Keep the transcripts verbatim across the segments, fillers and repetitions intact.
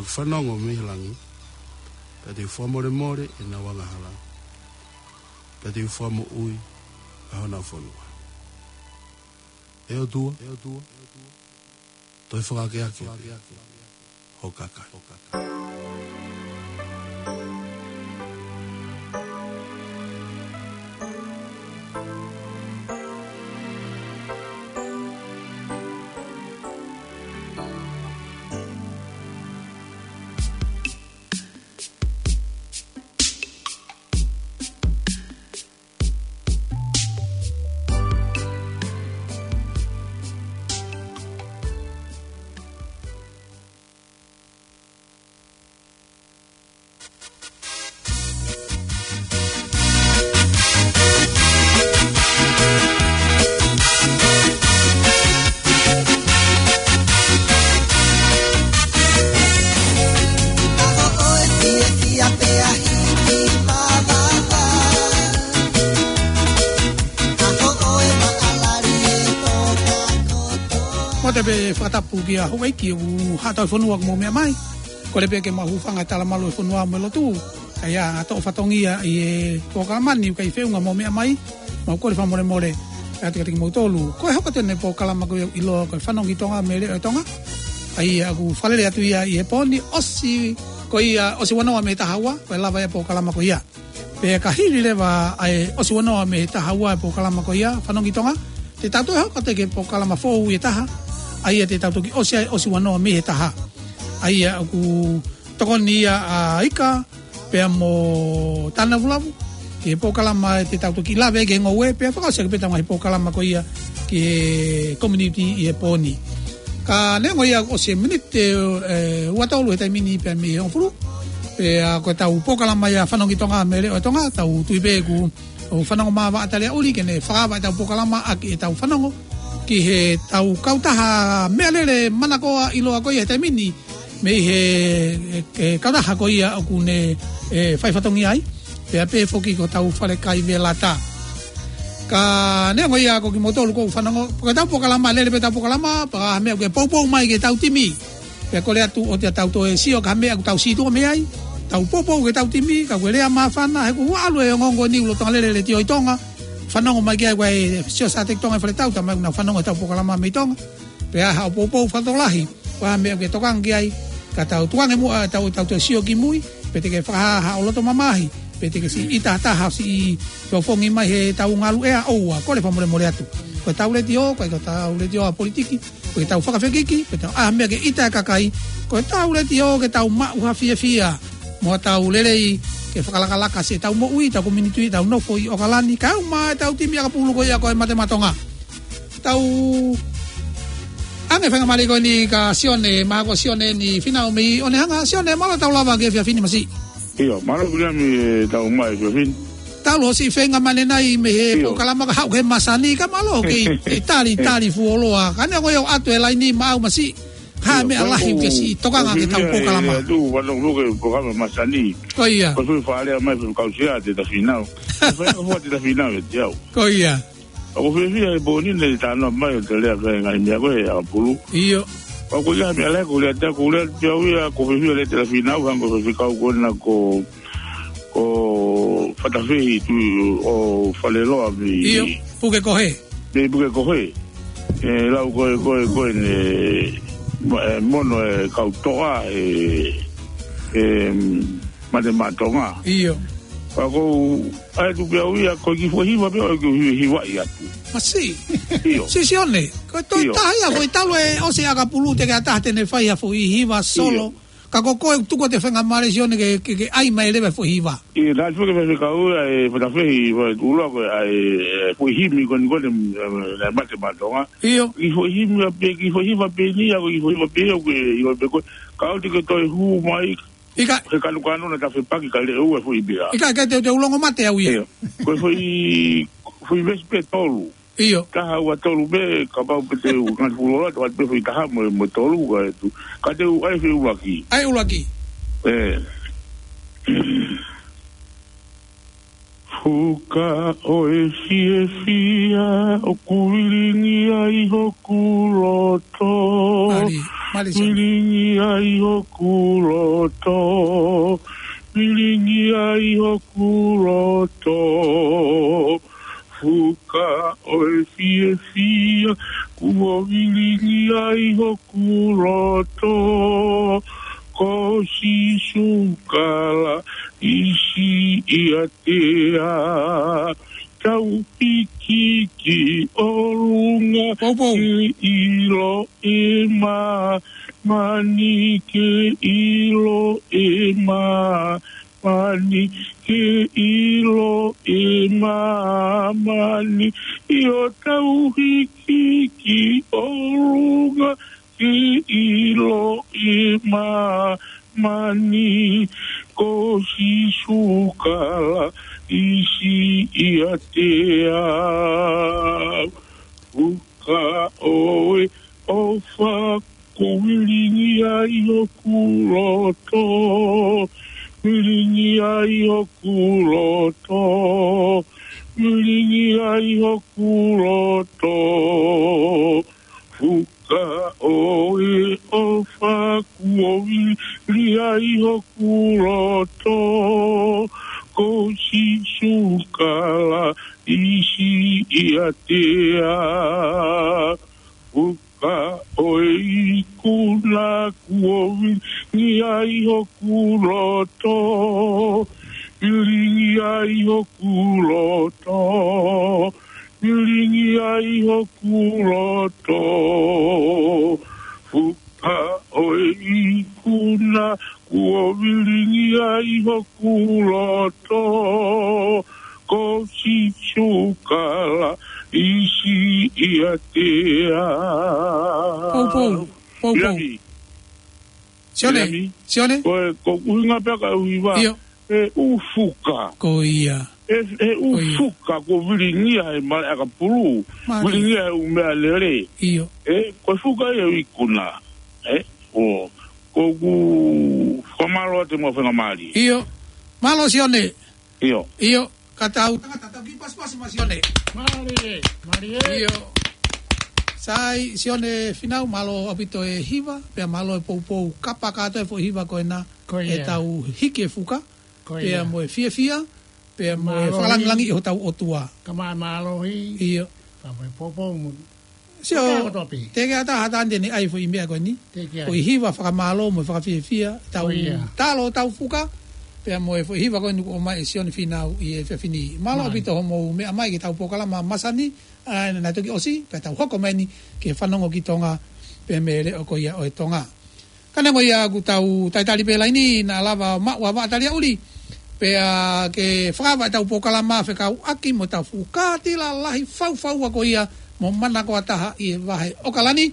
Fanongo mei he langi, pea te u fakamolemole ʻenau angahala, pea te u fakamoʻui ʻa honau fonua. ʻE ʻOtua, toe fakaakeake pē ho kakai. Mo te pē fakatapu kia houʻeiki ʻoku haʻatau fonua ʻoku mou meʻa mai. Kole pē ke mou hūfanga he talamalu ʻo e fonua mo e lotu. Kae ʻatā ʻa e fatongia ʻi he polokalama ni ʻoku ʻikai feʻunga mou meʻa mai. Mau kole fakamolemole atu kiate kimoutolu. Ko e hoko atu eni e polokalama ko ia ʻoku ʻiloa ko e Fanongo ki Tonga mei he Leʻo ʻo Tonga. ʻA ia ʻoku fakalele atu ia ʻi he pō ni ʻosi ko ia ʻosi ua noa mei he taha ua, ko e lava ia e polokalama ko ia. Pea ka hili leva ʻa e ʻosi ua noa mei he taha ua e polokalama ko ia, Fanongo ki Tonga, te tau toe hoko atu ki he polokalama foʻou ʻe taha, ʻa ia te tau toki ʻosi ai ʻosi ua noa mei he taha. ʻA ia ʻoku tokoni ia ʻa Ika, pea mo Tānavulavu, ki he polokalama te tau toki lave ki he ngoue, pea fakaʻosi ʻaki pē ʻetau ngaahi polokalama ko ia ki he community ʻi he pō ni. Ka neongo ia ʻosi e miniti, ē, ua tolu he taimi ni pea mei he hongofulu. Pea ko ʻetau polokalama ia Fanongo ki Tonga mei he Leʻo ʻo Tonga, tau tui pē ʻoku fanongo mai ʻa Taliaʻuli ke ne fakaava ʻetau polokalama ʻaki ʻetau fanongo ki heʻetau kautaha meʻalele manakoa ʻiloa ko ia he taimi ni mei he, he, he kautaha ko ia ʻoku ne, ē, fai fatongia ai. Pea pehē foki ko hotau fale kai Velata. Ka neongo ia ko kimoutolu ʻoku fanongo, ko ʻetau polokalama, lele pē ʻetau polokalama, pea ka ʻi ai ha meʻa ʻoku ke poupou mai ki heʻetau timi, pea kole atu ʻoua te tau toe sio ki ha meʻa ʻoku tau sītuʻa mei ai. Tau poupou ki heʻetau timi, ka ko e lea māfana, he ʻoku ʻalu e ongoongo ni ʻi he lolotonga lele e Letiō ʻi Tonga. Fanongo mai ki ai, ko e sio Sateki Tonga ʻi Fale Tau, tau mai ʻoku nau fanongo ʻetau polokalama mei Tonga. Pea haʻo poupou fakatokolahi, ko e hā e meʻa ʻoku ke tokanga ki ai, ka tau tukuange muʻa ʻetau, ʻetau toe sio ki mui, pe te ke fakahā haʻo loto mamahi, pe te ke siʻi ʻita ha taha siʻi feʻofoʻofani mai heʻetau ngaluʻea, ʻoua, kole fakamolemole atu. Ko ʻetau Letiō, ʻikai ko ʻetau Letiō ʻa politiki, ko ʻetau fakafekiki, ko ʻetau ʻai ha meʻa ke ʻita e kakai, ko ʻetau Letiō ke tau maʻu ha fiefia, mo ʻetau lelei ke fakalakalaka siʻetau moʻui, ʻetau community, ʻetau nofo ʻi ʻOkalani, kae ʻumaʻā ʻetau timi ʻakapulu ko ia ko e Mate Maʻa Tonga. Tau ʻange faingamālie ko eni kia Sione, mahalo ko Sione ni Finau mei ʻOnehunga. Sione, mālō e tau lava ki he efiafi ni masiʻi. ʻIo, mālō Viliami, e tau mai efiafi ni. Tau lō siʻi feinga mane nai mei he ʻIo. polokalama ka haʻu ki he masani, ka mālō ke ʻi, ʻi tali, tali fuoloa. Ka neongo ia ʻoku ʻoatu e laini maʻau masiʻi. Ka ʻIo, meʻa lahi ʻoku ke siʻi tokanga ki heʻetau polokalama. Atu, wano loke polokalama masani. Ko ia. Ko e fai fakalea mai fai kausia te ta Finau. Fai ko fua te ta Finau e te au. Ko ia. ʻOku ou fiefia he pō ni ne talanoa mai ʻo te lea ki he ngaahi meʻa ko ē ʻakapulu. ʻIo. ʻOku ʻi ai ha meʻa lahi ʻoku ou lea atu, ʻoku ou lea atu pē au ia, ʻoku ou fiefia he lea te la Finau, hangē ko e faifekau ko ena ko, ko Fatafehi Tuʻi ʻo Faleloa mei ʻIo, Pukekohe. mei Pukekohe. ʻE lau ko ē, ko ē, ko ē ne, ma-, ʻe mono e kau toʻa, ʻe, ʻe, Mate Maʻa Tonga. ʻIo. Ka ʻoku ou ʻai atu pē au ia, ko e kiʻi foʻi hiva pē ʻoku ou hiva, hivaʻi atu. Masiʻi. ʻIo. Siʻi Sione, ko e toe ʻIo. taha ia, ko e talu e ʻosi ʻakapulu te ke ʻatā te ne fai ha foʻi hiva solo. ʻIo. Ka ko koe tuku atu e faingamālie Sione ke, ke, ke ʻai mai leva e foʻi hiva. ʻIo, naʻe tuku ke faifekau ia ʻe Fatafehi, Fatafehi Tuʻuloa ko e ʻai, e, foʻi himi ko eni ko eni, e, e, Mate Maʻa Tonga. ʻIo. Kiʻi foʻi himi ia pē, kiʻi foʻi hiva pē eni ia, ko e kiʻi foʻi hiva pē ia, ko e hiva pē ko ē. Ka ʻoua te ke toe hū mai, ʻIkai. He kanukanu na ta fepaki ka leʻo ua foʻi pea. ʻIkai, ʻikai te u, te u longo mate au ia. ʻIo. Ko e foʻi, foʻi veesi pē tolu. ʻIo. Taha ua tolu pē, kapau pē te u ngati fuoloa, te u ʻoatu pē foʻi taha mo, mo tolu, ka e tu. Ka te u ʻai foʻi ʻuluaki. ʻAi ʻuluaki. ʻE. Fuka ʻo e fiefia ʻoku vilingia ʻi hoku loto. Mali. Mālie Sione. Vilingia ʻi hoku loto, vilingia ʻi hoku loto, fuka ʻo e fiefia, kuo vilingia ʻi hoku loto, ko Sīsū Kalaisi ʻiate au. Tau hiki ki ʻolunga, Poupou, ke ʻilo ʻe māmani, ke ʻilo ʻe māmani, ke ʻilo ʻe māmani. ʻIo, tau hiki ki ʻolunga, ke ʻilo ʻe māmani, ko Sīsū Kalaisi ʻiate au. Fuka ʻo e ʻofa, kuo vilingia ʻi hoku loto, vilingia ʻi hoku loto, vilingia ʻi hoku loto. Fuka ʻo e ʻofa, kuo vilingia ʻi hoku loto, ko Sīsū Kalaisi ʻiate au. Fuka ʻo e ikuna, kuo vilingia ʻi hoku loto, vilingia ʻi hoku loto, vilingia ʻi hoku loto. Fuka ʻo e ikuna, kuo vilingia ʻi hoku loto, ko Sīsū Kalaisi ʻiate au. Poupou, Poupou. Irahi. Sione, Irahi. Sione. Ko e, ko e ʻuhinga pē ʻa e hiva. ʻIo. ʻE ʻū fuka. Ko ia. ʻE, ʻe ʻū, ko ia, fuka kuo vilingia ʻe Malaʻe ʻAkapulu. Mālie. Vilingia ʻe ʻū meʻalele. ʻIo. ʻE, ko e fuka ia ʻo e ikuna. ʻE, ʻo, ʻoku ou fakamālō atu mo e faingamālie. ʻIo. Mālō Sione. ʻIo. ʻIo. Ka tau tangata, tau kiʻi pasipasi mo Sione. Mālie, mālie. ʻIo. Sai, Sione Fīnau, mālō ʻaupito e hiva, pea mālō e poupou kapa kātoa e foʻi hiva ko ena, ko ia, ʻetau hiki e fuka, ko ia, pea mo e fiefia, pea mo e, mālohi, fakalāngilangiʻi hotau ʻOtua. Ka ma-, mālohi. ʻIo. Ka mo e poupou mo. Sio, ko e kotoa pē. Teʻeki ai ha taha ʻe ʻai e foʻi meʻa ko eni. Teʻeki ai. Ko e hiva fakamālō mo e fakafiefia, tau, ko ia, talo tau fuka, pea mo e foʻi hiva ko eni kuo ʻomai ʻe Sione Fīnau ʻi he efiafi ni. Mālō, mālie, ʻaupito hoʻomou meʻa mai ki heʻetau polokalama masani, ʻa, naʻe toki ʻosi, pea tau hoko mai eni ki he fanongo ki Tonga, pea mei he leʻo ko ia ʻo e Tonga. Ka neongo ia ʻoku tau talitali pē laini, naʻa lava maʻu ʻa Vaʻa Taliaʻuli, pea ke fakaava ʻetau polokalama fekauʻaki mo ʻetau fuʻu kātila lahi faufaua ko ia mo manakoa taha ʻi he vahe ʻOkalani,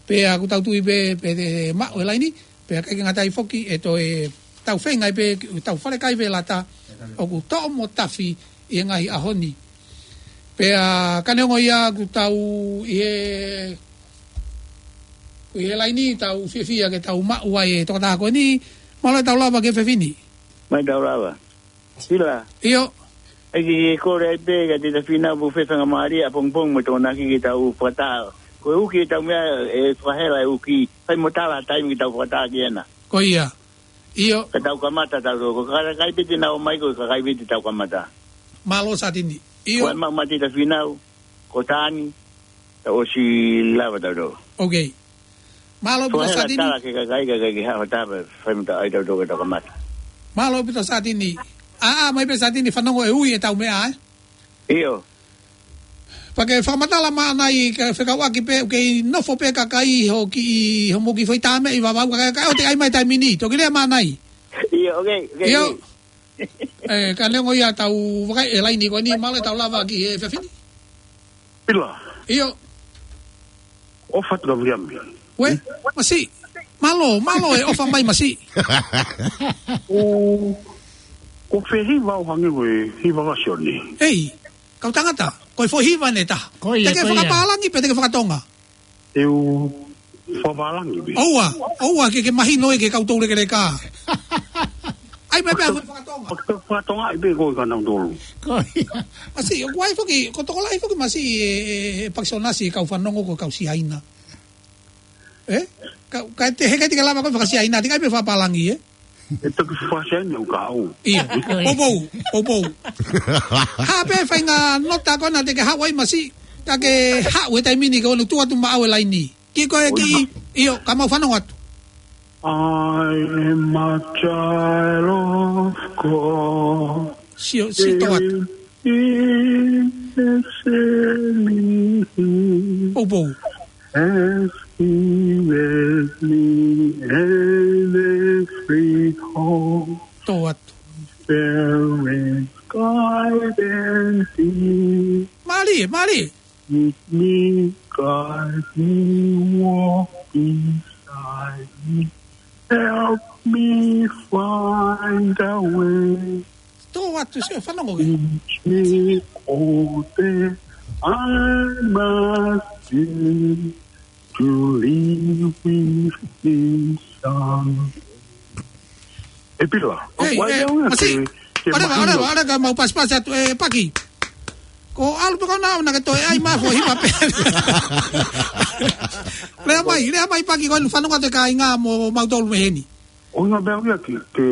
pea ʻoku tau tui pē, pē te maʻu e laini, pea ʻikai ke ngata ai foki ʻe toe tau feinga ai pē, tau falekai pē lata, ʻoku toʻo mo tafi ʻi he ngaahi ʻaho ni. Pea ka neongo ia ʻoku tau ʻi he, ʻoku ʻi he laini, tau fiefia ke tau maʻu ai e tokotaha ko eni, mālō e tau lava ki he efiafi ni. Mālō e tau lava. Sila. ʻIo. ʻAi ke, ke kole ai pē kiate Tafina ʻoku fai e faingamālie ʻapongipongi mo Tokonaki ke tau fakataha. Ko e uki ʻetau meʻa ʻe fakahela e uki. Fai mo tala taimi ke tau fakataha ki hena. Ko ia. ʻIo. Ka tau kamata tau tō. Ko e kakai pē te nau ō mai, ko e kakai pē te tau kamata. Mālō Satini. ʻIo. Ko e maʻu mai ʻa Tafina, ko Tani, tau ʻosi lava tau tō. Ok. Mālō ʻaupito Satini. Tala ke kakai, kakai ke haʻu ʻo tapa, fai mo tau ʻai tau tō ke tau kamata. Mālō ʻaupito Satini. ʻA, ʻomai pē Satini fanongo e ui ʻetau meʻa, ē? ʻIo. Pea ke fakamatala mai ange, ke fekauʻaki pē, ke nofo pē kakai ho kiʻi, hoʻomou kiʻi foʻi tāmeʻi vavau, kakai, kakai ʻoku te ʻai mai taimi ni, toki lea mai ange. ʻIo, ok, ok. ʻIo. ʻE, ka neongo ia tau vakai e laini ko eni, mālō e tau lava ki he efiafi ni. Pila. ʻIo. ʻOfa atu ka Viliami. Uē, masiʻi. Mālō, mālō e ʻofa mai masiʻi. ʻO, ʻoku fē hiva ʻo hangē ko e hiva ʻa Sione? ʻEi, kau tangata, ko e foʻi hiva ʻe taha. Ko ia, ko ia. Te ke fakapālangi pe te ke fakatonga? ʻE u fakapālangi pē. ʻOua, ʻoua ke, ke mahino ʻe ke kau toulekeleka. ʻAi mai pē ʻa e fakatonga. Fakatonga ai pē ko e kanau tolu. Ko ia. Masiʻi, ʻoku ʻi ai foki, ko e tokolahi foki masiʻi e, e, e Pakisonasi kau fanongo ko e kau Siaina. Ē? Ka, ka te heka te ke lava ko e fakasiaina, te ke ʻai pē fakapālangi, ē? ʻE toki fakasiaina ʻo kau. Ia, poupou, poupou. Hā pē faʻahinga nota ko ena te ke haʻu ai masiʻi, ka ke haʻu he taimi ni ke ʻoua naʻa tuʻu atu maʻau e laini. Ki ko e ki, ʻio, ka mau fanongo atu. I am a child of God. Sio, sio atu. Poupou. As he led me and every home. Tō atu. There is guidance in. Mālie, mālie. Lead me, guide me, walk beside me. Help me find a way. Tō atu, sio, fanongo ke. Teach me all that I must do to live with peace and. ʻE Pila, ʻoku ʻai au ia ke, ke ʻoleva, mahino. ʻOleva, ʻoleva, ka mau pasipasi atu, ʻe Paki. Ko ʻalu pē ko ena ʻo na ke toe ʻai mafo hiva pē. Lea mai, lea mai Paki ko eni fanongo atu e kāinga mo mautolu mei heni. ʻOku ʻai pē au ia ke, ke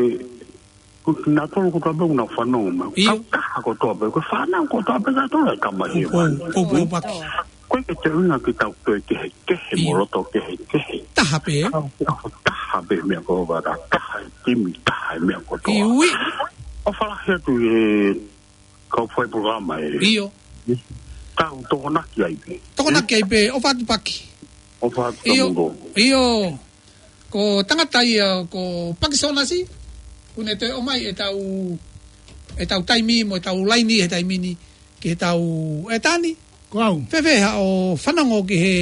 Ko kinautolu kotoa pē ʻoku nau fanongo mai. ʻIo. Kau taha kotoa pē, ko e fānau kotoa pē kinautolu ʻa e kama ʻi he Poupou, poupou Paki. Ko e ke te ʻuhinga ke tau toe kehekehe mo loto kehekehe. Taha pē. Kau, kau taha pē meʻa ko ē, taha e timi, taha e meʻa kotoa. ʻIo. ʻOfa lahi atu ʻi he kau fai polokalama ē. ʻIo. Tau tokonaki ai pē. Tokonaki ai pē, ʻofa atu Paki. ʻOfa atu. ʻIo. Ko tangata ia ko Paki Sonasi, ʻoku ne toe ʻomai ʻetau, ʻetau taimi mo ʻetau laini he taimi ni, ke tau ʻe Tani. Ko au. Fēfē haʻo fanongo ki he,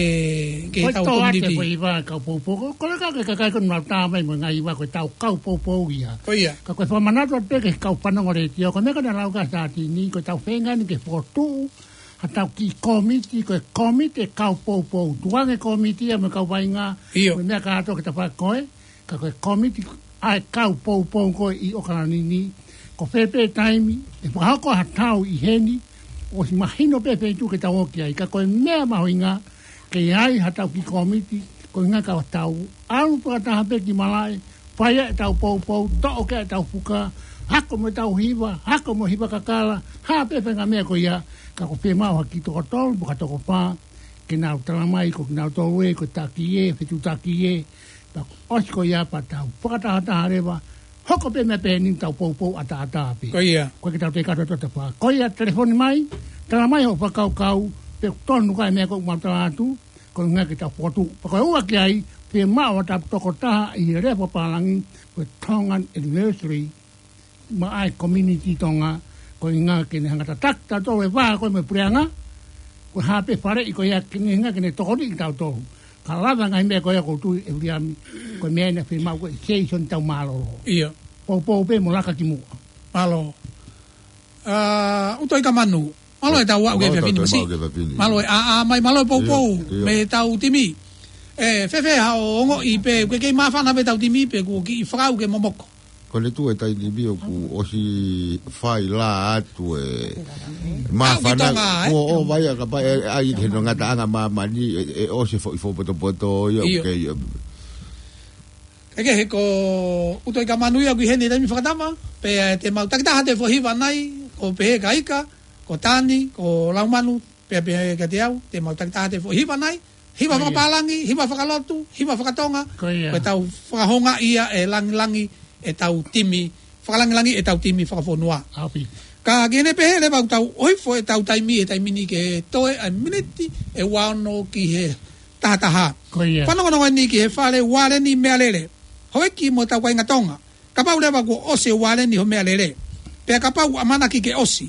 ki heʻetau community. Ko e tō atu e foʻi hiva kau poupou. Ko, ko e kakai, kakai ko ē ʻoku nau tā mai mo e ngaahi hiva ko ʻetau kau poupou ia. Ko ia. Ka ko e fakamanatu atu pē ki he kau fanongo letiō, ko e meʻa ko ē naʻa lau ka sātini, ko ʻetau feinga ni ke fokotuʻu haʻatau kiʻi kōmiti, ko e kōmiti e kau poupou. Tukuange kōmiti ia mo e kau vaʻinga, ʻIo. mo e meʻa kātoa ke ta fai ko ē, ka ko e kōmiti ʻa e kau poupou ko ē ʻi ʻOkalani ni, ko fē pē taimi, ʻe fakahoko ha tau ʻi heni, ʻosi mahino pē feituʻu ke tau ō ki ai, ka ko e meʻa mahuʻinga, ke ʻi ai haʻatau kiʻi kōmiti, ko e ʻuhinga ka tau ʻalu fakataha pē ki malaʻe, fai ʻetau poupou, toʻo ki ai ʻetau fuka, hako mo ʻetau hiva, hako mo e hiva kakala, hā pē faʻahinga meʻa ko ia, ka ʻoku fiemaʻu ha kiʻi toko tolu, pe ko ha toko fā, ke nau tala mai, ko kinautolu ē, ko e taki ē, fetuʻutaki ē, pea ʻosi ko ia pea tau fakatahataha leva, hoko pē meʻa pehē ni ʻetau poupou ʻataʻatā pē. Ko ia. Ko e ke tau te kato tota pā. Ko ia telefoni mai, tala mai hoʻo fakakaukau, pe ʻoku tonu ka e meʻa ko ē ʻoku mau tala atu, ko e ʻuhinga ke tau fokotuʻu. Pea ko e ua ki ai, fiemaʻu haʻatau tokotaha ʻi he lea fakapālangi, ko e Tongan Anniversary, maʻa e community Tonga, ko e ʻuhinga ke ne hanga tataki tautolu e vā ko ē mo e puleʻanga, ko e hā pē faleʻi ko ia ke ne hanga ke ne tokoniʻi tautolu. Ka lava ngaahi meʻa ko ia ʻoku ou tui ʻe Viliami, ko e meʻa ena fiemaʻu ko e Jason tau mālōlō. ʻIo. Poupou pē mo laka ki muʻa. Mālō. ʻA, ʻUtoʻi ka Manu. Mālō e tau aʻu ki he Mālō e tau efiafi ni tau masiʻi. Mālō ki he efiafi ni. Mālō e ʻā, ʻā mai, mālō e poupou, ʻIo, ʻio. mei he tau timi. ʻE, fēfē haʻo ongoʻi pe, ʻoku kei māfana pē ʻetau timi pe, kuo kiʻi fakaʻau ke momoko. Ko e tuʻu e taimi ni ʻoku ʻosi fai lā atu e māfana, Tonga, ē? kuo ʻova ia ka pai, ʻe, ʻai ke no ngataʻanga māmani, ʻe, ʻe ʻosi foʻi fōpotopoto ia, ʻIo. ʻoku kei, ʻe, Ke kehe ko ʻUtoʻi ka Manu ia ʻoku ʻi heni he taimi fakatama, pea te mau takitaha atu e foʻi hiva nai, ko pehē ka ika, ko Tani, ko Laumanu, pea pehē kiate au, te mau takitaha atu e foʻi hiva nai, hiva Ko ia. fakapālangi, hiva fakalotu, hiva fakatonga, Ko ia. ko ʻetau fakahoungaʻi ʻa e langilangi ʻetau timi, fakalāngilangi ʻetau timi fakafonua. ʻAupito. Ka ke ne pehē leva ʻoku tau ʻohifo ʻetau taimi he taimi ni ke toe ʻa e miniti ʻe ua ono ki he taha taha. Ko ia. Fanongonongo eni ki he fale ualeni meʻalele. Houʻeiki mo ʻetau kāinga Tonga. Kapau leva kuo ʻosi e ualeni ho meʻalele. Pea kapau ʻoku ʻamanaki ke ʻosi.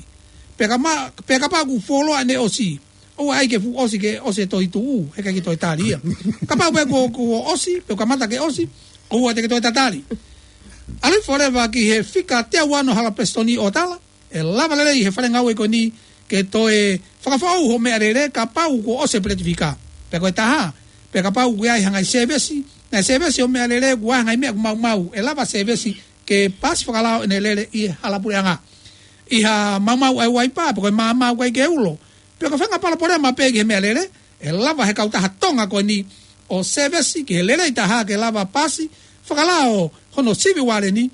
Pea kama-, pea kapau kuo fuoloa ʻene ʻosi. ʻOua ʻai ke fuʻu ʻosi ke ʻosi e tohi tuʻu, he ʻikai ke toe tali ia. Kapau pē kuo, kuo ʻosi, pe kamata ke ʻosi, ʻoua te ke toe tatali. ʻAlu hifo leva ki he fika teau ua ono hala pesitoni ʻo tala, ʻe lava lelei he fale ngāue ko eni ke toe fakafoʻou ho meʻalele kapau kuo ʻosi e peleti fika. Pea ko e taha, pea kapau kuo ʻi ai ha ngaahi sēvesi, ngaahi sēvesi ho meʻalele kuo ʻi ai ha ngaahi meʻa ʻoku maumau, ʻe lava sēvesi ke pasi fakalao ʻene lele ʻi he hala puleʻanga. ʻI ha maumau ʻa e uaipa, pe ko e maama ʻoku ʻikai ke ulo. Pe ko e faʻahinga palopalema pē ki he meʻalele, ʻe lava he kautaha Tonga ko eni, ʻo sēvesi ki he lelei taha ke lava pasi fakalao hono sivi ualeni,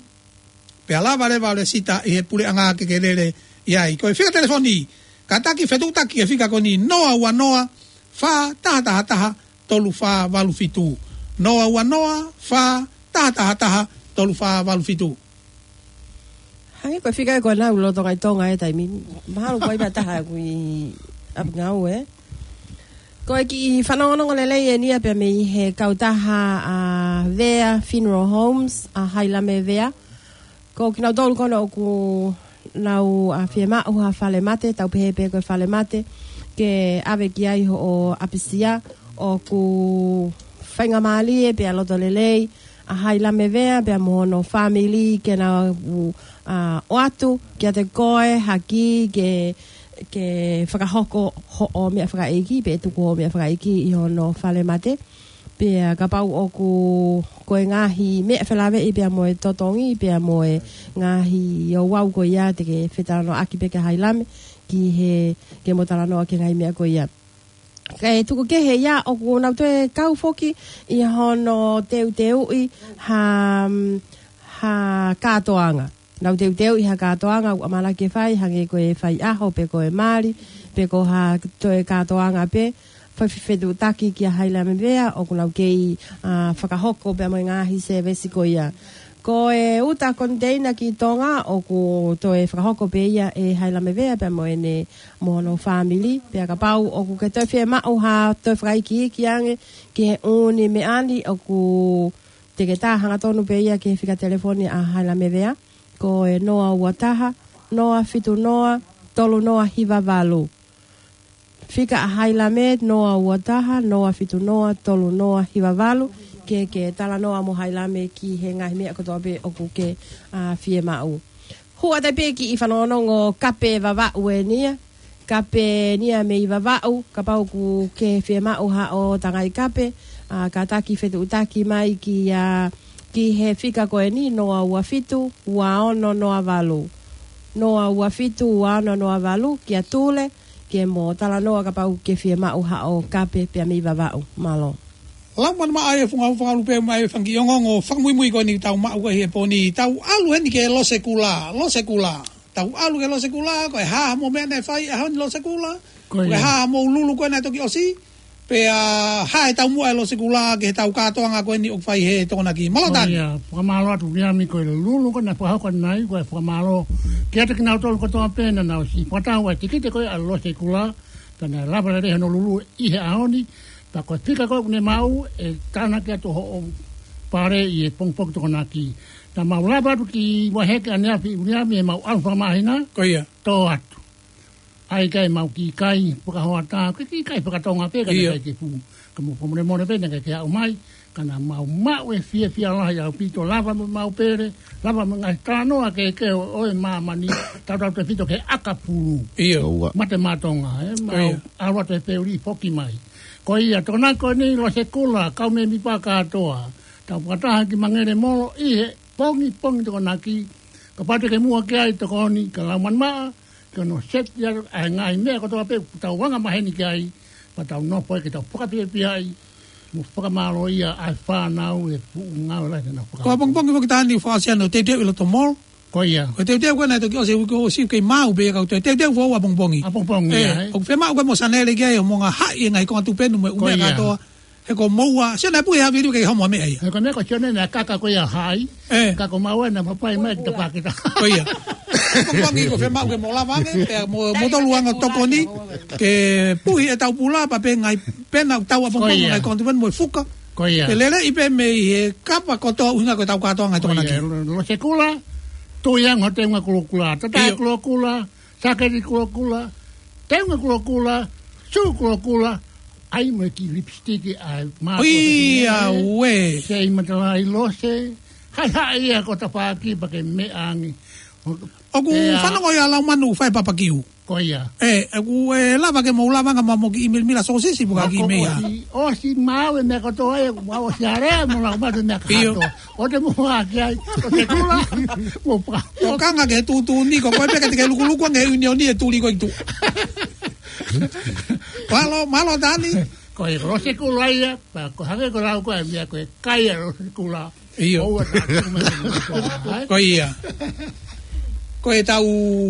pea lava leva ʻo lēsisita ʻi he puleʻanga ke ke lele ʻi ai. Ko e fika telefoni, kātaki fetuʻutaki e fika ko eni, noa ua noa, fā taha taha taha, tolu fā valu fitu. Noa ua noa, fā taha taha taha, tolu fā valu fitu. Hangē ko e fika ē ko ena ʻoku lolotonga ʻi Tonga he taimi ni. Mahalo ko e ʻi ai pē ha taha ʻoku ʻi ʻapi ngāue, ē? Ko e kiʻi fanongonongo lelei eni ia pea mei he kautaha ʻa Vea Funeral Homes, ʻa Hailame Vea. Ko kinautolu ko ena ʻoku nau, ʻa, fiemaʻu ha fale mate, tau pehē pē ko e fale mate, ke ʻave ki ai hoʻo ʻapisia. ʻOku faingamālie pea loto lelei ʻa Hailame Vea pea mo hono fāmili ke nau, ʻa, ʻoatu kiate koe ha kī ke, ke fakahoko hoʻo meʻa fakaʻeiki, pe tuku hoʻo meʻa fakaʻeiki ʻi hono fale mate. Pea kapau ʻoku, ko e ngaahi meʻa felāveʻi pea mo e totongi, pea mo e ngaahi ouau ko ia, te ke fetalanoaʻaki pē kia Hailame ki he, ke mo talanoa ki he ngaahi meʻa ko ia. Kae tuku kehe ia ʻoku nau toe kau foki ʻi hono teuteuʻi ha, ha kātoanga. Nau teuteuʻi ha kātoanga ʻoku ʻamanaki ke fai, hangē ko e fai ʻaho, pe ko e mali, pe ko ha toe kātoanga pē, fai fe-, fetuʻutaki kia Hailame Vea, ʻoku nau kei, ʻa, fakahoko pea mo e ngaahi sēvesi ko ia. Ko e uta koniteina ki Tonga, ʻoku toe fakahoko pē ia ʻe Hailame Vea pea mo ʻene, mo hono fāmili, pea kapau ʻoku ke toe fiemaʻu ha toe fakaikiiki ange ki he ʻū meʻa ni, ʻoku te ke tā hangatonu pē ia ki he fika telefoni ʻa Hailame Vea, ko e noa ua taha, noa fitu noa, tolu noa hiva valu. Fika ʻa Hailame, noa ua taha, noa fitu noa, tolu noa hiva valu, ke, ke talanoa mo Hailame ki he ngaahi meʻa kotoa pē ʻoku ke, ʻa, fiemaʻu. Hū atu pē kiʻi fanongonongo kape Vavaʻu eni ia. Kape eni ia mei Vavaʻu, kapau ʻoku ke fiemaʻu haʻo tangai kape, ʻa, kātaki fetuʻutaki mai ki, ʻa, ki he fika ko eni, noa ua fitu, ua ono noa valu. Noa ua fitu, ua ono noa valu, kia Tule, ke mo talanoa kapau ʻoku ke fiemaʻu haʻo kape pea mei Vavaʻu. Mālō. Lau manu maʻa e funga funga lupe mai e fanga kiʻi ongoongo fakamuimui ko eni tau maʻu ko ē he pō ni, tau ʻalu heni ki he Losekula, Losekula. Tau ʻalu ki he Losekula, ko e hā haʻamou meʻa naʻe fai he ʻaho ni Losekula? Ko ia. Ko e hā haʻamou lulu ko ē naʻe toki ʻosi? Pea hā e taumuʻa e Losekula ki he tau kātoanga ko eni ʻoku fai he Tokonaki? Mālō Tani. Ko ia, fakamālō atu Viliami, ko e lulu ko ē naʻe fakahoko ʻanenai, ko e fakamālō kiate kinautolu kotoa pē naʻa nau ʻosi fakatau ʻa e tikite ko ē ʻa Losekula, pea naʻe lava lelei hono lulu ʻi he ʻaho ni, pea ko e fika ko ē ʻoku ne maʻu, ʻe tānaki atu hoʻo pale ʻi he pongipongi Tokonaki. Naʻa mau lava atu ki Vaihekeaneafi Viliami, ʻemau ʻalu fakamāhina. Ko ia. Tō atu. ʻAi kae mau kiʻi kai fakahoʻatā, ke kiʻi kai fakatonga pē, ka naʻe ʻIo. ʻikai ke fuʻu. Ka mo fakamolemole pē, naʻe ʻikai ke aʻu mai, ka naʻa mau maʻu e fiefia lahi ʻaupito, lava mo ʻemau pele, lava mo e ngaahi talanoa kehekehe ʻo, ʻo e māmani, tautautefito ki he ʻakapulu. ʻIo. ʻOua. Mate maʻa Tonga, ē, mau ʻIo. ʻalu atu e feuli foki mai. Ko ia, Tokonaki ko eni Losekula, kau mēmipa kātoa. Tau fakataha ki Mangelemolo ʻi he pongipongi Tokonaki, kapau te ke muʻa ki ai tokoni, ka lau manu maʻa, ke ʻoua naʻa seti ʻa e ngaahi meʻa kotoa pē ʻoku tau anga maheni ki ai, pea tau nofo ai ke tau fakafiefiaʻi mo fakamālōʻia ʻa e fānau he fuʻu ngāue lahi naʻa nau fakahoko. Ko e pongipongi foki Tani, fakaʻosi ʻa e teuteu ʻi loto mall. Ko ia. Ko e teuteu ko ē naʻe toki ʻosi e uike kuo ʻosi, kei maʻu pē ia ka ko e teuteu foʻou ʻapongipongi. ʻApongipongi, ʻE, ʻa e. ʻOku fiemaʻu ke mo Sanele ki ai ʻo mo ngaohi e ngaahi konga tupe mo e ʻū Ko meʻa ia. kātoa. He ko moua, sio naʻe puhi ha viliu ke homo meʻa ia. He ko e meʻa ko Sione naʻe kaka ko ia hai. ʻE. Ka ko maua naʻa mo pai mai ki ta pakita. Ko ia. Ko e pongipongi ko e fiemaʻu ke mo lava ange, pea mo, mo tolu anga tokoni, ke puhi e tau pula, pea pē ngaahi pena tau ʻapongipongi Ko ia. ngaahi konga tupe mo e fuka. Ko ia. Ke lele ʻi pē mei he kapa kotoa ʻuhinga ko e tau kātoanga ʻi Ko ia. Tokonaki. Lo, Losekula, tui ange ho teunga kulokula. Tata ʻIo. kulokula, Saketi kulokula, teunga kulokula, sū kulokula, ʻai mo e kiʻi lipstick ʻa e mātuʻa ʻIa pehē, uē. Seʻi matalai Lose, haʻihaʻi ia ko e tafaʻaki pea ke meʻa ange. ʻOku Pea fanongo ia lau manu fai papakiu. Ko ia. ʻE, ʻoku ʻe lava ke mou lava anga ma mo kiʻi milamila sōsisi puka Mako kiʻi meʻa. ʻosi, ʻosi maʻu e meʻa kotoa ē, ʻosi alea mo lau manu meʻa ʻIo. kātoa. ʻO te muʻa ki ai, ʻo te kula, mo pa. ʻO kanga ke tūtū ni, ko koe pē ke te ke lukuluku ange he ʻunioni e tuli ko ʻi tuʻa. Mālō, mālō Tani. Ko e losekula ia, pea ko e hangē ko e lau ko ē ʻa e meʻa ko e kai ʻa e losekula. ʻIo. ʻOua naʻa tuku mai ke mou tō, ʻai? Ko ia. Ko ʻetau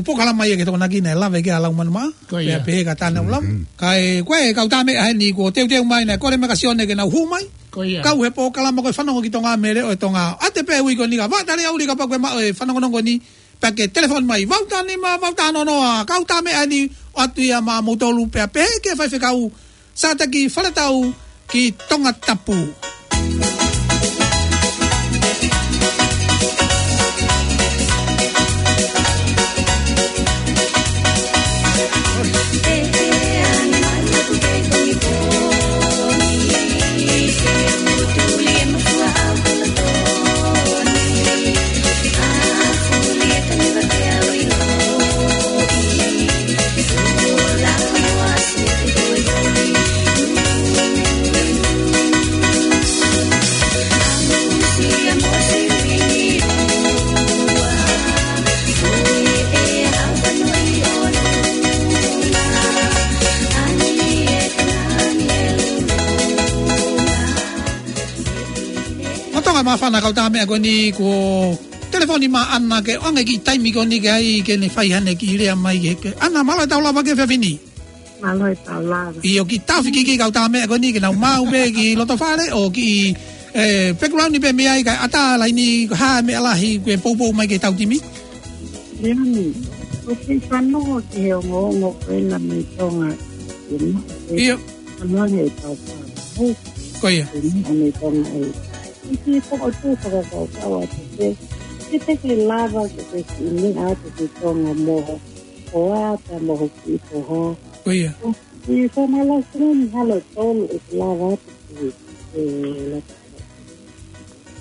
polokalama ia ki Tokonaki naʻe lave ki ai ʻa Laumanu Maʻa. Ko ia. Pea pehē kia Tāne ʻUluafu. Mm. Kae, ko e kau tā meʻa heni kuo teuteu mai naʻe kole mai kia Sione ke nau hū mai. Ko ia. Kau he polokalama ko e Fanongo ki Tonga mei he Leʻo ʻo e Tonga. ʻAte pē ui ko eni ka vaʻa tali ʻauli kapau ko e maʻu e fanongonongo ni. Pea ke telefoni mai, valu taha nima, valu taha noa noa, kau tā meʻa ni, ʻoatu ia maʻamoutolu pea pehē ki he faifekau, Sātaki Faletau ki Tongatapu. Mātuʻa māfana kau tā meʻa ko eni kuo telefoni mai ʻa ʻAna ke ʻoange kiʻi taimi ko eni ke ʻai ke ne fai haʻane kiʻi lea mai ke, ke. ʻAna, mālō e tau lava ki he efiafi ni. Mālō e tau lava. ʻIo, kiʻi tafi kiʻi kau tā meʻa ko eni ke nau maʻu pē kiʻi loto fale ʻo kiʻi, ē, pekulauni pē mei ai kae ʻatā laini ko e hā e meʻa lahi kuo poupou mai ki he tau timi. Leoni, ʻoku kei fanongo ki he ongoongo ko ena mei Tonga. ʻIo. Fanongo he tau fale. Ko ia. Mei Tonga ē. ʻI he kiʻi pokotuʻu fakakaukau atu pē, ke te ke lava ke te kiʻi meʻa atu ki Tonga mo ho hoa pea mo ho kiʻi foha. Ko ia. ʻI he fōmala sini halo tolu ʻe ke lava atu ki he lata.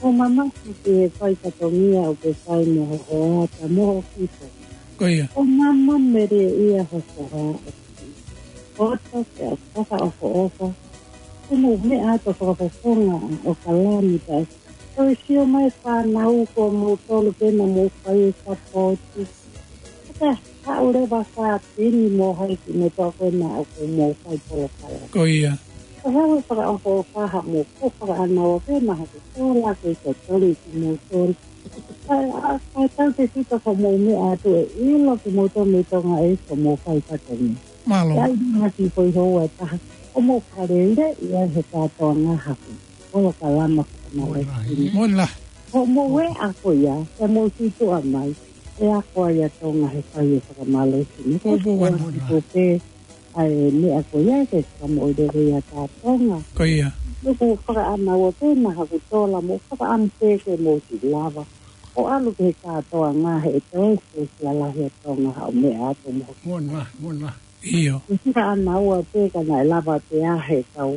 ʻO mamaki ki he fai fatongia ʻoku ke fai mo ho hoa pea mo ho kiʻi foha. Ko ia. ʻO mama mele ia ho foha ʻo kiʻi. ʻOto pea fakaʻofoʻofa. Ko mou meʻa atu fakafofonga ʻo kalani pea ko e sio mai fānau ko moutolu pē naʻa mou fai e sapoti. Ka haʻu leva fāpini mo hai ki me toa ko ena ʻoku mou fai polokalama. Ko ia. Ko haʻu fakaʻofoʻofa haʻamou ko fakaʻanaua pē naʻa haku kola ke totoli ki moutolu. Ka, a, ka tau te sito ko mou meʻa atu ʻe ʻilo ki moutolu mei Tonga ē ko mou fai fatongia. Mālō. Ka ai ngati ko i houa taha. Ko mou kalele ia he kātoanga haku. Polokalama fakamālohisino. Moʻoni lahi. Ko mou ē ako ia, ke mou sītuʻa mai, ʻe ako ai ʻa Tonga he fai e fakamālohisino. Ko ia. Ko ia. Ko pē, ʻa e meʻa ko ia ke fakamoʻui lelei ʻa Tonga. Ko ia. Naʻa ku fakaʻanaua pē naʻa haku tola mo fakaʻamu pē ke mou siʻi lava. ʻO ʻalu ki he kātoanga he ʻe toe siʻi lalahi ʻa Tonga haʻo meʻa atu mo. Moʻoni lahi, moʻoni lahi. ʻIo. Ke fakaʻanaua pē ka naʻe lava pē ʻa e kau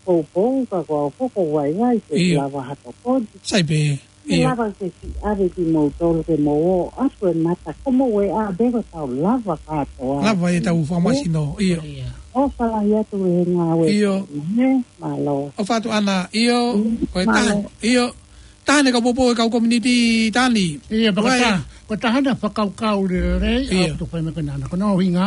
poupou ka ko au foki vaivai ke. ʻIo. Lava ha tokoni. Sai pē. Ke. ʻIo. Lava ke siʻi ʻave kimoutolu ke mou ō atu e mata ko mou ē ʻa pē ko tau lava kātoa. Lava e tau fakamālohisino. ʻIo. ʻIo. ʻOfa lahi atu he ngāue. ʻIo. Ē, mālō. ʻOfa atu ʻAna, ʻio. ʻIo, ko e taha, mālō. ʻIo. Taha ʻene kau poupou e kau community Tani. ʻIo, pea ko e taha, ko e taha ʻene fakakaukau lelei, ʻio. ʻA e tofai me ko ena. Ko hono ʻuhinga,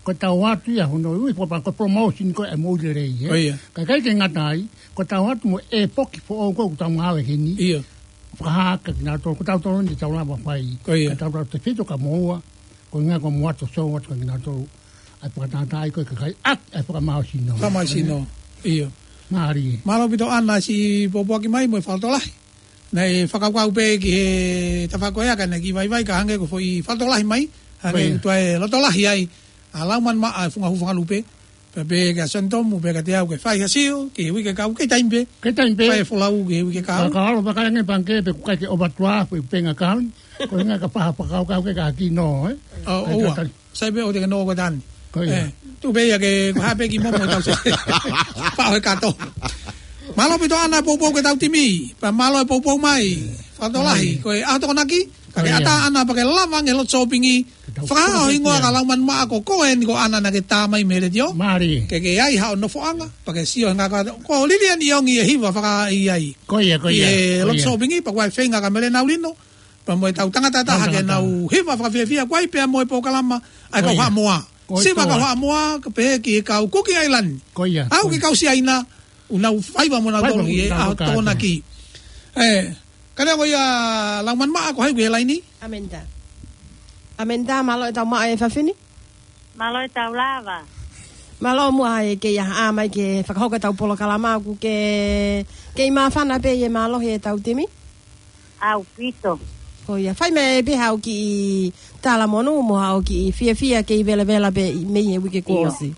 ko e tau atu ia hono ui, ko e pa-, ko e promotion ko e moʻui lelei, ē. Ko ia. Ka ʻikai ke ngata ai, ko e tau atu mo e poki foʻou ko ʻoku tau ngāue heni. ʻIo. Fakahā kia kinautolu, ko tautolu ni tau lava fai. Ko ia. Ka tautolu tefito kia moua, ko e ʻuhinga ko mou ʻoatu sou atu kia kinautolu. ʻA e fakatātā ai ko e kakai ʻaki, ʻa e fakamālohisino. Fakamālohisino. ʻIo. Mālie. Mālō ʻaupito ʻAna siʻi pōpoaki mai mo e fakalotolahi. Naʻe fakakaukau pē ki he tafaʻaki ko ia ka naʻe kiʻi vaivai ka hangē ko e foʻi fakalotolahi mai. Hangē. Ko ia. Tuʻu e lotolahi ai. ʻA Laumanu Maʻa ʻa e funga hū fanga lupe. Pea pehē kia Sione Tomu, pehē kiate au ke fai ha sio, ki he uike kahaʻu, kei taimi pē. Kei taimi pē. Fai e folau ki he uike kahaʻu. Ka, ka ʻalu fakalahi ange pangikē pe ʻoku ʻikai ke ʻoatu ʻa e foʻi bank account. Ko e ʻuhinga ka faʻa fakakaukau ke ka kino, ē? ʻO, ʻoua. Sai pē ʻoua te ke nō ko Tani. Ko ia. Ē, tuʻu pē ia ke, ko e hā pē kiʻi momo tau sio. Faʻo he kato. Mālō ʻaupito ʻAna poupou ki he tau timi. Pea mālō e poupou mai. Fakalotolahi. Ko e ʻaho Tokonaki. Ka ke ʻatā ʻAna pea ke lava ange lotu sōpingi. Fakahā ho hingoa ka Laumanu Maʻa ko koe eni ko ʻAna naʻa ke tā mai mei he letiō. Mālie. Ke ke ʻai haʻo nofoʻanga. Pea ke sio he ngaahi kato. Ko Liliani ʻIongi e hiva fakaʻaiʻai. Ko ia, ko ia. ʻI he lotu sōpingi, pea ko e feinga kia Mele Naulino. Pea mo e tau tangata taha ke nau hiva fakafiefia, ko ia pea mo e polokalama, ʻa e kau Haʻamoa. Ko e Siva toa. Kau Haʻamoa, ka pehē ki he kau Kuki ʻAilani. Ko ia. Aʻu ki he kau Siaina, ʻoku nau faiva mo nau Faiva tolu mo ʻi he nau ʻaho kātoa. Tokonaki. Ē, ka neongo ia Laumanimaʻa, ko hai ʻoku ʻi he laini? Amenta. Amenta, mālō e tau maʻa e fafini. Mālō e tau lava. Mālō muʻa e kei ʻaha mai ke fakahoko e tau polokalama ʻoku ke, kei māfana pē ʻi he mālohi e tau timi. ʻAupito. Ko ia, fai mai pē haʻo kiʻi talamonū mo haʻo kiʻi fiefia kei velavela pē ʻi, mei he uike kuo ʻIo. ʻOsi.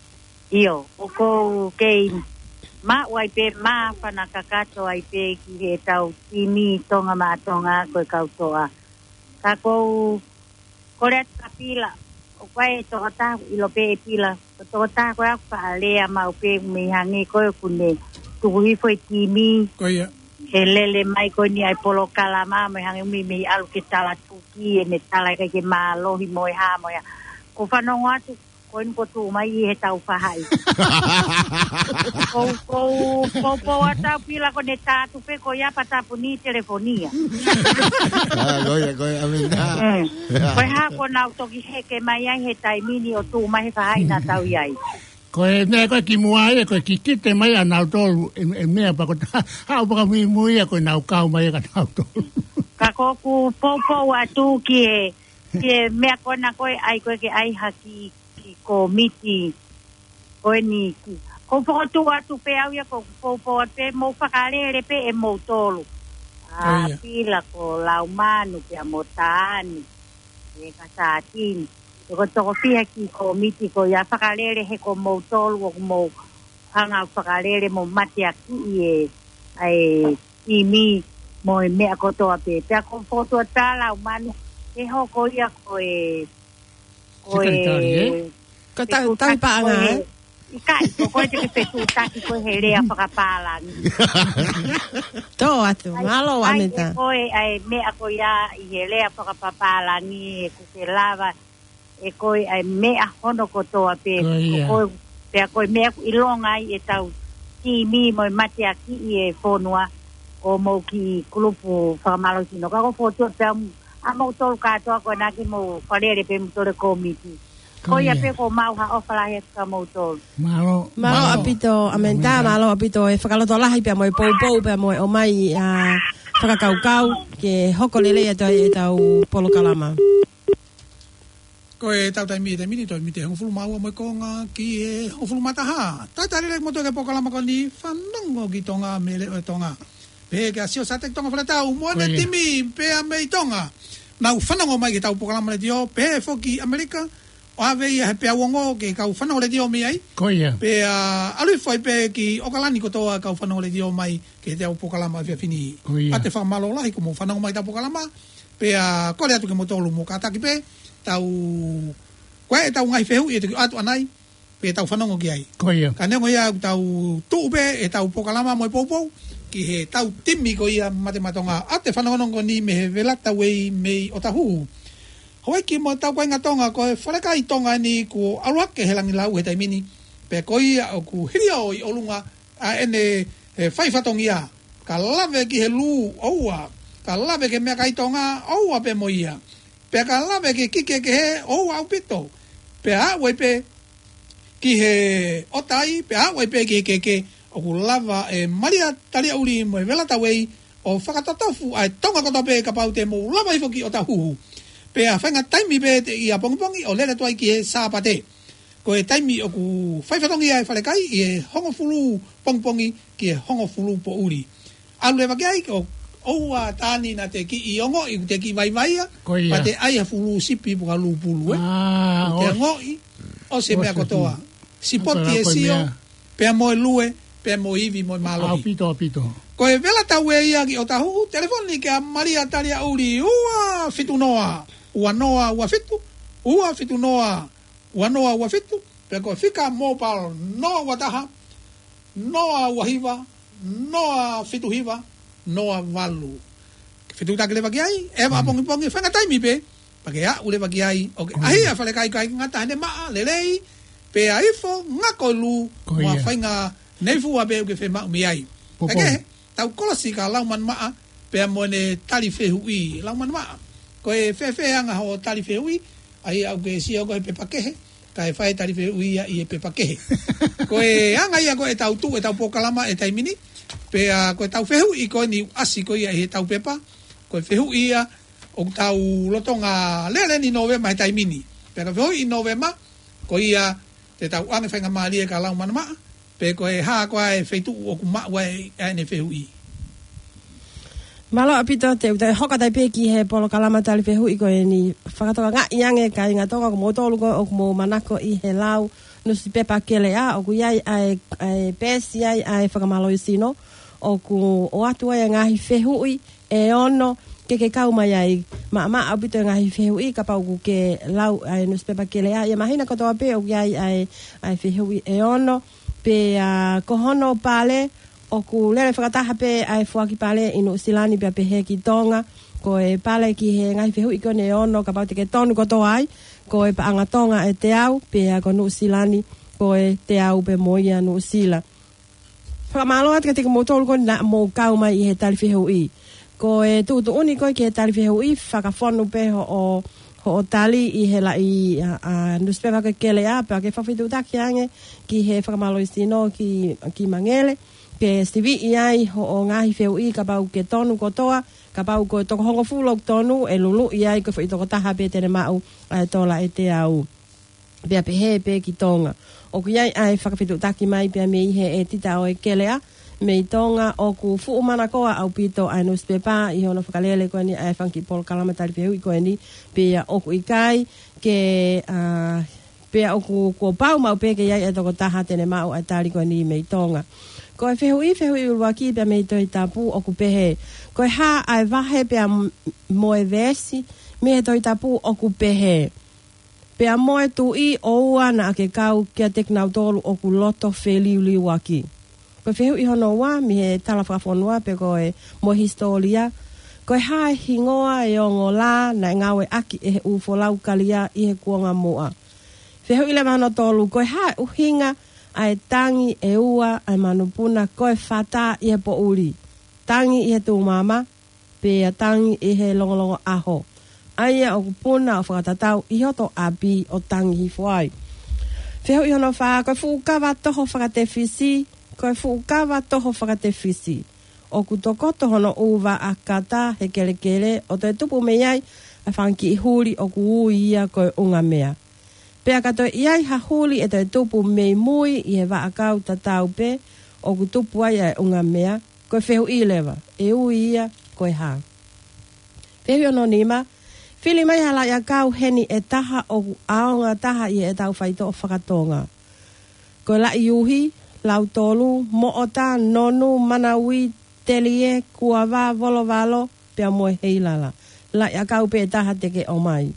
ʻIo, ʻoku ou kei maʻu ai pē māfana kakato ai pē ki he tau timi Tonga Maʻa Tonga ko e kau toa. Ka ʻoku ou kole atu kia Pila, ʻoku ʻi ai e tokotaha, ʻilo pē ʻe Pila, ko e tokotaha ko ē ʻoku faʻa lea maʻu pē mei hangē ko ē ʻoku ne tuku hifo e timi. Ko ia. He lele mai ko eni ʻa e polokalama mei hangē mei, mei ʻalu ke tala tuki, ʻene tala ʻikai ke mālohi mo e hā mo e hā. Ko e fanongo atu, ko eni ko e tuʻu mai ʻi he tau fahaʻi. Ko, ko, ko, ko ʻa Pila ko ʻene tā atu pē ko ia pea tāpuni telefonia. Ah, ko ia, ko ia, Amenta. Mm. Ko e hā ko ʻenau toki heke mai ai he taimi ni ʻo tuʻu mai he fahaʻi naʻa tau ʻi ai. Ko e meʻa ko ē kimuʻa ia, ko e kikite mai ʻa nautolu, e, e meʻa pea ko e tā, haʻu pē ka muimui ia ko ʻenau kau mai ʻa nautolu. Ka ʻoku ou poupou atu ki he, ki he meʻa ko ena ko e ʻai ko ē ke ʻai ha kiʻi, kiʻi kōmiti. Ko eni ki. ʻOku ou fokotuʻu atu pē au ia ʻoku ou poupou atu pē mou fakalele pē ʻe moutolu. ʻA, ʻIo. Pila ko Laumanu pea mo Taani. ʻE ka Satini. Toko, toko fiha kiʻi kōmiti ko ia fakalele he ko moutolu ʻoku mou hanga fakalele mo mateakiʻi e, ʻa e timi mo e meʻa kotoa pē. Pea ʻoku ou fokotuʻu atu pē Laumanu, ke hoko ia ko e, ko e Sekelitali, ē? Ko e tau, tau fetuʻutaki paʻanga, ko e, ē? ʻIkai, ko koe te ke fetuʻutaki ko e he lea fakapālangi. Tō atu, ʻAi, mālō, ʻai, Amenta. ʻE ko e, ʻa e meʻa ko ia ʻi he lea fakapapālangi, ʻoku ke lava, ʻe ko e ʻa e meʻa hono kotoa pē, Ko ia. ko e, pea ko e meʻa ʻoku ʻilonga ai e tau timi mo e mateakiʻi e fonua ʻo mou kiʻi kulupu fakamālohisino. Ka ʻoku ou fokotuʻu atu pē ʻa moutolu kātoa ko ena ke mou fakalele pē moutolu e kōmiti. Ko Ko ia ia. pē ko mau ha ʻofa lahi atu kia moutolu. Mālō. Mālō Mālō. ʻaupito, Amenta, Amenta. mālō ʻaupito e fakalotolahi pea mo e poupou pea mo e ʻomai ʻa e fakakaukau ke hoko lelei atu ai e tau polokalama. Ko e tau taimi, taimi ni, toe miniti ʻe hongofulu mā ua mo e konga ki he hongofulu mā taha. Talitali lelei kimoutolu ki he polokalama ko eni Fanongo ki Tonga mei he Leʻo ʻo Tonga. Pehē kia Sio Sateki Tonga Faletau, mo ʻene Ko ia. timi, pea mei Tonga. Nau fanongo mai ki he tau polokalama letiō, pehē foki ʻAmelika, ʻo ʻave ia he peau ongo ke kau fanongo letiō mei ai. Ko ia. Pea ʻalu hifo ai pē ki ʻOkalani kotoa kau fanongo letiō mai ki he tau polokalama efiafi ni. Ko ia. ʻAtē fakamālō lahi kuo mou fanongo mai ki he tau polokalama. Pea kole atu kia moutolu mou kātaki pē, tau, ko e tau ngaahi fehuʻi ʻe toki ʻoatu ʻanai, pea tau fanongo ki ai. Ko ia. Ka neongo ia ʻoku tau tuʻu pē ʻetau polokalama mo e poupou ki he tau timi ko ia Mate Maʻa Tonga. ʻAtē fanongonongo ni mei he Velatauei mei ʻOtahuhu. Houʻeiki mo e tau kāinga Tonga, ko e falekai Tonga eni kuo ʻalu hake he langilau he taimi ni. Pea ko ia ʻoku hilio ʻi ʻolunga ʻa ʻene, e, fai fatongia. Ka lave ki he lū, ʻoua. Ka lave ki he meʻakai Tonga, ʻoua pē mo ia. Pea ka lave ki he kiki kehe, ʻoua ʻaupito. Pea aʻu ai pē ki he ʻotai, pea aʻu ai pē ki he keke, ʻoku lava ʻe Malia Taliaʻuli mo e Velatauei ʻo fakatotofu ʻa e Tonga kotoa pē kapau te mou lava hifo ki ʻOtahuhu. Pea faʻahinga taimi pē teʻeki ʻapongipongi ʻo lele atu ai ki he Sāpate. Ko e taimi ʻoku fai fatongia e falekai ʻi he hongofulu pongipongi ki he hongofulu poʻuli. ʻAlu leva ki ai, ko ʻoua Taani naʻa te kiʻi ongoʻi, te kiʻi vaivai ia, Ko ia. pea te ʻai ha fulu sipi pe ko ha lū pulu, ē. Ah, Te ʻosi. ongoʻi, ʻosi e meʻa ʻOsi kotoa. atu. Sipoti Apa e ko e Sio, meʻa? pea mo e lue, pea mo e ivi mo e mālohi. ʻAupito, ʻaupito. Ko e Velatauei ia ki ʻOtahuhu, telefoni kia Malia Taliaʻuli, ua fitu noa, ua noa ua fitu, ua fitu noa, ua noa ua fitu, pea ko e fika mobile noa ua taha, noa ua hiva, noa fitu hiva, noa valu. Ke fetuʻutaki leva ki ai, ʻe Mm. ʻapongipongi faʻahinga taimi pē, pea ke aʻu leva ki ai, ʻo ke Ko ʻahi ia. ʻa e falekai ʻikai ngata heʻene maʻa, lelei, pea ifo, ngako e lū, Ko mo e ia. faʻahinga neifua pē ʻoku ke fiemaʻu mei ai. Popo. Pea kehe, tau kolosi kia Laumanimaʻa, pea mo ʻene tali fehuʻi, Laumanimaʻa. Ko e fēfē anga hoʻo tali fehuʻi, ʻa ia ʻoku ke sio ko e pepa kehe, kae fai e tali fehuʻi ia ʻi he pepa kehe. Ko e anga ia ko ē ʻetau tuʻu ʻetau polokalama he taimi ni, pea ko ʻetau fehuʻi ko eni ʻoku ʻasi ko ia ʻi heʻetau pepa, ko e fehuʻi ia ʻoku tau lolotonga lele ʻi Nōvema he taimi ni. Pea ko e fehuʻi ʻi Nōvema, ko ia te tau ʻoange faingamālie kia Laumālie Maʻa, pe ko e hā koā e feituʻu ʻoku maʻu ai ʻa ʻene fehuʻi. Mālō ʻaupito, te u toe hoko atu ai pē ki he polokalama tali fehuʻi ko eni. Fakatokangaʻi ange kāinga Tonga, ko moutolu ko ē ʻoku mou manako ʻi he lau nusipepa Keleʻa, ʻoku ʻi ai ʻa e, ʻa e peesi ai ʻa e fakamālohisino, ʻoku ʻoatu ai e ngaahi fehuʻi ʻe ono ke ke kau mai ai. Maʻamaʻa ʻaupito e ngaahi fehuʻi kapau ʻoku ke lau ʻa e nusipepa Keleʻa. ʻI he māhina kotoa pē ʻoku ʻi ai ʻa e, ʻa e fehuʻi ʻe ono. Pea ko hono pale, ʻoku lele fakataha pē ʻa e foaki pale ʻi Nuʻusila ni pea pehē ki Tonga. Ko e pale ki he ngaahi fehuʻi ko eni ʻe ono, kapau te ke tonu kotoa ai, ko e paʻanga Tonga ʻe teau, pea ko Nuʻusila ni ko e teau pē mo ia Nuʻusila. Fakamālō atu kiate kimoutolu ko ē naʻa mou kau mai ʻi he tali fehuʻi. Ko e tuʻutuʻuni ko ē ki he tali fehuʻi, fakafonu pē hoʻo, hoʻo tali ʻi he laʻi, ʻa, ʻa, nusipepa ko ē Keleʻa, pea ke fakafetuʻutaki ange ki he fakamālohisino ki, ki Mangele, ke siviʻi ai hoʻo ngaahi fehuʻi kapau ʻoku ke tonu kotoa, kapau ko e toko hongofulu ʻoku tonu, ʻe luluʻi ai ko e foʻi tokotaha pē te ne maʻu ʻa e tola ʻe teau. Pea pehē pē ki Tonga. ʻOku ʻi ai ʻa e fakafetuʻutaki mai pea mei he ʻētita ʻo e Keleʻa mei Tonga, ʻoku fuʻu manakoa ʻaupito ʻa e nusipepa ʻi hono fakalele ko eni ʻa e fanga kiʻi polokalama tali fehuʻi ko eni, pea ʻoku ʻikai ke, ʻa, pea ʻoku, kuo pau maʻu pē ke ʻi ai e tokotaha te ne maʻu ʻa e tali ko eni mei Tonga. Ko e fehuʻi, fehuʻi ʻuluaki pea mei he Tohi Tapu ʻoku pehē: Ko e hā ʻa e vahe pea m-, mo e veesi mei he Tohi Tapu ʻoku pehē: Pea mo e tuʻi ʻoua naʻa ke kau kiate kinautolu ʻoku loto feliuliuaki? Ko e fehuʻi hono ua mei he tala fakafonua pe ko e mo e hisitōlia: Ko e hā e hingoa e ongo lā naʻe ngāueʻaki ʻe he ʻū folau Kalia ʻi he kuonga muʻa? Fehuʻi leva hono tolu: Ko e hā e ʻuhinga ʻa e tangi ʻe ua ʻa e manupuna ko e fata ʻi he poʻuli, tangi ʻi he tūmama, pea tangi ʻi he longolongo ʻaho, ʻa ia ʻoku puna ʻo fakatatau ʻi hoto ʻapi ʻo tangi hifo ai? Fehuʻi hono fā: Ko e fuʻu kava toho fakatefisi, ko e fuʻu kava toho fakatefisi, ʻoku tokoto hono ʻū vaʻa kata he kelekele ʻo toe tupu mei ai ʻa e fanga kiʻi huli ʻoku ui ia ko e ʻungamea. Pea ka toe ʻi ai ha huli ʻe toe tupu mei mui ʻi he vaʻakau tatau pē ʻoku tupu ai ʻa e ʻungamea, ko e fehuʻi leva, ʻe ui ia ko e hā? Fehuʻi hono nima: Fili mai ha laʻiʻakau heni ʻe taha ʻoku ʻaonga taha ʻi heʻetau faitoʻo faka-Tonga. Ko e laʻi uhi, lautolu, moʻota, nonu, manaui, telie, kuava, volovalo, pea mo e heilala. Laʻiʻakau pē ʻe taha te ke ʻomai.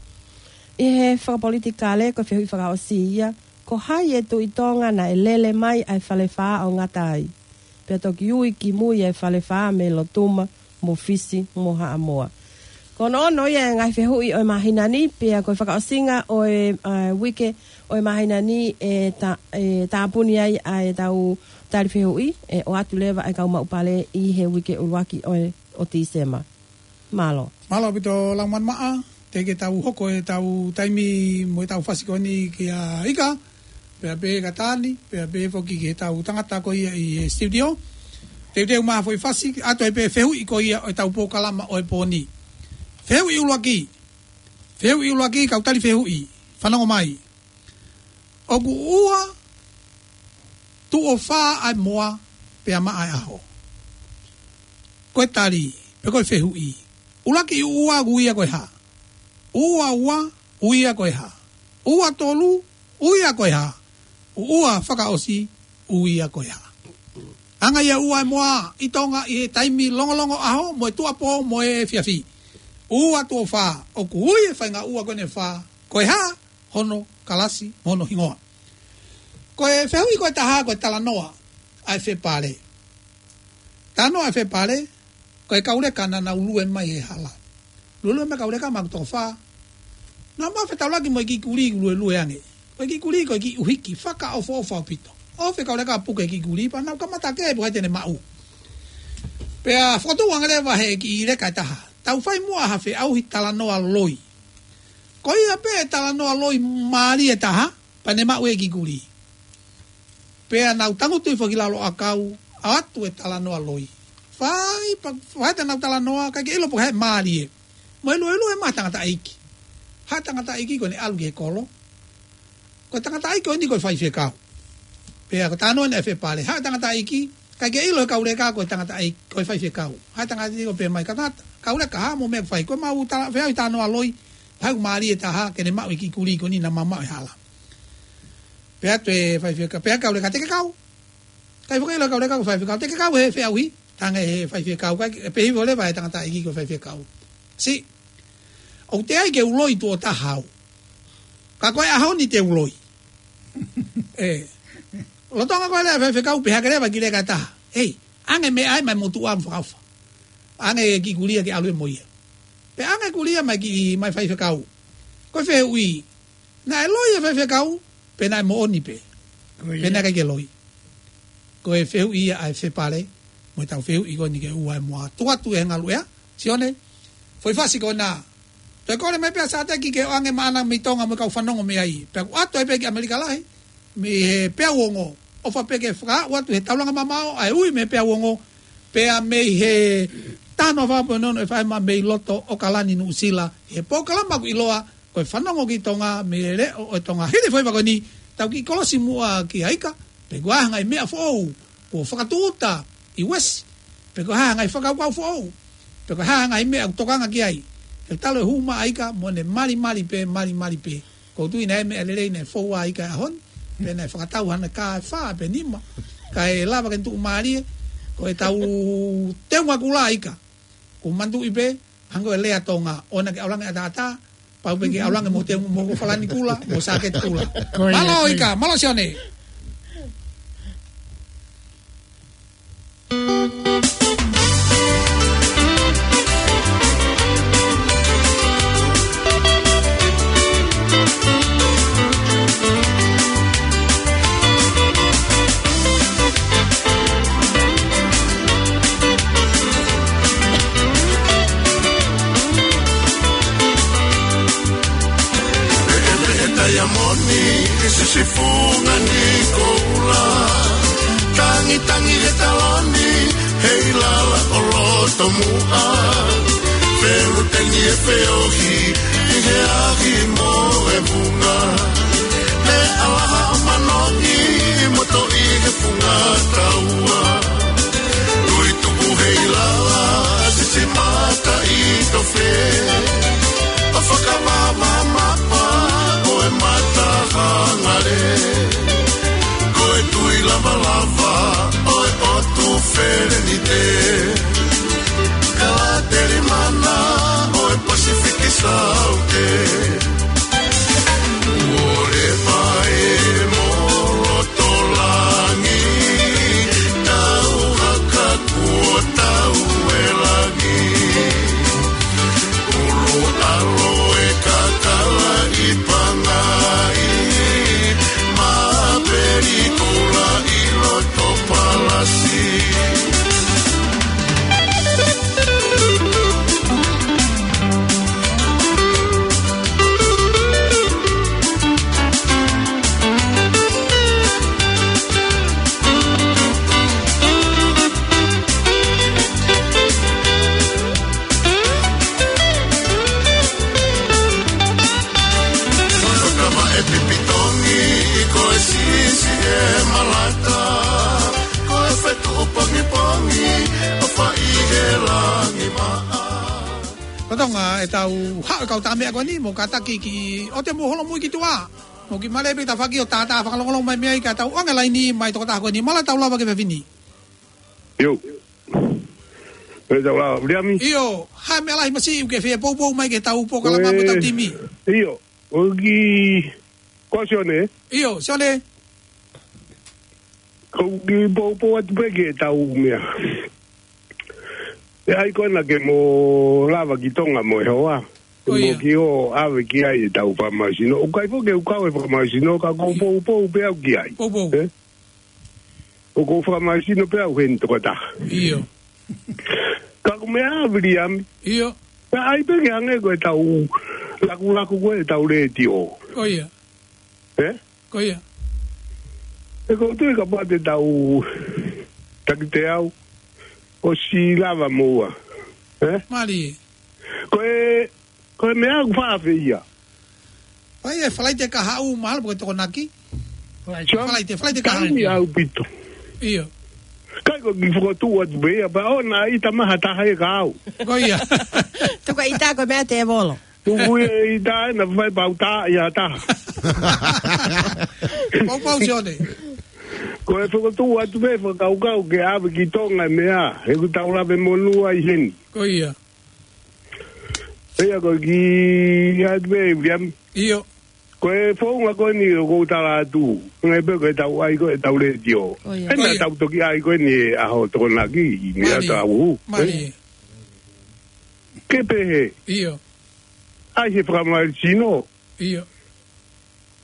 ʻI he fakapolitikale, ko e fehuʻi fakaʻosi ia: Ko hai e Tuʻi Tonga naʻe lele mai ʻa e Falefā ʻo ngata ai, pea toki ui ki mui ʻa e Falefā mei Lotuma mo Fisi mo Haʻamoa? Ko hono ono ia e ngaahi fehuʻi ʻo e māhina ni, pea ko e fakaʻosinga ʻo e, ʻa, uike ʻo e māhina ni ʻe ta-, ʻe tāpuni ai ʻa ʻetau tali fehuʻi, ʻe ʻoatu leva ʻe he kau maʻu pale ʻi he uike ʻuluaki ʻo e, ʻo Tīsema. Mālō. Mālō ʻaupito Laumālie Maʻa, teʻeki ke tau hoko ʻetau taimi mo ʻetau fasi ko eni kia Ika, pea pehē kia Tani, pea pehē foki ki heʻetau tangata ko ia ʻi he studio. Teuteu mai ha foʻi fasi, ʻoatu ai pē fehuʻi ko ia ʻo ʻetau polokalama ʻo e pō ni. Fehuʻi ʻuluaki. Fehuʻi ʻuluaki, kau tali fehuʻi. Fanongo mai. ʻOku ua tuʻo fā ʻa e moa pea maʻa e ʻaho? Ko e tali, pe ko e fehuʻi. ʻUluaki ʻuʻua ʻoku ui ia ko e hā? ʻUʻua ua ʻoku ui ia ko e hā? ʻUʻua tolu ʻoku ui ia ko e hā? ʻUʻua fakaʻosi ʻoku ui ia ko e hā? Anga ia ʻuʻua e moa ʻi Tonga ʻi he taimi longolongo ʻaho, mo e tuʻuapō, mo e efiafi. ʻUʻua tuʻo fā, ʻoku ui e faʻahinga ʻuʻua ko eni ʻe fā ko e hā? Hono kalasi, mo hono hingoa. Ko e fehuʻi ko ē ʻe taha, ko e talanoa ʻa e fepale. Talanoa ʻa e fepale, ko e kau leka naʻa nau lue mai he hala. Luelue mai e kau leka, maʻu toko fā. Naʻa nau maʻu fetaulaki mo e kiʻi kulī ʻoku luelue ange. Ko e kiʻi kulī ko e kiʻi ʻuhiki, fakaʻofoʻofa ʻaupito. ʻOfa e kau leka ʻo puke e kiʻi kulī, pea nau kamata ʻo kē pe ko hai te ne maʻu. Pea fokotuʻu ange leva ʻe he kiʻi leka ʻe taha: Tau fai muʻa ha feʻauhi talanoa loi. Ko ia pē e talanoa loi mālie ʻe taha, Pea ne maʻu e kiʻi kulī. Pea nau tangutu hifo ki lalo ʻakau, ʻoatu e talanoa loi. Fai, pea, fai ʻenau talanoa, ʻikai ke ʻilo pe ko hai mālie. Mo e luelue mai e tangataʻeiki. Haʻu e tangataʻeiki ko ʻene ʻalu ki he kolo. Ko e tangataʻeiki ko eni ko e faifekau. Pea ko e talanoa naʻe fepale. Haʻu e tangataʻeiki, ʻikai ke ʻilo ʻe he kau leka ko e tangataʻeiki, ko e faifekau. Haʻu e tangataʻeiki ko e pehē mai, ka tangata, kau leka, ha mo e meʻa ʻoku fai, ko ʻemau tala-, feʻauhi talanoa loi, haʻu mālie taha, ke ne maʻu e kiʻi kulī ko eni naʻa ma maʻu he hala. Pehē atu e faifekau, pehē kau leka, te ke kau. ʻIkai foki ke ʻilo ʻe he kau leka ko e faifekau, te ke kau he feʻauhi, talaange ʻe he faifekau, kae pehē hifo leva ʻe he tangataʻeiki ko e faifekau. Siʻi, ʻoku teʻeki ai ke u loi tuʻo taha au. Ka ko e ʻaho ni te u loi. ʻE. Lolotonga ko e lea ʻa e faifekau pehē hake leva e kiʻi leka ʻe taha. ʻEi, ʻoange e meʻa ia maʻa e motuʻa mo fakaʻofa. ʻOange e kiʻi kulī ia ke ʻalu ia mo ia. Pea ʻoange e kulī ia maʻa e kiʻi, maʻa e faifekau. Ko e fehuʻi. Naʻe loi e faifekau, pe naʻe moʻoni pē. Ko ia. Pe naʻe ʻikai ke loi. Ko e fehuʻi ia ʻa e fepale, mo ʻetau fehuʻi ko eni ke ʻoua ʻe moa. Tuku atu e ngalu ea, Sione, foʻi fasi ko ena. Toe kole mai pē ʻa Sateki ke ʻoange maʻana mei Tonga mo e kau fanongo mei ai. Pea ʻoku ʻoatu ai pē ki ʻAmelika Lahi, mei he peau ongo. ʻOfa pē ke fakaaʻu atu he taulanga mamaʻo, ʻa e ui mei he peau ongo. Pea mei he taha noa fā poini ono F M mei loto ʻAokalani Nuʻusila. He polokalama ʻoku ʻiloa, ko e Fanongo ki Tonga, mei he leʻo ʻo Tonga. Hili e foʻi vaka ko eni, tau kiʻi kolosi muʻa ki he ika, pe ko e hā e ngaahi meʻa foʻou kuo fakatūʻuta ʻi Uesi, pe ko e hā e ngaahi fakakaukau foʻou, pe ko e hā e ngaahi meʻa ʻoku tokanga ki ai. He talu e hū mai ʻa ika, mo ʻene malimali pē, malimali pē. ʻOku ou tui naʻe meʻa lelei naʻe fou ai ʻa ika he ʻaho ni, pe naʻe fakatau hano kā ʻe fā pe nima, kae lava ke ne tuʻumālie. Ko ʻetau teunga kula ʻa ika. Ko e manatuʻi pē, hangē ko e lea Tonga, ʻoua naʻa ke ʻalu ange ʻataʻatā, pau pē ke ʻalu ange mo e teunga, mo e falani kula, mo e sāketi kula. Ko ia, mālō ko ia. Ika, mālō Sione. Peʻepeʻe taiamoni ʻi he siʻi funga ni koula. Tangitangi e taloni, hei lala ʻo loto muʻa. Feluteni e feohi, ʻi he ahi mo e vunga. Meʻa laha ʻo manongi, mo toʻi he funga taua. Tui tuku hei lala, siʻi mata ʻi tofe. ʻO fakavavamapa, ʻo e mata hangale. Ko e tui lavalava, ʻo e ʻotu felenite. Kala telimana, ʻo e Pasifiki Saute. Ore mai mo loto langi, tau haka kuo tau e langi. Ulu alo e kakala ʻi Pangai, ma peli kula ʻi loto palasi. Ko e kava e pipitongi, ko e sisi e malata, ko e fetuʻu pongipongi, ʻo fai he langi maʻa. Lolotonga ʻetau haʻu e kau tā meʻa ko eni, mou kātaki ki ʻote mou holomui ki tuʻa. Mou kiʻi mālō pē tafaʻaki ʻo tātā fakalongolongo mai mei ai ka tau ʻoange laini mai tokotaha ko eni, mālō e tau lava ki he efiafi ni. ʻIo. Pea tau lava, Viliami? ʻIo, hā e meʻa lahi masiʻi ʻoku ke fie poupou mai ki he tau polokalama mo e tau timi? ʻIo, ʻoku ki, ko Sione? ʻIo, Sione. ʻOku ou kiʻi poupou atu pē ki he tau meʻa. ʻE ʻai ko ena ke mo lava ki Tonga mo e hoa. Ko ia. Mo kiʻi ʻave ki ai e tau fakamālohisino. ʻOku ʻikai foki ke u kau he fakamālohisino, ka ʻoku ou poupou pē au ki ai. Poupou. ʻE? ʻOku ou fakamālohisino pē au heni tokotaha. ʻIo. Ka ko e meʻa, Viliami. ʻIo. Pea ʻai pē ke hangē ko e tau lakulaku ko e tau letiō. Ko ia. ʻE? Ko ia. ʻE, ʻoku ou tui kapau te tau taki teau, ʻosi lava moua. Ē? Mālie. Ko e, ko e meʻa ʻoku faʻa fai ia. Fai e Falaite kahaʻu mahalo pe ko e Tokonaki. Falaite. Falaite, Falaite kahaʻu. Taimi ʻaupito. ʻIo. Kai ko e kiʻi fokotuʻu atu pē ia, pea ʻoua naʻa ʻita mai ha taha ʻe kau. Ko ia. Tuku e ʻita ko e meʻa tēvolo. Tuku e ʻita ʻe na fai pau tā ia taha. Pau pau Sione. Ko e fokotuʻu atu pē fakakaukau ke ʻave ki Tonga e meʻa, he ʻoku tau lave monū ai heni. Ko ia. Ia ko e kiʻi atu pē, Viliami. ʻIo. Ko e founga ko eni ʻoku ou tala atu. Ngai pē ko e tau ʻai ko e tau letiō. Ko ia. Ena Ko ia. tau toki ʻai ko eni e ʻaho Tokonaki, ʻi meʻa Mālie. tau. Mālie. Ke pehē. ʻIo. ʻAi he fakamālohisino. ʻIo.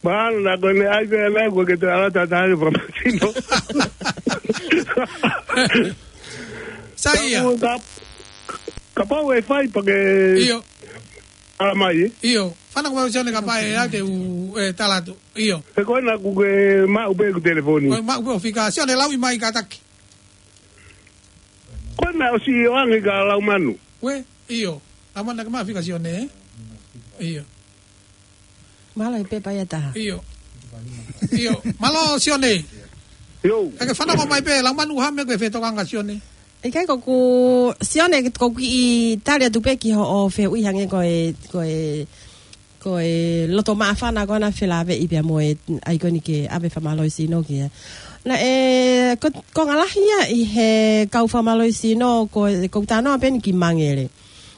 Mahalo na ko eni ʻai pē ana ko ke te ala tata he fakamālohisino. Sa ia. Ka, kapau ʻe fai pea ke ʻIo. ala mai, ē? ʻIo. Fana ko mau Sione kapau ʻe ake u, ʻe tala atu. ʻIo. He ko ena ʻoku ke maʻu pē ʻeku telefoni. Ko e maʻu pē ʻo fika Sione lauʻi mai kātaki. Ko ena ʻosi ʻoange kia Laumanu. Uē, ʻio. Laumanu ke maʻu fika Sione, ē? ʻIo. Mālō e pepa ia taha. ʻIo. ʻIo. Mālō Sione. ʻIo. Kae ke fanongo mai pē, Laumanu ha meʻa ko e fetokanga Sione. ʻIkai ko ʻeku, Sione, ko ʻeku kiʻi tali atu pē ki hoʻo fehuʻi hangē ko e, ko e, ko e loto māfana ko ena felāveʻi pea mo e ʻai ko eni ke ʻave fakamālohisino ki ai. Naʻe, ko, ko e ngaahi lahi ia ʻi he kau fakamālohisino ko, ko e talanoa pē eni ki Mangele.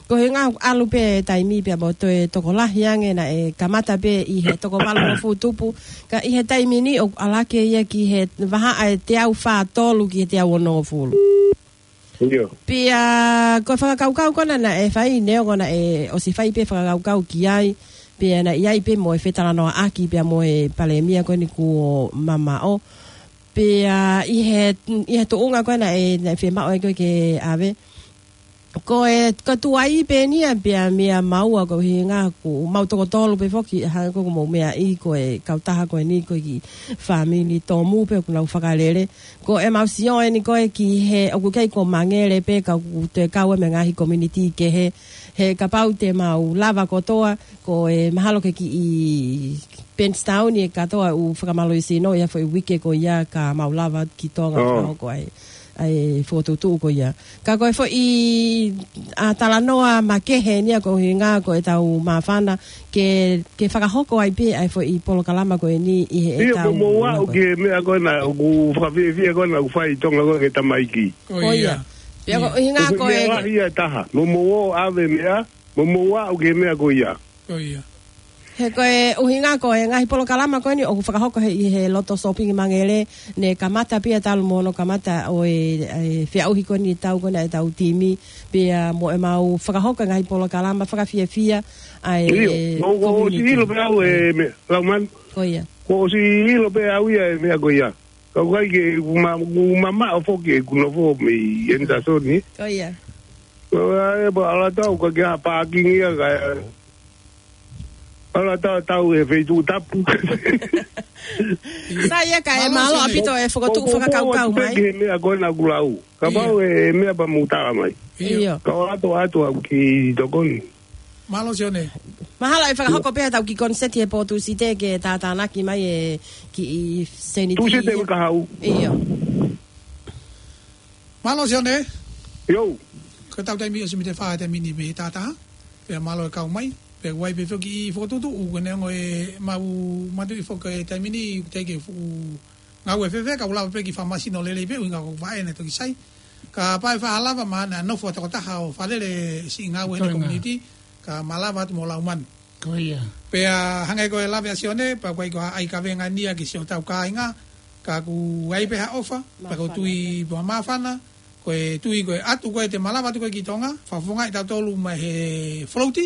Ko e ʻuhinga ʻalu pē taimi pea mo toe tokolahi ange naʻe kamata pē ʻi he toko valungofulu tupu. Ka ʻi he taimi ni ʻoku ʻalu hake ia ki he vahaʻa ʻe teau fā tolu ki he teau onongofulu. ʻIo. Pea ko e fakakaukau ko ena naʻe fai neongo naʻe ʻosi fai pē fakakaukau ki ai. Pea naʻe ʻi ai pē mo e fetalanoaʻaki pea mo e palēmia ko eni kuo mamaʻo. Pea ʻi he, ʻi he tuʻunga ko ena naʻe, naʻe fiemaʻu ai ko ē ke ʻave. Ko e, ko e tuai pē eni ia pea meia maua ko e ʻuhinga ʻoku mau toko tolu pē foki, hangē ko ʻeku meʻa ʻi ko e kautaha ko eni ko e kiʻi fāmili tōmui pē ʻoku nau fakalele. Ko ʻemau sio eni ko ē ki he, ʻoku ʻikai ko Mangele pē ka ʻoku toe kau e meʻa ngaahi community kehe. He kapau te mau lava kotoa, ko e mahalo ke kiʻi Bankstown ʻe kātoa ʻū fakamālohisino ia foʻi uike ko ia ka mau lava ki Tonga Oh. fakahoko ai, ai fokotuʻutuʻu ko ia. Ka ko e foʻi, ʻa, talanoa makehe eni ia ko e ʻuhinga ko e tau māfana ke, ke fakahoko ai pē ʻa e foʻi polokalama ko eni ʻi he ʻIo, tau mo mou aʻu ki he meʻa ko ena, ʻoku fakafiefia ko ena, ʻoku fai ʻi Tonga ko e ke tamaiki. Ko ia. Pea ko e ʻuhinga ʻOku ko e meʻa lahi ia taha. Mo mou ō ʻave meʻa, mo mou aʻu ki he meʻa ko ia. Ko ia. He ko e ʻuhinga ko e ngaahi polokalama ko eni ʻoku fakahoko he, ʻi he loto sōpingi Mangele, ne kamata pē ia talu mo hono kamata ʻo e, e feʻauhi ko eni tau ko ena e tau timi, pea mo ʻemau fakahoko e ngaahi polokalama fakafiefia ʻa e ʻIo, mo, mo, ʻosi community. ʻilo pē au e meʻa, Laumanu. Ko ia. Mo ʻosi ʻilo pē au ia e meʻa ko ia. Ka ʻoku ʻikai ke, ʻoku ma, ʻoku mamaʻo foki ʻeku nofo mei Henderson, ē? Ko ia. Ko ia, ʻe, pea ʻalu atu au ka ke ʻā pākingi ia ka, ʻalu atu au he feituʻu tapu. Sa ia ka e Mālō mālō Sione. ʻAupito e fokotuʻu Ko, ko, ko, fakakaukau atu pē mai. ki he meʻa ko ena ʻoku lau. Kapau ʻIo. e meʻa pea mou tala mai. ʻIo. ʻIo. Ka ʻalu atu, atu au ki tokoni. Mālō Sione. Mahalo ʻe fakahoko pē ha tau kiʻi koniseti he pō Tūsite ke tātānaki mai e kiʻi seniti Tūsite ia. Uike kahaʻu. ʻIo. Mālō Sione. ʻIo. Ko e tau taimi ʻosi mite fā taimi ni mei he tātā. Pea mālō e kau mai. Pea ʻoku ʻi ai pē foki e fokotuʻutuʻu, ʻoku neongo e mau matuʻi foki e taimi ni, ʻoku teʻeki ke fuʻu ngāue fēfē, ka ʻoku lava pē ke fakamālohisino lelei pē, ʻuhinga ko e vaʻe naʻe toki sai. Kapau ʻe faʻa lava, mahalo naʻa nofo ʻa e tokotaha ʻo fakalele siʻi ngāue ʻi he Ko e ngā. community, ka malava atu mo Laumanu. Ko ia. Pea hangē ko e lave ʻa Sione, pea ʻoku ʻikai ko ha ʻai kavenga ni ia ki siʻotau kāinga, ka ʻoku ʻi ai pē ha ʻofa, pea ʻoku ou tui pē māfana, ko e tui ko ē ʻatu ko ē te malava atu ko ē ki Tonga, fakafofongaʻi tautolu mai he float,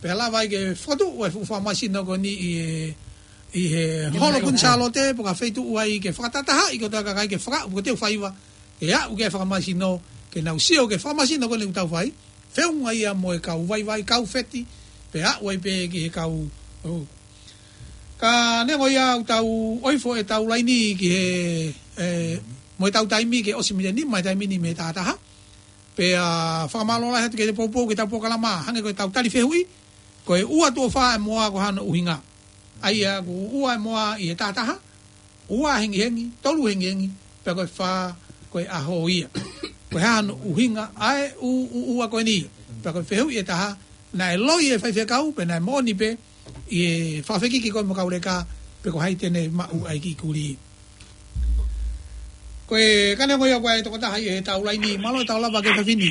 pea lava ai ke fokotuʻu e fuʻu fakamālohisino ko eni ʻi he, ʻi he Holo Kuini Sālote, pe ko ha feituʻu ai ke fakatahatahaʻi kotoa e kakai ke fakaʻu, ko e teu faiva, ke aʻu ki he fakamālohisino, ke nau sio ki he fakamālohisino ko eni ʻoku tau fai, feʻunga ia mo e kau vaivai, kau feti, pea aʻu ai pē ki he kau, ʻo, Ka neongo ia ʻoku tau ʻoifo ʻetau laini ki he, ē, mo ʻetau taimi ke ʻosi mita nima ʻa e taimi ni mei he taha taha. Pea fakamālō lahi atu ki he poupou ki heʻetau polokalama, hangē ko ʻetau tali fehuʻi, ko e ua tuʻo fā ʻa e moa ko e hā hono ʻuhinga. ʻA ia ʻoku ua ʻa e moa ʻi he taha taha, ua hengihengi, tolu hengihengi, pea ko e fā ko e ʻaho ia. Ko e hā hono ʻuhinga ʻa e ʻū, ʻū ua ko eni. Pea ko e fehuʻi ʻe taha, naʻe loi e faifekau, pe naʻe moʻoni pē, ʻi he fakafekiki ko ē mo Kauleka, pe ko hai te ne maʻu ʻa e kiʻi kulī. Ko e, ka neongo ia ko e tokotaha ʻi heʻetau laini, mālō e tau lava ki he fefine.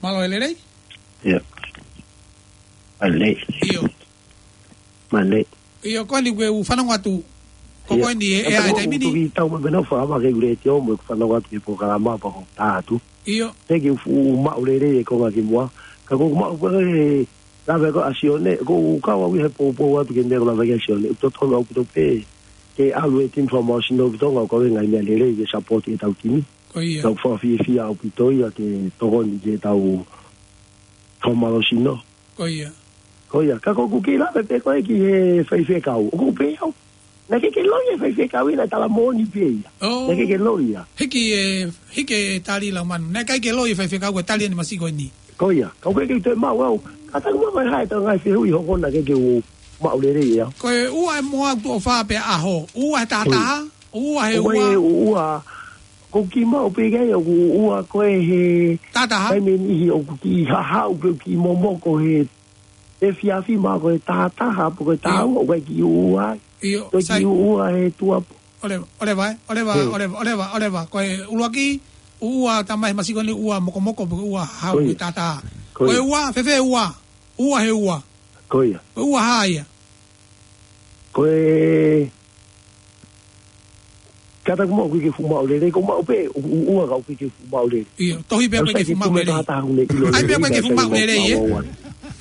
Mālō e lelei? ʻIo. Mālō. ʻIo. Mālō. ʻIo, ko eni kuo u fanongo atu. Ko ʻIo. Ko eni e, e ʻa e taimi ni. Tau mai mena fua ma ke ule te o mo fanongo atu ki he polokalama pea ko e tā atu. ʻIo. Thank you fu maʻu lelei e konga ki muʻa. Ka ko maʻu pē e lave ko ē ʻa Sione, ko u kau au ʻi he poupou atu ki he meʻa ko e lave ko ē ʻa Sione. ʻOku totonu ʻaupito pē ke ʻalu e timi fakamālohisino ki Tonga ʻo kau e ngaahi meʻa lelei ke support ʻetau timi. Ko ia. Tau fakafiefia ʻaupito ia ke tokoni ki heʻetau fakamālohisino. Ko ia. Ko ia, ka ko ʻeku kiʻi lave pē ko ē ki he faifekau. ʻOku pehē au, naʻe ʻikai ke loi e faifekau ia, naʻe tala moʻoni pē ia. ʻO. Naʻe ʻikai ke loi ia. Hiki e, hiki e tali Laumanu. Naʻe ʻikai ke loi e faifekau ko e tali ʻeni masiʻi ko eni. Ko ia, ka ʻoku ʻikai ke u toe maʻu au. Kātaki muʻa mai ha ʻetau ngaahi fehuʻi hoko naʻe ʻikai ke u maʻu lelei ia. Ko e ua ʻa e moa tuʻo fā pea ʻaho. Ua he taha taha, ua he ua. Ua he ua. Ko e kiʻi maʻu pē ia, ʻoku ua ko ē he taha taha. Taimi ʻe niʻihi ʻoku kiʻi haʻu pē kiʻi momoko he efiafi mo e taha taha, pe ko e taha ua, ʻoku ʻikai ke ua ai. ʻIo, ko e kiʻi ua he tuʻa pē. ʻOleva, ʻoleva, ʻoleva, ʻoleva, ʻoleva, ʻoleva. Ko e ʻuluaki, ua tamai masiʻi ko eni ua mokomoko, pe ko e ua haʻu he taha taha. Ko e ua, fēfē ua, ua he ua. Ko ia. Ko e ua hā ia. Ko e Kātaki muʻa ʻoku ʻikai ke fuʻu maʻu lelei, ko e maʻu pē, ʻoku ua ka ʻoku ʻikai ke fuʻu maʻu lelei. ʻIo, tohi pē ʻoku ʻikai ke fuʻu maʻu lelei. Taha taha ʻoku ne ʻilo lelei. ʻAi pē ʻoku ʻikai ke fuʻu maʻu lelei, ē?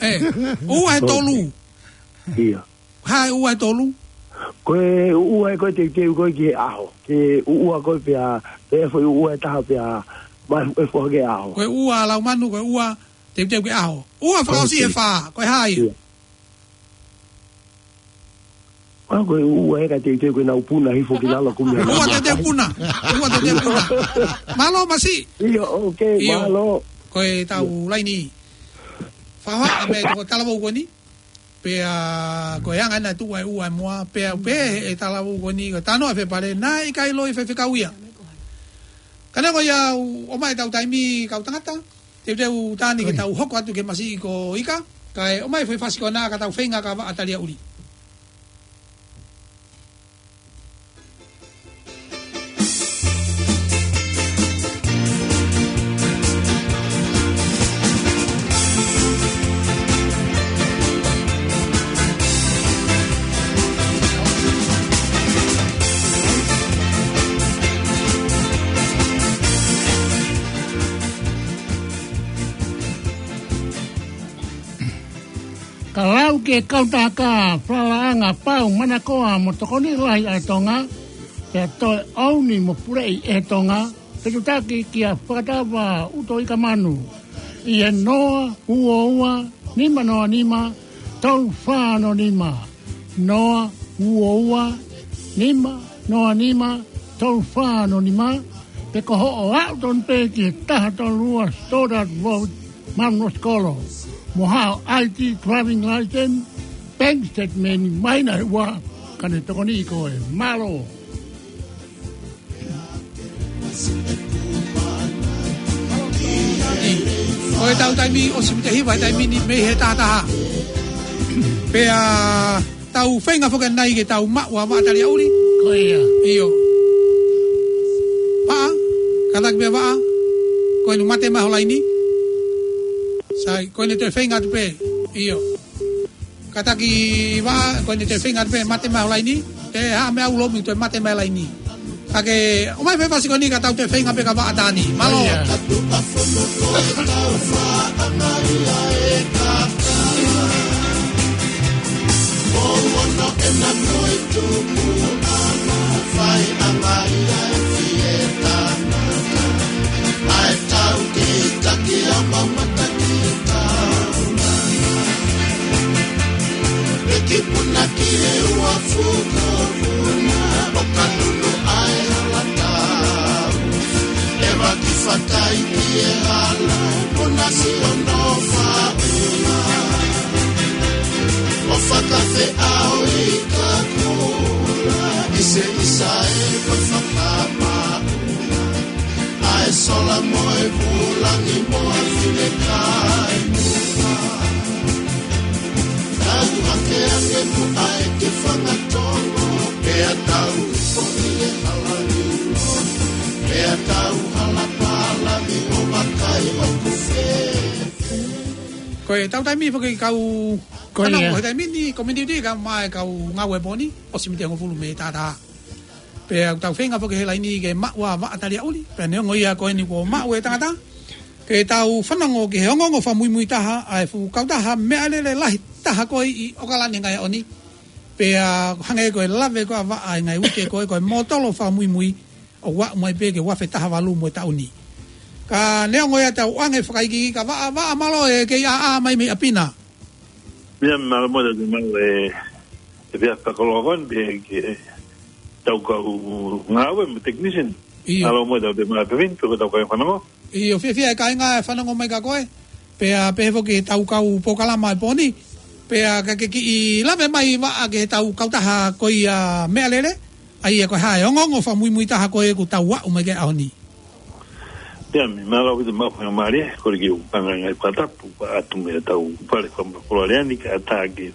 ʻE, ua he tolu. ʻIo. Hā e ua he tolu? Ko e ua ē ko e teuteu ko ē ki he ʻaho. Ke ua ko ē pea, pea foʻi ua ʻe taha pea, mai e foha ki he ʻaho. Ko e ua Laumanu, ko e ua teuteu ki he ʻaho. Ua fakaʻosi he fā, ko e hā ia? ʻIo. ʻA, ko e ua ē ka teuteu ko ē nau puna hifo ki lalo kumi. Ua teuteu puna. Ua teuteu puna. Mālō masiʻi. ʻIo, ʻoku mālō. Ko ʻetau laini. Fakahohaʻa mei he toko talavou ko eni. Pea ko e anga ʻena tuʻu ʻa e ua ʻa e moa. Pea pehē ʻe he talavou ko eni. Ko e talanoa ʻa Fepale. Naʻe ʻikai loi e faifekau ia. Ka neongo ia ʻoku ʻomai ʻetau taimi kau tangata. Teuteu tā ni ke tau hoko atu ki he masiʻi ko Ika, kae ʻomai e foʻi fasi ko ena ka tau feinga ka vaʻa taliaʻuli. Ka lau ki he kautaha falalaʻanga pau manakoa mo tokoni lahi ʻa Tonga, pea toe ʻomi mo puleʻi ʻe Tonga, fetutaki kia Fakatava ʻUtoikamanu, ʻi he noa ua ua nima noa nima tolu fā noa nima, noa ua ua nima noa nima tolu fā noa nima, pe ko hoʻo aʻu tonu pē ki he taha tolu ua Stoddard Road, Mount Roskill, mo haʻo I D, driving license, bank statement, mai na he ua, ka ne tokoniʻi koe. Mālō. Ko ʻetau taimi ʻosi mita hiva he taimi ni mei he taha taha. Pea tau feinga foki ʻanenai ke tau maʻu ʻa e vaʻa taliaʻuli. Ko ia. ʻIo. Vaʻa, kātaki pē vaʻa. Ko eni mate mai ho laini. Sai, ko eni toe feinga atu pē. ʻIo. Kātaki vaʻa, ko eni toe feinga atu pē, mate mai ho laini. Te ha me au lomi toe mate mai laini. Ka ke, ʻomai e foʻi fasi ko eni ka tau toe feinga pē ka vaʻa tā ni. Mālō. Ko ia. Ko nasi ono fauna. O fakafeʻao i ka kula. Ise isa e ko fakamauna. ʻA e sola mo e vulangi mo e finekai. Tau hake ange muʻa e ke fangatongo. Pea tau ipo i e hala ni. Pea tau hala pala ni o makai o kufe. Ko e tau taimi foki kau Ko ia. Fanongo, he taimi ni, ko e miniti ka mai kau ngāue pō ni, ʻosi miniti hongofulu mei taʻataha. Pea ʻoku tau feinga foki he laini ke maʻu ʻa Vaʻa Taliaʻuli, pea neongo ia ko eni kuo maʻu e tangata. Ke tau fanongo ki he ongoongo fakamuimui taha, ʻa e fuʻu kautaha meʻalele lahi taha ko ē ʻi ʻOkalani he ngaahi ʻaho ni. Pea hangē ko e lave ko ē ʻa Vaʻa he ngaahi uike ko ē ko e mōtolo fakamuimui, ʻo aʻu mai pē ki he ua afe taha valu mo e taʻu ni. Ka neongo ia tau ʻoange fakaikiiki ka Vaʻa, Vaʻa mālō e kei ʻā mai mei ʻapi na. Ia mālō mo e tau mau e, e pia fakaloa kon pe ke tau kau ngāue mo e technician. ʻIo. Mālō mo e tau te mau e pevin, pe ko tau kai fanongo. ʻIo, fiefia e kāinga e fanongo mai kia koe. Pea pehē foki tau kau polokalama e pō ni. Pea ka ke kiʻi lave mai Vaʻa ki he tau kautaha ko ia meʻalele. ʻA ia ko e hā e ongoongo fakamuimui taha ko ē ʻoku tau aʻu mai ki he ʻaho ni. Pea mei mālō ʻaupito mo e faingamālie, ko e kiʻi ʻū panga ngaahi fakatapu, pea ʻatu mei he tau fale fakapolokalama ni ka ʻatā ke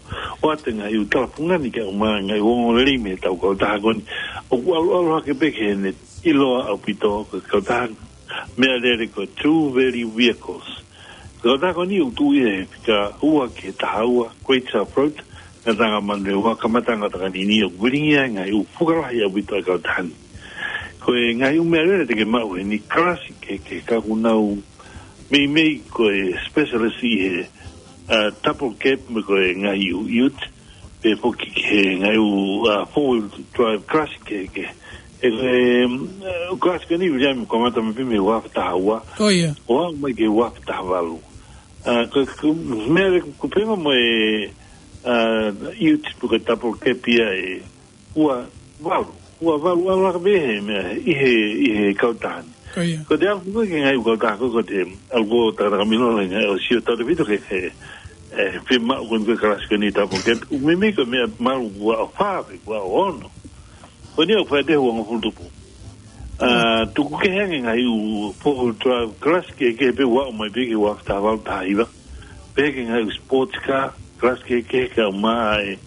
ʻoatu e ngaahi ʻū talafungani ke ʻomai e ngaahi ongoongo lelei mei he tau kautaha ko eni. ʻOku ʻalu ʻalu hake pē ke ne ʻiloa ʻaupito ko e kautaha meʻalele ko e True Value Vehicles. Ko e kautaha ko eni ʻoku tuʻu ia he fika ua ki he taha ua, Great South Road, Ngataʻanga Manurewa, kamataʻanga ʻo Takanini, ʻoku vilingia e ngaahi ʻū fuka lahi ʻaupito ʻa e kautaha ni. Ko e ngaahi ʻū meʻalele te ke maʻu heni, kalasi kehekehe ka ʻoku nau meimei ko e specialist ʻi he, uh, double cab mo e ko e ngaahi ʻū ute, pea foki ki he ngaahi ʻū, uh, four wheel drive kalasi kehekehe. E, e, um, uh, kalasi ko eni Viliami kamata mai pē mei he ua afe taha ua. Ko ia. ʻO aʻu mai ki he ua afe taha valu. Uh, ko, ko, meʻalele ko e pehē mo e, uh, ute pe ko e double cab ia e ua valu. Ua valu ʻalu hake pē he meʻa, ʻi he, ʻi he kautaha ni. Ko ia. Ko e te aʻu foki ki he ngaahi ʻū kautaha ko ē, ko e te ʻalu ko e takataka milo lahi ngaahi ʻo sio tautefito ki he, e, fiemaʻu ko eni ko e kalasi ko eni double cab. ʻOku meimei ko e meʻa malu ua ʻo fā pe ua ʻo ono. Ko eni ʻoku fai atu he uangofulu tupu. Ah, tuku kehe ange ngaahi ʻū four wheel drive kalasi kehekehe pea ʻoku aʻu mai pē ki he ua afe taha valu, taha hiva. Pea ki he ngaahi ʻū sports car kalasi kehekehe ka ʻomai e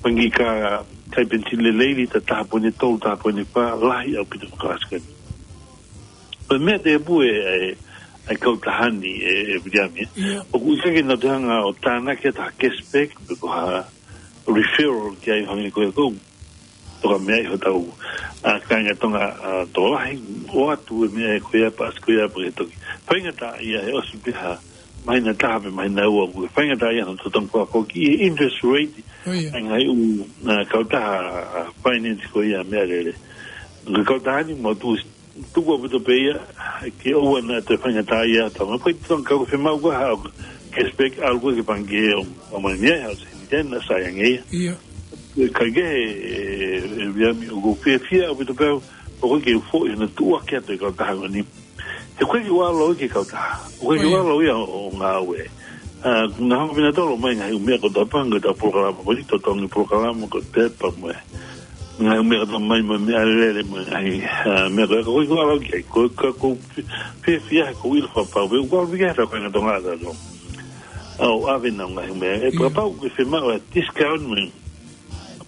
pangikā kai penisini lelei, lita taha poini tolu, taha poini fā, lahi ʻaupito mo e kalasi ko eni. Ko e meʻa tēpū e, e, e kautaha ni e, e Viliami, ē. Ia. ʻOku ʻikai ke nau toe hanga ʻo tānaki ha cashback, pe ko ha referral ki ai hangē ko e kou. Toka meʻa ʻi hotau, a, kāinga Tonga, a, tokolahi, ʻoatu e meʻa ko ia, paasi ko ia, pea ke toki faingataʻaʻia he ʻosi pē ha māhina ʻe taha pe māhina ʻe ua, ʻoku faingataʻaʻia hono totongi fakafoki e interest rate. Ko ia. ʻA e ngaahi ʻū, a, kautaha, a, finance ko ia meʻalele. Ko e kautaha ni mau tuʻu, tuku ʻaupito pē ia, ke ʻoua naʻa toe faingataʻaʻia, tama poi tong kau fiemaʻu ko ha cashback, ʻalu ko ē ki he pangikē ʻo, ʻomai mei ai ha sēniti naʻa sai ange ia. Ia. Ka ke, e, e, Viliami, ʻoku fiefia ʻaupito pē au, ʻoku ʻikai ke u foʻi hono tuʻuaki atu e kautaha ko eni. He ʻoku ʻikai ke u ʻalu au ia ki he kautaha. ʻOku ʻikai ke u ʻalu au ia ʻo, ʻo ngāue. A, naʻa hanga pē nautolu ʻo ʻomai ngaahi ʻū meʻa kotoa pē, ngaahi ʻū polokalama ko eni, totongi polokalama ko e pepa mo e ngaahi ʻū meʻa kotoa mai mo e meʻalele mo e ngaahi, a, meʻa ko ē, ka ʻoku ʻikai ke u ʻalu au ki ai, ko e, ka ʻoku ou fi-, fiefia he ʻoku ou ʻilo fakapapau pē, ʻoku ou ʻalu pē ki ai he tau kāinga Tonga ʻatautolu. ʻO ʻave ʻenau ngaahi meʻa. ʻE, ia, fakapapau ʻoku ke fiemaʻu e discount mo e,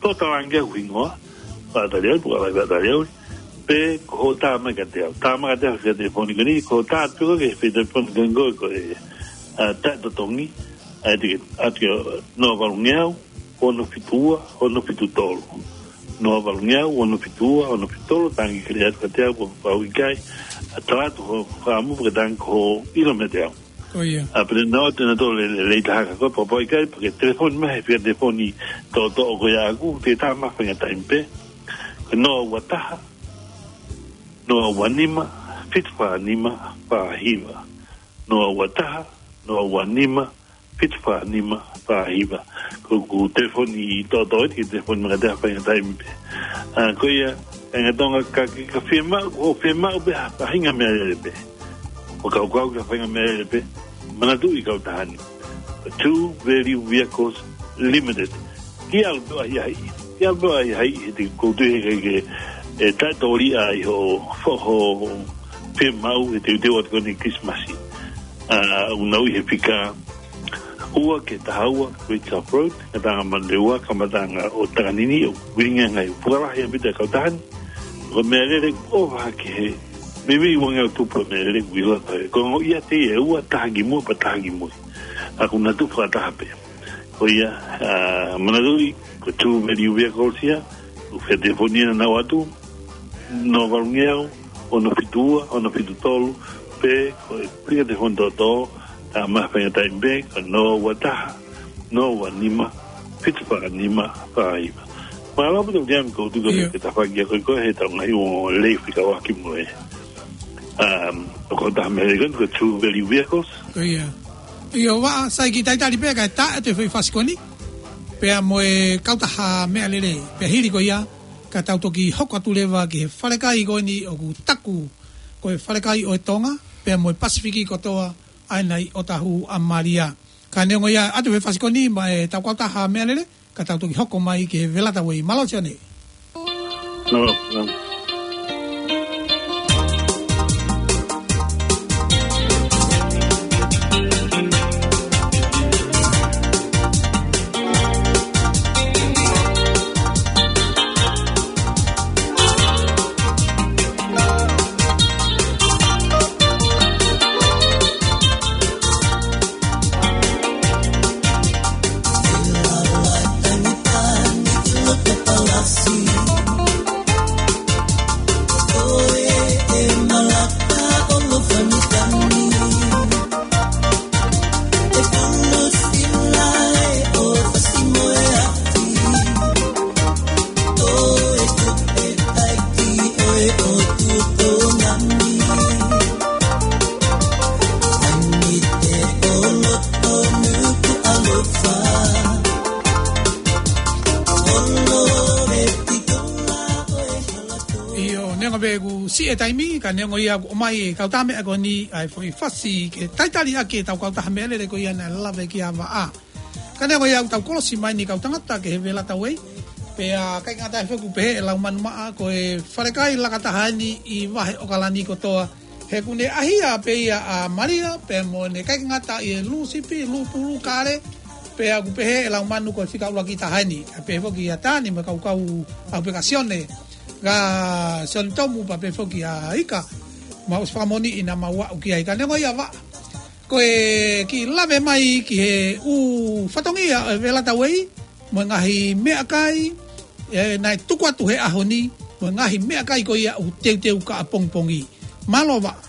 pea u talaange ʻeku hingoa, Vaʻa Taliaʻuli, pea u ʻai Vaʻa Taliaʻuli. Pe ko hoʻo tā mai kiate au. Tā mai kiate au he telefoni ko eni, ko hoʻo tā atu pē ko ē ki he telefoni ko eni ko e, a, taʻetotongi, ʻa ia te ke ʻatu ki he noa valungeau, ono fitu ua, ono fitu tolu. Noa valungeau, ono fitu ua, ono fitu tolu, talaange ke lea atu kiate au, pe kapau ʻoku ʻikai, a, tala atu hoʻo fakaʻamu, pea ke talaange ko hoʻo ʻilo meiate au. Ko ia. A, pea te nau ʻoatu ʻenautolu e, e lelei taha kia koe, pe kapau ʻoku ʻikai, pea ke telefoni mai he fika telefoni toʻotoʻo ko ia ʻaʻaku, te u tā mai ha faʻahinga taimi pē. Ko e noa ua taha, noa ua nima, fitu fā nima, fā hiva. Noa ua taha, noa ua nima, fitu fā nima, fā hiva. Ko ʻeku telefoni toʻotoʻo ʻeni, ke telefoni mai kiate au ha faʻahinga taimi pē. A, ko ia, kāinga Tonga, ka, ka, ka fiemaʻu, ʻo fiemaʻu pē ha, ha faʻahinga meʻalele pē. ʻo kaukau ki ha faʻahinga meʻalele pē, manatuʻi kautaha ni. Two Value Vehicles Limited. Ke ʻalu pē ʻo ʻahiʻahiʻi. Ke ʻalu pē ʻo ʻahiʻahiʻi, he te u tui he ʻikai ke, ʻe taʻetōlia ʻi hoʻo, hoʻo fiemaʻu he teuteu atu ko eni Kilisimasi. ʻA, ʻoku nau ʻi he fika ua ki he taha ua, Great South Road, ngataʻanga Manurewa, kamataʻanga ʻo Takanini, ʻoku ʻuhinga e ngaahi fuʻu lahi ʻaupito e kautaha ni. Ko e meʻalele ʻoku ʻova hake he, meimei ua ngeau tupu e meʻalele ʻoku ʻilo atu. Ko e ongo ia te ia ua taha ki muʻa pea taha ki mui. ʻA, ʻoku na tupu fakataha pē. Ko ia, ʻa, manatuʻi, ko e Two Value Vehicles ia, ʻoku fetelefonia naʻa nau ʻatu, noa valu ngeau, ono fitu ua, ono fitu tolu, pe ko e fika telefoni tōtō, tā mai faingataʻa pē, ko e noa ua taha, noa ua nima, fitu fā nima fā hiva. Mālō ʻaupito Viliami, ko u tuku atu ʻIo. ke tafaʻaki ʻa koe ko e he tau ngaahi ua lei fika waki mo e. Um, ʻo kautaha meʻalele ko e Two Value Vehicles. Ko ia. ʻIo, Vaʻa, sai, kiʻi talitali pē kae taʻe atu e foʻi fasi ko eni. Pea mo e kautaha meʻalele, pea hili ko ia, ka tau toki hoko atu leva ki he falekai ko eni ʻoku taku ko e falekai ʻo e Tonga, pea mo e Pasifiki kotoa, ʻa ena ʻi ʻOtahuhu ʻa Malia. Ka neongo ia ʻatu e fasi ko eni maʻa e tau kautaha meʻalele, ka tau toki hoko mai ki he Velata Way. Mālō Sione. Mālō, mālō. ʻIo, neongo pē ʻoku siʻi e taimi, ka neongo ia ʻoku ʻomai e kautaha meʻa ko eni ʻa e foʻi fasi ke talitali ʻaki e tau kautaha meʻalele ko ia naʻe lave ki ai ʻa Vaʻa. Ka neongo ia ʻoku tau kolosi mai eni kau tangata ki he Velata Way. Pea ʻikai ngata ai foki ʻoku pehē ʻe Laumanu Maʻa ko e falekai laka taha eni ʻi Vahe ʻOkalani kotoa. He ʻoku ne ʻahia pē ia ʻa Malia, pea mo ʻene ʻikai ngata ʻi he lū sipi, lū pulu, kale, pea ʻoku pehē ʻe Laumanu ko e fika ʻuluaki taha eni. ʻA pehē foki ʻa Tani mo e kau kau ʻaupito kia Sione, kia Sione Tomu pea pehē foki ʻa Ika, mau ʻosi fakamoʻoniʻi naʻa mau aʻu ki ai. Ka neongo ia Vaʻa, ko e kiʻi lave mai ki he ʻū fatongia ʻo e Velata Way, mo e ngaahi meʻakai, ʻe, naʻe tuku atu he ʻaho ni, mo e ngaahi meʻakai ko ia ʻoku teuteu ki ʻapongipongi. Mālō Vaʻa.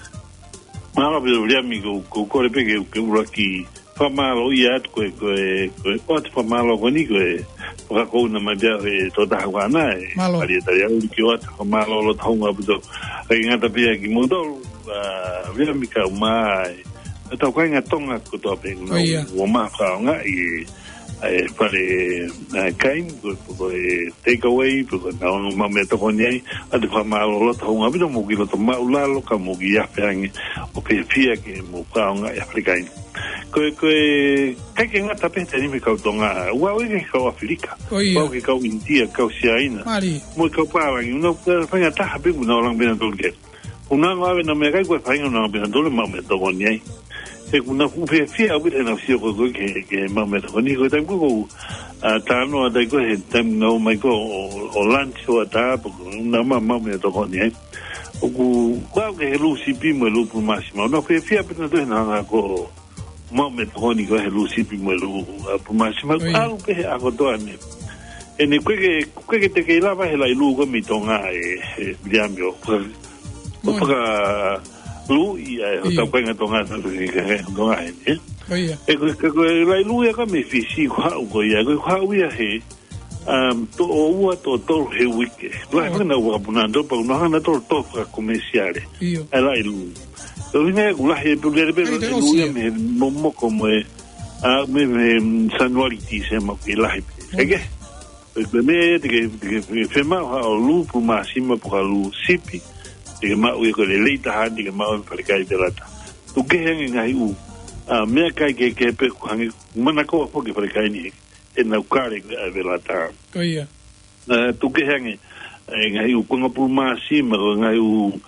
Mālō ʻaupito Viliami, ko, ko u kole pē ke, ke ʻuluaki fakamālō ia atu ko e, ko e, ko e ʻoatu fakamālō ko eni ko e fakakouna mai pē ʻe he tokotaha ko ena ē. Mālō. Malia Taliauli, ke ʻoatu fakamālō loto hounga ʻaupito. ʻIkai ngata pē ia kimoutolu, ʻa, Viliami, kae ʻumaʻā e, e tau kāinga Tonga kotoa pē ʻoku nau ʻOia. ʻomai fakaʻaongaʻi e, e fale, e, kai, pe ko, pe ko e takeaway, pe ko e nau maʻu meʻatokoni ai, ʻoatu fakamālō loto hounga ʻaupito, mou kiʻi loto māʻulalo, ka mou kiʻi afe ange ʻo fiefia ke mou fakaʻaongaʻi e falekai. Ko e, ko e, ʻikai ke ngata pē he taimi ni kau Tonga, ʻoku aʻu ia ki he kau ʻAfilika, ʻOia. ʻoku aʻu ki he kau ʻInitia, kau Siaina, Mālie. mo e kau pālangi, ʻoku nau, faʻahinga taha pē ʻoku nau langa pē nautolu ki ai. ʻOku nau ʻave ʻenau meʻakai, ko e faʻahinga ʻoku nau ʻave nautolu ʻo maʻu meʻatokoni ai. He ʻoku nau fuʻu fiefia ʻaupito heʻenau sio ko ē ki he, ki he maʻu meʻatokoni. Ko e taimi ko ē ʻoku, ʻa, talanoa atu ai ko ē he taimi ʻoku nau ō mai ko ē ʻo, ʻo lunch ʻo ʻatā, pe ko ʻenau maʻu, maʻu meʻatokoni ai. ʻOku, ʻoku aʻu ki he lū sipi mo e lū pulu māsima. ʻOku nau fiefia ʻaupito nautolu heʻenau hanga ko ē ʻo maʻu meʻatokoni ko ē he lū sipi mo e lū, ʻa, pulu māsima. ʻOia. ʻAlu pē he ʻaho kotoa ni. ʻE ne ʻikai ke, ʻikai ke te kei lava he laʻi lū ko ē mei Tonga ē, ē, Viliami, ʻo faka-, ʻo ʻOi. fakaluʻi ʻa e ʻIo. hotau kāinga Tonga, Tonga ē, ē. ʻOia. ʻE ko, ko, ko e laʻi lū ia ko ē mei Fisi, ʻoku haʻu ko ia, ko, ʻoku haʻu ia he, um, toʻo ua, toʻo tolu he uike. Lahi ʻOi. fanga nau vakapuna ʻoku nau hanga nautolu ʻo toʻo fakakomesiale. ʻIo. ʻA e laʻi lū. Ko e ʻuhinga ia ʻoku lahi e pulu lele pē, ʻIkai te laʻi lū ʻosi ia ia. mei he momoko mo e, ʻa, mei, mei he Sānuali, Tīsema ʻoku kei lahi pē. ʻOi. ʻIkai ke? Ko e meʻa ia te ke, te ke, te ke fiemaʻu haʻo lū pulu māsima pe ko ha lū sipi, te ke maʻu ia, ko e lelei taha eni te ke maʻu he falekai Velata. Tuku kehe ange ngaahi ʻū, ʻa, meʻakai kehekehe pē ʻoku hangē, manakoa foki e falekai ni, ʻenau kale ko ē ʻa e velata. Ko ia. ʻA, tuku kehe ange, e ngaahi ʻū konga pulu māsima, ko e ngaahi ʻū,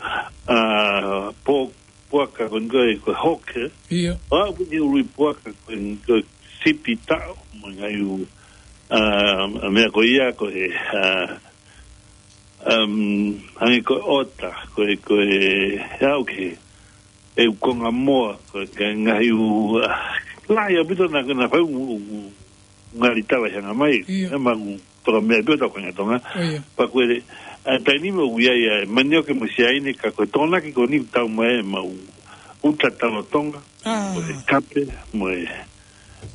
ʻa, po-, puaka ko eni ko e, ko e hawk, ē? Ia. ʻA, ko e ngaahi ʻū ului puaka ko eni ko e sipi taʻo, mo e ngaahi ʻū, ʻa, meʻa ko ia ko e, ʻa, um, hangē ko e ʻota, ko e, ko e, ʻa, ʻoku ke, e ʻū konga moa, ko e, ko e ngaahi ʻū, ʻa, lahi ʻaupito naʻa, naʻa fai ʻū, ʻū, ʻū ngali tala ʻi hanga mai, Ia. ʻe maʻu toka meʻa pē ʻo tau kāinga Tonga. ʻO ia. Pea ko e, ʻa, taimi ni ʻoku ʻi ai ʻa e manioke mo e siaine ka ko e Tokonaki ko eni ʻoku tau mai ʻe maʻu uta talo Tonga, ʻA. mo e kape, mo e,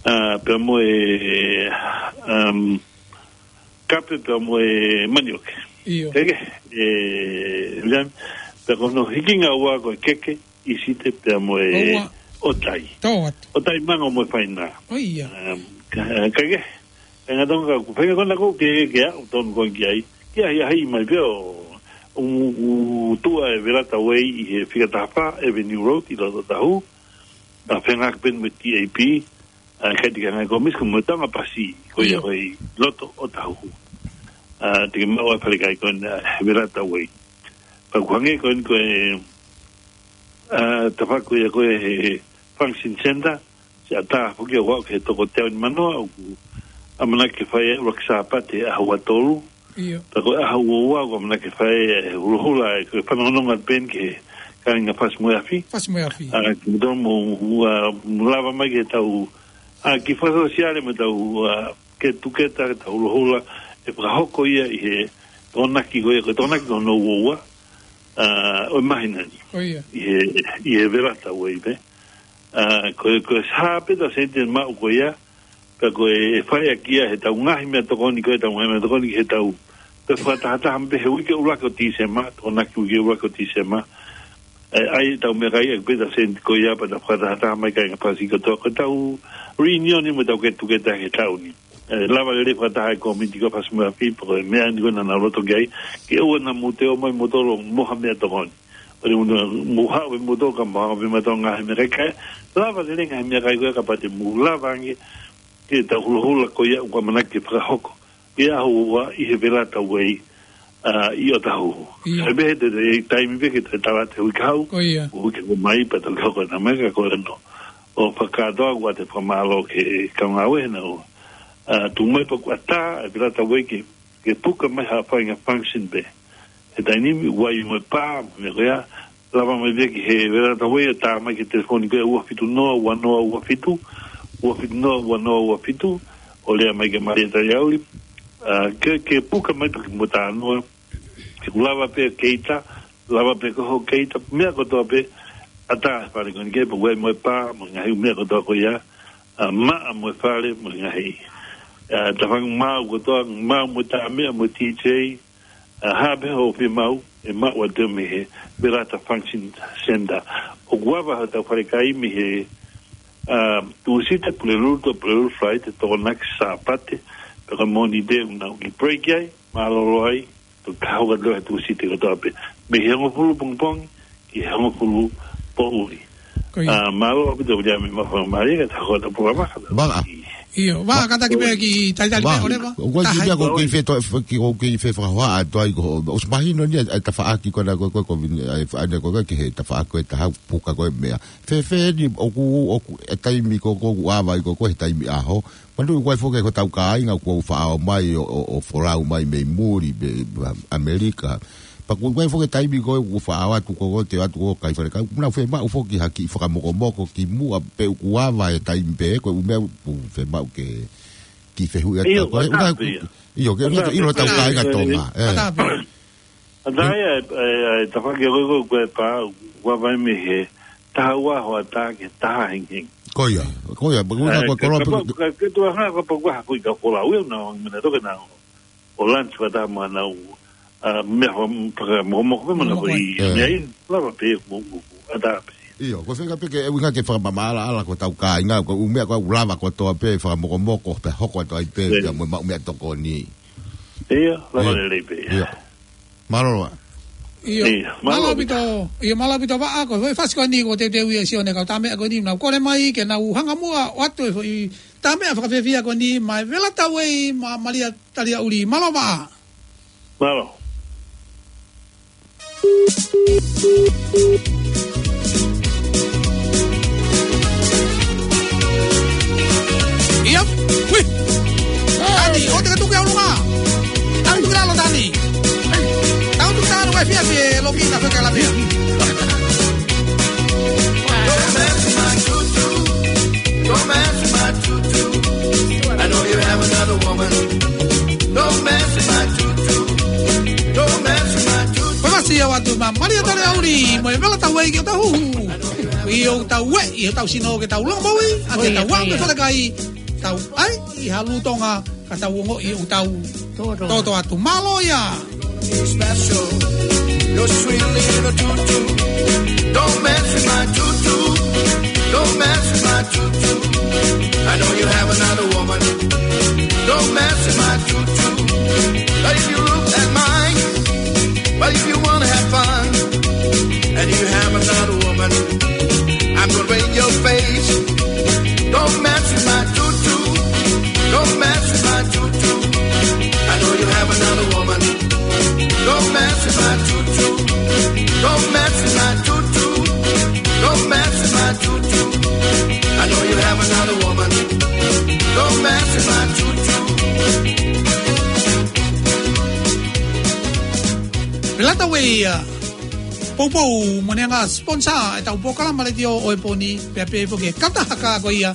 ʻa, pea mo e, um, kape pea mo e manioke. ʻIo. Kae kehe, ʻe, William, pea ko hono hikinga ua ko e keke, ʻisite pea mo e ʻOua. ʻotai. Tō atu. ʻOtai manga mo e faina. ʻO ia. Um, ka, kae kehe, e ngaahi Tonga ka ʻoku feinga ko ena ʻoku ke, ke aʻu tonu ko ē ki ai. Ke ʻahiʻahiʻi mai pē ʻo, ʻo, ʻo tuʻu e Velata Way ʻi he fika taha fā Avenue Road ʻi loto Otahuhu. ʻA, fengāueʻaki pē mo e T A P, ʻa, kae ʻikai ke ngaahi kōmisi ko e mo e Tonga Pasi, ko ia Ia. ko ē ʻi loto Otahuhu. ʻA, te ke maʻu ʻa e falekai ko ena, ʻa, Velata Way. Pea ʻoku hangē ko eni ko e, ʻa, tafaʻaki ko ia ko e he, he function center, siʻa tā foki ʻoku aʻu ki he toko teau nimanoa, ʻoku ʻamanaki ke fai e ʻuluaki Sāpate ʻaho ua tolu, ʻIo. Pea ko e ʻaho ua ua ʻoku ʻamanaki ke fai e hulohula, ʻa e ko e fanongonongo atu pē eni ki he kāinga Fasi mo e Afi. Fasi mo e Afi. ʻA, ke mou tonu mo, ʻa, mo lava mai ke tau, ʻa, kiʻi fakasōsiale mo tau, ʻa, ke tuketa, ke tau hulohula, ʻe fakahoko ia ʻi he Tokonaki ko ia, ko e Tokonaki ko hono ua ua, ʻa, ʻo e māhina ni. ʻO ia. ʻI he, ʻi he Velata Way pē. ʻA, ko e, ko e sā pē ʻetau sēniti maʻu ko ia, pea ko e fai ʻaki ia heʻetau ngaahi meʻatokoni, ko ʻetau ngaahi meʻatokoni heʻetau, pea fakatahataha pē he uike ʻuluaki ʻo Tīsema, Tokonaki uike ʻuluaki ʻo Tīsema. ʻE, ʻai ʻetau meʻakai ʻaki pē ʻetau sēniti ko ia, pea tau fakatahataha mai kāinga Fasi kotoa, ko ʻetau reunion ni mo ʻetau ke tuketa he taʻu ni. ʻE, lava lelei fakataha e kōmiti ko Fasi mo e Afi, pea ko e meʻa ni ko ē naʻa nau loto ki ai, ke ʻoua naʻa mou toe ō mai moutolu mo ha meʻatokoni. ʻOua naʻa mou haʻu pē moutolu ka mou haʻu pē mautolu ngaahi meʻakai. Lava lelei ngaahi meʻakai ko ia kapau te mou lava ange ke tau hulohula ko ia ʻoku ʻamanaki ke fakahoko. Ke ʻaho ua ʻi he Velata Way, ʻa, ʻi Otahuhu. ʻIo. ʻE pehē te, te taimi pē ke te tala te hui kau. Ko ia. Hui ke ko mai pea tau kau ko ena mai ka ko ena. ʻO fakatoa ʻoku ʻoatu e fakamālō ki he kau ngāue he naʻa nau, ʻa, tuʻu mai pea ʻoku ʻatā e Velata Way ke ke puka mai ha faʻahinga function pē. He taimi ni, ʻoku ʻi ai mo e pā, mo e meʻa ko ia, lava mai pē ki he Velata Way ʻo tā mai ki he telefoni ko e ua fitu noa, ua noa, ua fitu, ua fitu noa, ua noa, ua fitu, ʻo lea mai kia Malia Taliauli, ʻa, ke, ke puka mai pē ki mo tā noa, ke ʻoku lava pē keita, lava pē ko ho keita, meʻa kotoa pē, ʻatā e fale ko eni ke, pea ʻoku ʻi ai mo e pā, mo e ngaahi meʻa kotoa ko ia, ʻa, maʻa mo e fale, mo e ngaahi, ʻa, tafaʻaki maʻu kotoa, maʻu mo e tā meʻa mo e D J, ʻa, ha pē hoʻo fiemaʻu, ʻe maʻu atu mei he Velata Function Center. ʻOku ava hotau falekai mei he, ʻa, Tūsite, Pulelulu, to Pulelulu, Friday, Tokonaki, Sāpate, pea ko e Mōnite ʻoku nau kiʻi break ai, mālōlō ai, to kaho ka tō he Tūsite kotoa pē. Mei he hongofulu pongipongi, ki he hongofulu poʻuli. Ko ia. ʻA, mālō ʻaupito ia mei he maʻu faingamālie ke tau hoko atu e polokalama. Vaka. ʻIo, vaka, kātaki pē kiʻi talitali pē, ʻOleva. ʻOku ʻi ai e kiʻi meʻa ko ē ʻoku ou kei fe-, ʻoku ou kei fefaʻuhi atu ai ko, ʻosi mahino ni, ʻa e tafaʻaki ko ena ko e, ko e, ko e, ʻa e, ʻa e, ko e, ki he tafaʻaki ko e taha puka ko e meʻa. Fēfē ni, ʻoku, ʻoku, e taimi ko ē ʻoku ava ai ko e, ko e taimi ʻaho. Manatuʻi ʻoku ʻi ai foki hotau kāinga ʻoku faʻa ō mai ʻo, ʻo, ʻo folau mai mei muli, mei ʻAmelika. Pea ʻoku ʻi ai foki e taimi ko ē ʻoku faʻa ō atu ko ē, te ō atu ko ē kai falekai. ʻOku nau fiemaʻu foki ha kiʻi fakamokomoko kimuʻa pe ʻoku ava e taimi pē, ko e ʻū meʻa ʻoku fiemaʻu ke kiʻi fehuʻi atu. ʻIo, ko e ʻatā ʻuhinga pē ia. ʻIo, ke ʻatā ʻuhinga pē ʻilo hotau ia. Kāinga Tonga. ʻE. ʻAtā pē. ʻAtā ia, ʻe, ʻe, ʻe, tafaʻaki ko ē, ko e pā, ʻoku ava mai mei he taha ua hoʻatā ki he taha hengihengi. Ko ia, ko ia, pea ʻoku ʻi ai ʻa e, ko e koloa kapau, pē ka, ka, ka tuʻu hangē kapau ʻoku ʻi ai ha kiʻi kau folau ia, ʻoku nau ō mai ʻo nau toki nau, ʻo lunch fakataha mo ʻenau, ʻa, meʻa faka-, fakamokomoko pē mo ʻenau Mokomoko. Ko ē. ʻIo. Meʻa ʻi, lava pē, mo, mo, mo, ʻatā pē. ʻIo, ko e feinga pē ke, ʻuhinga ke fakamamaʻalaʻala ko hotau kāinga, ko e ʻū meʻa ko ē ʻoku lava kotoa pē, fakamokomoko, pea hoko atu ai pē, ʻIo. Pea mo e maʻu meʻatokoni. ʻIo, lava ʻIo. Lelei pē. ʻIo. Mālō ā. ʻIo, mālō ʻaupito, ʻio, mālō ʻaupito Vaʻa, ko e foʻi fasi ko eni ko e teuteu ia ʻa Sione kau tā meʻa ko eni, nau kole mai ke nau hanga muʻa ʻo ʻoatu e foʻi tā meʻa fakafiefia ko eni maʻa e Vela Tauei mo Malia Taliaʻuli. Mālō Vaʻa. Mālō. ʻIo, ui. Tani, ʻoua te ke tuku ki ʻolunga. Tau tuku ki lalo, Tani. Tau tuku talu e fiefia ʻe loki na feka la mea. Don't mess with my tutu. Don't mess with my tutu. I know you have another woman. Don't mess with my tutu. Don't mess with my tutu. Ko e fasi ia ʻoatu maʻa Malia Taliaʻuli mo e Vela Tauei ke tau huhu. ʻI hotau ueʻi hotau sino ke tau longomoʻui, ʻa ke tau ʻai mo e falekai, tau ʻai ʻi ha lūtonga ka tau ongoʻi ʻoku tau toto atu. Mālō ia. Special. Your sweet little tutu. Don't mess with my tutu. Don't mess with my tutu. I know you have another woman. Don't mess with my tutu. But if you look at mine, but if you wanna have fun, and you have another woman, I'm gonna break your face. Don't mess with my tutu. Don't mess with my tutu. I know you have another woman. Don't mess with my tutu. Don't mess with my tutu. Don't mess with my tutu. I know you have another woman. Don't mess with my tutu. Vela Tauei ia. Poupou mo ʻene ngaahi sponsor ʻetau polokalama letiō ʻo e pō ni, pea pehē foki ki he kautaha ko ia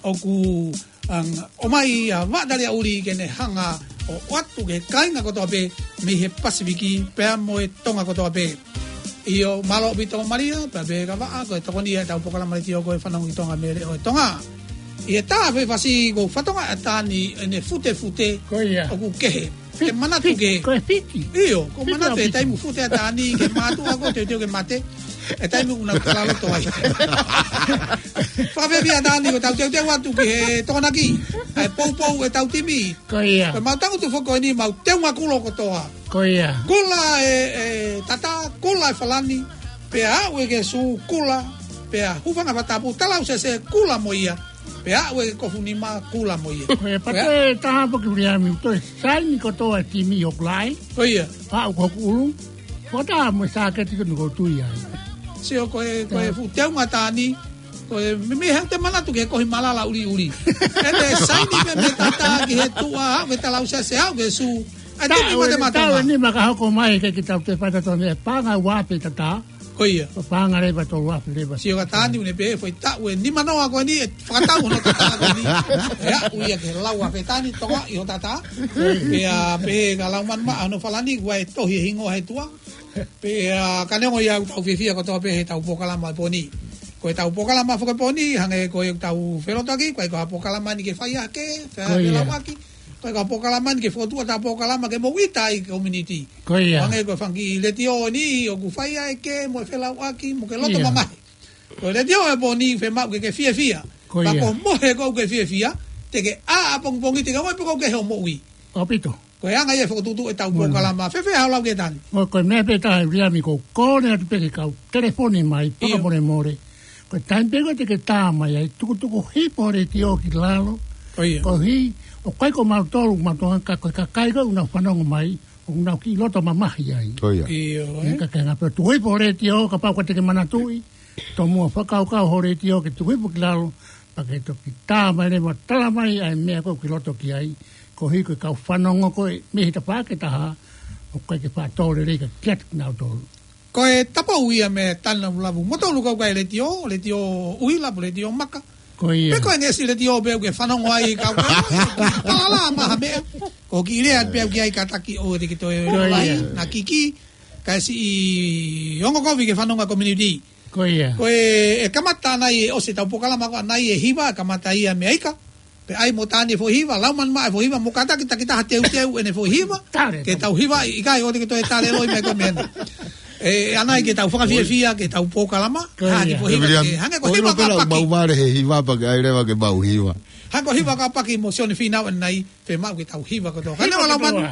ʻoku, um, ʻomai ʻa Vaʻa Taliaʻuli ke ne hanga ʻo ʻoatu ki he kāinga kotoa pē mei he Pasifiki pea mo e Tonga kotoa pē. ʻIo, mālō ʻaupito Malia, pea pehē kia Vaʻa, ko e tokoni ia ʻetau polokalama letiō ko e Fanongo ki Tonga mei he Leʻo ʻo Tonga. ʻI he tā foʻi fasi ko e fatongia ʻa Tani ʻene futefute. Ko ia. ʻOku kehe. Ke manatu ke. Ko e fiti. ʻIo, ko e manatu e taimi fute ʻa Tani ke mātuʻa ko e teuteu ke mate. E taimi ʻoku nau talaloto ai. Fakafiefia Tani ko ʻetau teuteu atu ki he Tokonaki. ʻA e poupou ʻetau timi. Ko ia. Ko e mau tangutu foki ko eni mau teunga kulo kotoa. Ko ia. Kula e, e tata, kula e falani. Pea aʻu ē ki he sū, kula. Pea hūfanga he fakatapu, talausese, kula mo ia. Pea aʻu ē ki he kofu nima, kula mo ia. Ko e pea pate taha foki Viliami, toe saini kotoa e timi ʻoku lahi. Ko ia. Aʻu ki hoku ʻulu. Ko tā mo e sāketi ko eni ʻoku ou tui ai. Sio ko e, ko e fuʻu teunga Tani. Ko e mei, mei he te manatu ki he kohi malala ʻuliʻuli. ʻE te saini pē mei he tata ki he tuʻa, aʻu ki he talausese, aʻu ki he sū. ʻAi te mei mate mate. Taʻu eni maka hoko mai ke kita te fata tone e paʻanga ua afe tata. Ko ia. Ko e paʻanga leva tolu afe leva. Sio ka Tani ʻoku ne pehē foʻi taʻu ʻe nimanoa ko eni ʻe fakatau hono tata ko eni. ʻE aʻu ia ki he lau afe Tani, tokoaʻi ho tata. Pea pehē ka lau manu maʻa hono falani, ʻoku ʻai tohi e hingoa he tuʻa. Pea ka neongo ia ʻoku tau fiefia kotoa pē heʻetau polokalama ʻo e pō ni. Ko ʻetau polokalama foki ʻo e pō ni, hangē ko ʻetau felotoʻaki, ʻoku ʻikai ko ha polokalama ni ke fai hake, fai hake lauʻaki. Ko ia. Ko e ka polokalama ni ke fokotuʻu ʻetau polokalama ke moʻui ʻa e community. Ko ia. Hangē ko e fanga kiʻi letiō ni ʻoku fai ai ke mo e felauʻaki mo ke loto mamahi. Ko e letiō ʻo e pō ni fiemaʻu ke ke fiefia. Ko ia. Pea ko e mohe ʻoku ke fiefia, te ke ʻā ʻapongipongi, te ke ongoʻi pē ʻoku ke ʻi hoʻo moʻui. ʻAupito. Ko e anga ia e fokotuʻutuʻu ʻetau polokalama. Fēfē haʻo lau ki ai Tani? Ko, ko e meʻa pē taha Viliami, ʻoku ou kole atu pē ke kau telefoni mai, fakamolemole. Ko e taimi pē ko ē te ke tā mai ai, tukutuku hifo e letiō ki lalo. Ko ia. Koeʻuhi, ʻoku ʻikai ko mautolu, mautolu ka ko e kakai ko ē ʻoku nau fanongo mai, ʻoku nau kiʻi loto mamahi ai. Ko ia. ʻIo, ē? Ka ke ngā pē tuku hifo e letiō, kapau ʻoku te ke manatuʻi, tomuʻa fakakaukau ho letiō ke tuku hifo ki lalo, pea ke toki tā mai leva ʻo tala mai ʻa e meʻa ko ē ʻoku ke loto ki ai, koeʻuhi ko e kau fanongo ko ē mei he tafaʻaki ʻe taha, ʻoku ʻikai ke faʻa tō lelei ka kiate kinautolu. Ko e tapou ia mei Tani Lavulavu. Mo tolu kau kai letiō, letiō ʻuhila, letiō maka. Ko ia. Pe ko e ngeʻesi letiō pē ʻoku ke fanongo ai kau kai. Palala maha meʻa. Ko e kiʻi lea pē ʻoku ʻi ai kātaki ʻoua te ke toe lahi, na kiki. Kae siʻi ongo kovi ke fanongo ʻa e community. Ko ia. Ko e, ʻe kamata ʻanai ʻe ʻosi ʻetau polokalama ko ʻanai e hiva, kamata ia mei ai ka. Pea ʻai mo Tani e foʻi hiva, lau manu maʻa e foʻi hiva, mo kātaki takitaha teuteu ʻene foʻi hiva. Tale, ke tau hiva, ʻikai ʻoua te ke toe tale loi mai ko e meʻa ni. ʻE, ʻanai ke tau fakafiefia, ke tau polokalama. Ko ia. Hā ki he foʻi hiva, ke hangē ko e hiva ka paki. Mau mare he hiva pea ke ʻai leva ke mau hiva. Hangē ko e hiva ka paki mo Sione Fīnau ʻanai, fiemaʻu ke tau hiva kotoa. Ka ne ʻoua lau manu.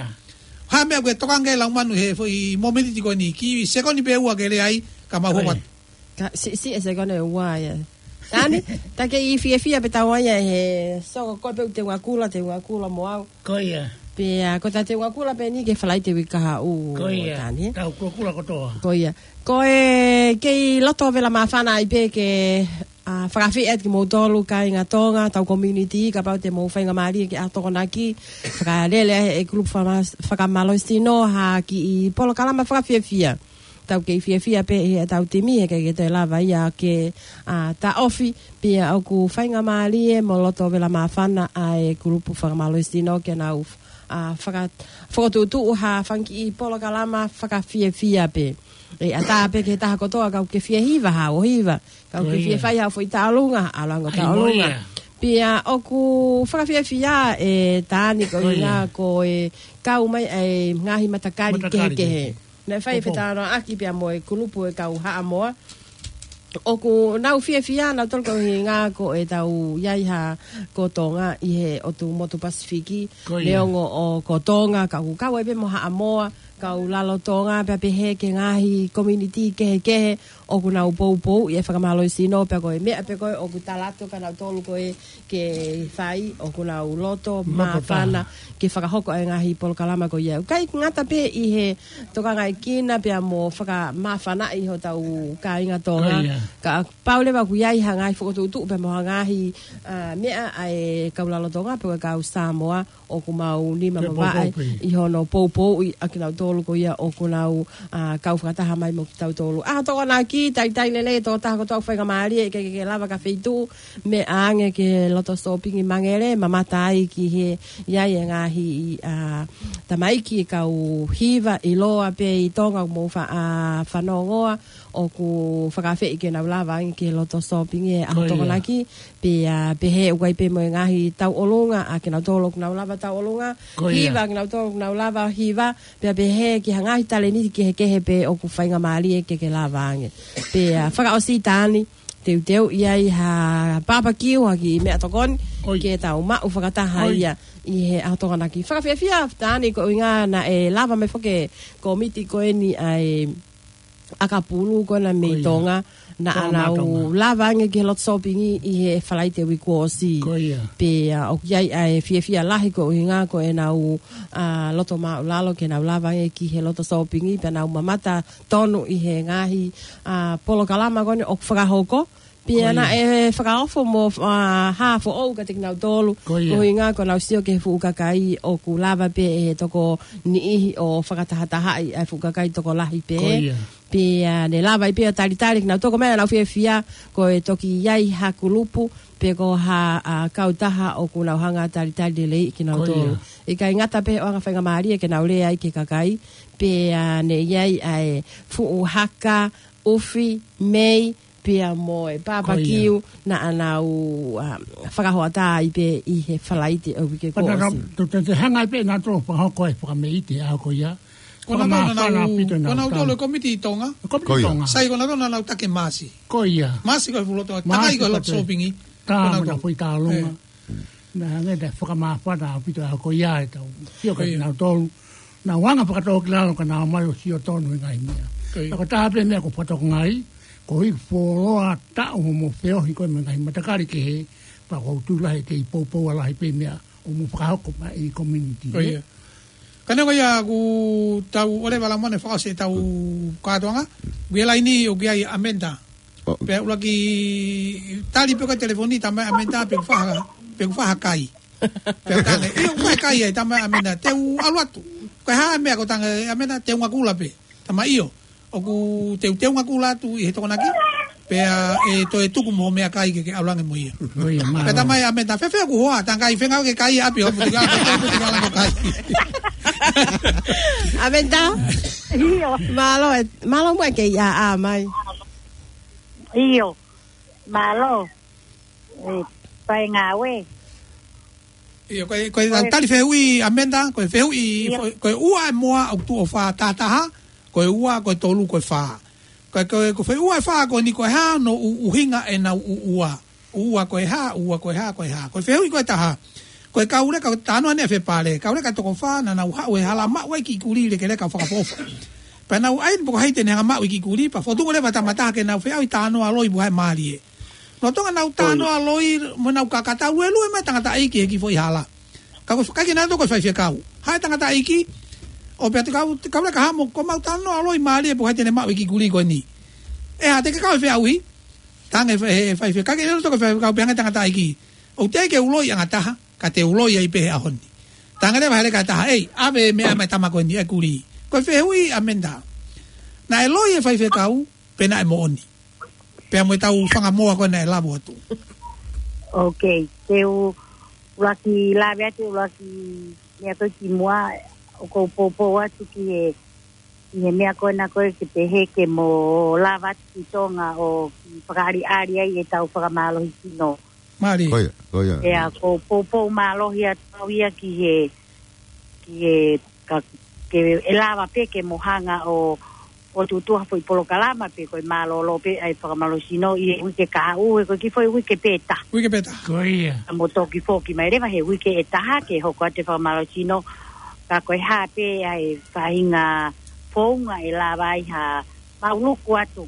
Ha meʻa ʻoku ke tokanga ki ai Laumanu he foʻi momeniti ko eni, kiʻi sekoni pē ua ke lea ai, ka mau hoko atu. Ka, si, si, e sekoni ua ia. Tani, ta ke ʻi fiefia pē tau ai ia he soko ko pē ʻoku te ngakula, te ngakula mo au. Ko ia. Pea, ko ta te ngakula pē ni ki he Falaite uike kahaʻu, Tani. Tau kulakula kotoa. Ko ia. Ko e, kei loto vela māfana ai pē ke, ʻa, fakaafeʻi atu kimoutolu kāinga Tonga, tau community, kapau te mou faingamālie ki he ʻaho Tokonaki, fakalele ai e kulupu fakama-, fakamālohisino ha kiʻi polokalama fakafiefia. Tau kei fiefia pē ʻi heʻetau timi, he ʻikai ke toe lava ia ke, ʻa, taʻofi, pea ʻoku faingamālie mo loto vela māfana ʻa e kulupu fakamālohisino ke nau, ʻa, faka-, fokotuʻutuʻu ha fanga kiʻi polokalama fakafiefia pē. ʻE ʻatā pē ki he taha kotoa ka ʻoku ke fie hiva haʻo hiva. Ka ʻoku ke fie fai haʻo foʻi tauʻolunga, ʻalu ange ʻo tauʻolunga. Pea ʻoku fakafiefia ʻe Tani ko ia ko e kau mai ʻa e ngaahi matakali kehekehe. Naʻe fai e fetalanoaʻaki pea mo e kulupu e kau Haʻamoa. ʻOku nau fiefia nautolu ko e ʻuhinga ko ʻetau ʻi ai ha ko Tonga ʻi he ʻotu motu Pasifiki. Neongo ʻoku ko Tonga, ka ʻoku kau ai pē mo Haʻamoa, kau Lalotonga, pea pehē ki he ngaahi community kehekehe, ʻoku nau poupou ʻi he fakamālohisino, pea ko e meʻa pē ko ē ʻoku talaatu kia nautolu ko ē ke fai, ʻoku nau loto māfana ke fakahoko e ngaahi polokalama ko ia. ʻIkai ngata pē ʻi he tokangaekina pea mo fakamāfanaʻi hotau kāinga Tonga. Ka pau leva ʻoku ʻi ai ha ngaahi fokotuʻutuʻu pea mo ha ngaahi, ʻa, meʻa ʻa e kau Lalotonga pea ko e kau Samoa, ʻoku mau nima mavaʻe ʻi hono poupouʻi ʻa kinautolu ko ia ʻoku nau, ʻa, kau fakataha mai mo kitautolu. ʻAho Tokonaki, talitali lelei e tokotaha kotoa ʻoku faingamālie, ʻikai ke ke lava ki ha feituʻu, meʻa ange ki he loto sōpingi Mangele, mamata ai ki he ʻi ai e ngaahi, ʻa, tamaiki kau hiva ʻiloa pē ʻi Tonga mo fa-, ʻa, fanongoa, ʻoku fakaafeʻi ke nau lava ange ki he loto sōpingi he ʻaho Tokonaki. Pea pehē ʻoku ʻi ai pē mo e ngaahi tauʻolunga ʻa kinautolu ʻoku nau lava tauʻolunga. Hiva ʻa kinautolu ʻoku nau lava hiva. Pea pehē ki ha ngaahi talēniti kehekehe pē ʻoku faingamālie ke ke lava ange. Pea fakaʻosi Tani, teuteu ʻi ai ha papakiu, ha kiʻi meʻatokoni ke tau maʻu fakataha ia ʻi he ʻaho Tokonaki. Fakafiefia Tani ko e ʻuhinga naʻe lava mai foki e komiti ko eni ʻa e ʻakapulu ko ena mei Tonga, naʻa nau lava ange ki he loto sōpingi ʻi he Falaite uike kuo ʻosi. Pea ʻoku ʻi ai ʻa e fiefia lahi ko e ʻuhinga ko ʻenau, ʻa, loto māʻulalo ke nau lava ange ki he loto sōpingi, pea nau mamata tonu ʻi he ngaahi, ʻa, polokalama ko eni ʻoku fakahoko. Pea naʻe fakaofo mo, ʻa, hā foʻou kiate kinautolu. Ko e ʻuhinga ko ʻenau sio ki he fuʻu kakai ʻoku lava pē ʻe he toko niʻihi ʻo fakatahatahaʻi ʻa e fuʻu kakai tokolahi pē. Pea ne lava ai pē ʻo talitali kinautolu, ko e meʻa naʻa nau fiefia, ko e toki ʻi ai ha kulupu, pe ko ha, ʻa, kautaha ʻoku nau hanga ʻo talitali lelei kinautolu. ʻIkai ngata pē he ʻoange faingamālie ke nau lea ai ki he kakai, pea ne ʻi ai ʻa e fuʻu haka, ʻufi, mei, pea mo e papakiu naʻa nau, ʻa, fakahoʻatā ai pē ʻi he Falaite ʻo e uike kuo ʻosi. Tau te hanga ai pē nautolu ʻo fakahoko e fakameʻite ʻaho ko ia. Ko nautolu naʻa nau, ko nautolu e komiti ʻi Tonga. Komiti ʻi Tonga. Sai ko nautolu naʻa nau taki Maasi. Ko ia. Maasi ko e fuʻu loto, takai ko e loto sōpingi. Tā mo na fai tālunga. Naʻe hangē naʻe fakamāfana ʻaupito ʻaho ko ia ʻetau sio kia nautolu. Naʻa nau hanga fakatōkilalo ka nau ō mai ʻo sio tonu he ngaahi meʻa. Ka ko e taha pē meʻa ʻoku fakatokangaʻi, ko e fuoloa taʻu hoʻomo feohi ko ē mo e ngaahi matakali kehe, pea ʻoku ou tui lahi ʻe kei poupou lahi pē meʻa ʻoku mo fakahoko mai ʻi he community. Ka neongo ia ʻoku tau ʻoleva Laumanu fakaʻosi ʻetau kātoanga, ʻoku ʻi he laini ʻoku ʻi ai ʻa Amenta. Pea ʻuluaki tali pē ko e telefoni, talamai ʻe Amenta pe ʻoku faha, pe ʻoku faha kai. Pea u talaange, ʻio, ʻoku faha kai ai, talamai ʻe Amenta, te u ʻalu atu. Ko e hā e meʻa? Ko e talaange ʻe Amenta, te u ngakula pē. Talamai ʻio, ʻoku teuteu ngakula atu ʻi he Tokonaki. Pea ʻe toe tuku mo e meʻakai ke ke ʻalu ange mo ia. Pea talamai ʻe Amenta, fēfē hoku hoa? Talaange, ʻikai, feinga ke kai ʻi ʻapi, ʻo putika, ʻo putika langa kai. Amenta? ʻIo. Mālō, ē, mālō muʻa e kei ʻā mai. ʻIo. Mālō. ʻE, paengaue. ʻIo, ko e, ko e tali fehuʻi Amenta, ko e fehuʻi, ko e ua e moa ʻoku tuʻo fā tahataha, ko e ua, ko e tolu, ko e fā. Ko e, ko e, ko e fehuʻi ua e fā ko eni, ko e hā hono ʻuhinga ʻenau ua. Ua ko e hā, ua ko e hā, ko e hā. Ko e fehuʻi ko e taha. Ko e kau leka, ko e talanoa ʻanefē pale, kau leka toko fā, naʻa nau haʻu he hala maʻu ai e kiʻi kulī lekeleka ʻo fakaʻofoʻofa. Pea nau ʻai ni pe ko hai te ne hanga ʻo maʻu e kiʻi kulī, pea fokotuʻu leva e tama ʻe taha ke nau feʻauhi talanoa loi mo haʻe mālie. Lolotonga ʻenau talanoa loi mo ʻenau kakatau, ʻe lue mai e tangataʻeiki he kiʻi foʻi hala. Ka ko e fakaʻikai ke nau tō ko e faifekau. Haʻu e tangataʻeiki, ʻo pehē atu, kau, kau leka, haʻu mo ʻemau talanoa loi mālie pe ko hai te ne maʻu e kiʻi kulī ko eni. ʻE, ʻa, te ke kau he feʻauhi? Talaange ʻe he faifekau, ʻikai ke nau tō ko e faifekau, pehē ange e tangataʻeiki, ʻoku teʻeki ke u loi ʻe au ha taha, ka te u loi ai pē he ʻaho ni. Talaange leva ʻe he leka ʻe taha, ʻei, ʻave e meʻa mai e tama ko eni, e kulī. Ko e fehuʻi ʻa Menta. Naʻe loi e faifekau, pe naʻe moʻoni? Pea mo ʻetau fanga moa ko ē naʻe lavo atu. Ok, te u ʻuluaki lave atu, ʻuluaki meʻa ko ē kimuʻa, ʻoku ou poupou atu ki he, ki he meʻa ko ena ko ē ke pehē ke mo lava atu ki Tonga ʻo kiʻi fakaʻaliʻali ai ʻetau fakamālohisino. Mālie. Ko ia, ko ia. Pea ʻoku ou poupou mālohi atu au ia ki he, ki he, ka, ke ʻe lava pē ke mo hanga ʻo, ʻo tuʻutuʻu ha foʻi polokalama pe ko e mālōlō pē ʻa e fakamālohisino ʻi he uike kahaʻu, he ko e kiʻi foʻi uike pē ʻe taha. Uike pē ʻe taha. Ko ia. Ka mo toki foki mai leva he uike ʻe taha ke hoko atu e fakamālohisino, ka ko e hā pē ʻa e faʻahinga founga ʻe lava ai ha maʻuluku atu.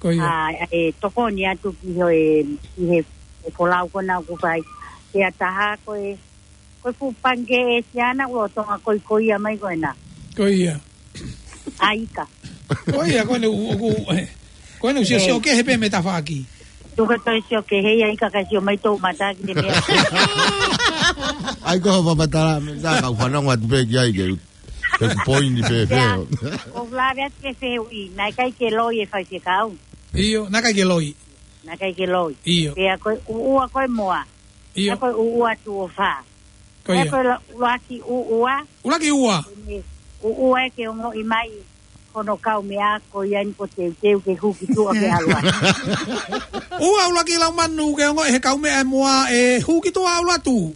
Ko ia. ʻA, ʻe tokoni atu ki he, ki he, e folau ko ena ʻoku fai. Pea taha ko e, ko e fuʻu pangikē ʻĒsiana ʻoku lolotonga koikoia mai ko ena. Ko ia. ʻAika. Ko ia, ko ena ʻoku, ʻoku, eh, ko ena ʻoku sio, sio kehe pē mei tafaʻaki. Tuku e toe sio kehe ia ʻIka kae sio mai toʻu mata ki he meʻa. ʻAi ko e fakamatala, meʻa ka u fanongo atu pē ki ai ke, ke u poini pē, pē. Ia, ʻoku ou lave atu ki he fehuʻi, naʻe ʻikai ke loi e faifekau. ʻIo, naʻe ʻikai ke loi. Naʻe ʻikai ke loi. ʻIo. Pea ko e ʻuʻua ko e moa. ʻIo. Pea ko e ʻuʻua tuʻo fā. Ko ia. Pea ko e la-, ʻuluaki ʻuʻua. ʻUluaki ʻuʻua. Ko eni ʻuʻua ʻe ke ongoʻi mai hono kaumeʻa ko ia ni ko teuteu ke hū ki tuʻa ke ʻalu atu. ʻUʻua ʻuluaki laumanu ke ongoʻi he kaumeʻa e moa ʻe hū ki tuʻa ʻalu atu.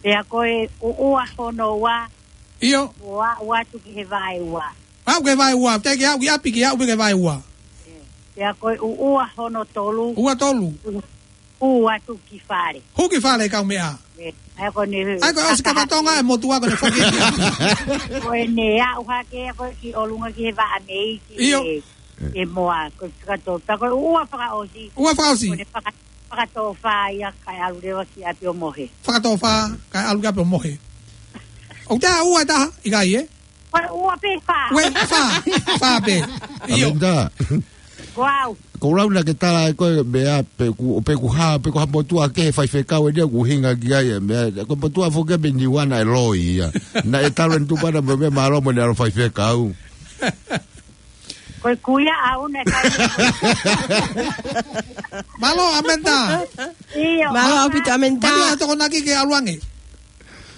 Pea ko e ʻuʻua hono ua. ʻIo. ʻO aʻu atu ki he vaeua. Aʻu ki he vaeua, teʻeki aʻu ki ʻapi, ke aʻu ki he vaeua. Pea ko e ʻuʻua hono tolu. ʻUʻua tolu. Hū atu ki fale. Hū ki fale e kaumeʻa. ʻE, ʻa ia ko ʻene ʻA ia ko e ʻosi kakaha- kama Tonga e motuʻa ko ʻene foki. Ko ʻene aʻu hake ko ē ki ʻolunga ki he vaʻa mei ki ʻIo. he, he moa, ko e fakato-, pea ko e ʻuʻua fakaʻosi. ʻUʻua fakaʻosi. Ko ʻene faka-, fakatōfā ia kae ʻalu leva ki ʻapi ʻo mohe. Fakatōfā, kae ʻalu ki ʻapi ʻo mohe. ʻOku ʻi ai ha ʻuʻua ʻe taha, ʻikai ē? Ko e ʻuʻua pē fā. Ko e fā, fā pē. ʻIo. Amenda. Wow. Ko e lau naʻa ke tala ai ko e meʻa pe ko e, pe ko e hā, pe ko e hā motuʻa kehe faifekau eni ʻoku ʻuhinga ki ai e meʻa. Ko e motuʻa foki ia mei Niua naʻe loi ia. Naʻe talu ʻene tupu ʻana mo e meʻa mālō mo ʻene ʻalu ʻo faifekau. Ko e kuia au naʻe kai. Mālō, Amenda. ʻIo, Mālō ʻaupito, Amenda. Mālō, ʻe tokonaki ke ʻalu ange.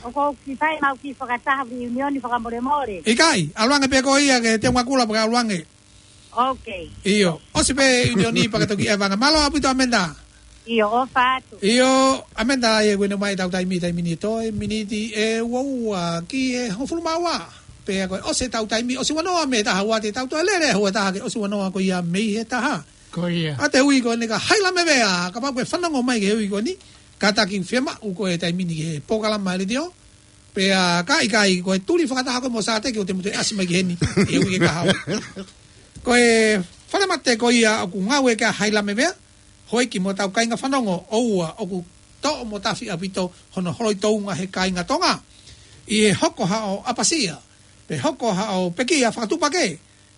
ʻOku ou kiʻi fai ʻemau kiʻi fakataha reunion fakamolemole. ʻIkai, ʻalu ange pē koe ia ke te ngakula pea ʻalu ange. Ok. ʻIo, ʻosi pē reunion pea ke toki ʻeva ange. Mālō ʻaupito, Amenda. ʻIo, ʻofa atu. ʻIo, Amenda, ʻa ia ko ʻene ʻomai ʻetau taimi, taimi ni toe, miniti ʻe ua ua ki he hongofulu mā ua. Pea ko e ʻosi ʻetau taimi, ʻosi ua noa mei he taha ua te tau toe lele, ua taha ke ʻosi ua noa ko ia mei he taha. Ko ia. ʻA e ui ko eni ka Haila Mevea, kapau ʻoku ke fanongo mai ki he ui ko eni, kātaki fiemaʻu ko e taimi ni ki he polokalama letiō, pea ka ʻikai ko e tuli fakataha ko ē mo Sāteki ʻo te mute ʻasi mai ki heni, ʻi he uike kahaʻu. Ko e falemate ko ia ʻoku ngāue ki ai ʻa Haila Mevea, houʻeiki mo hotau kāinga fanongo, ʻoua ʻoku toʻo mo tafi ʻaupito hono holoi tounga he kāinga Tonga. ʻI he hoko haʻo ʻapasia, pe hoko haʻo pekia fakatuʻupakē,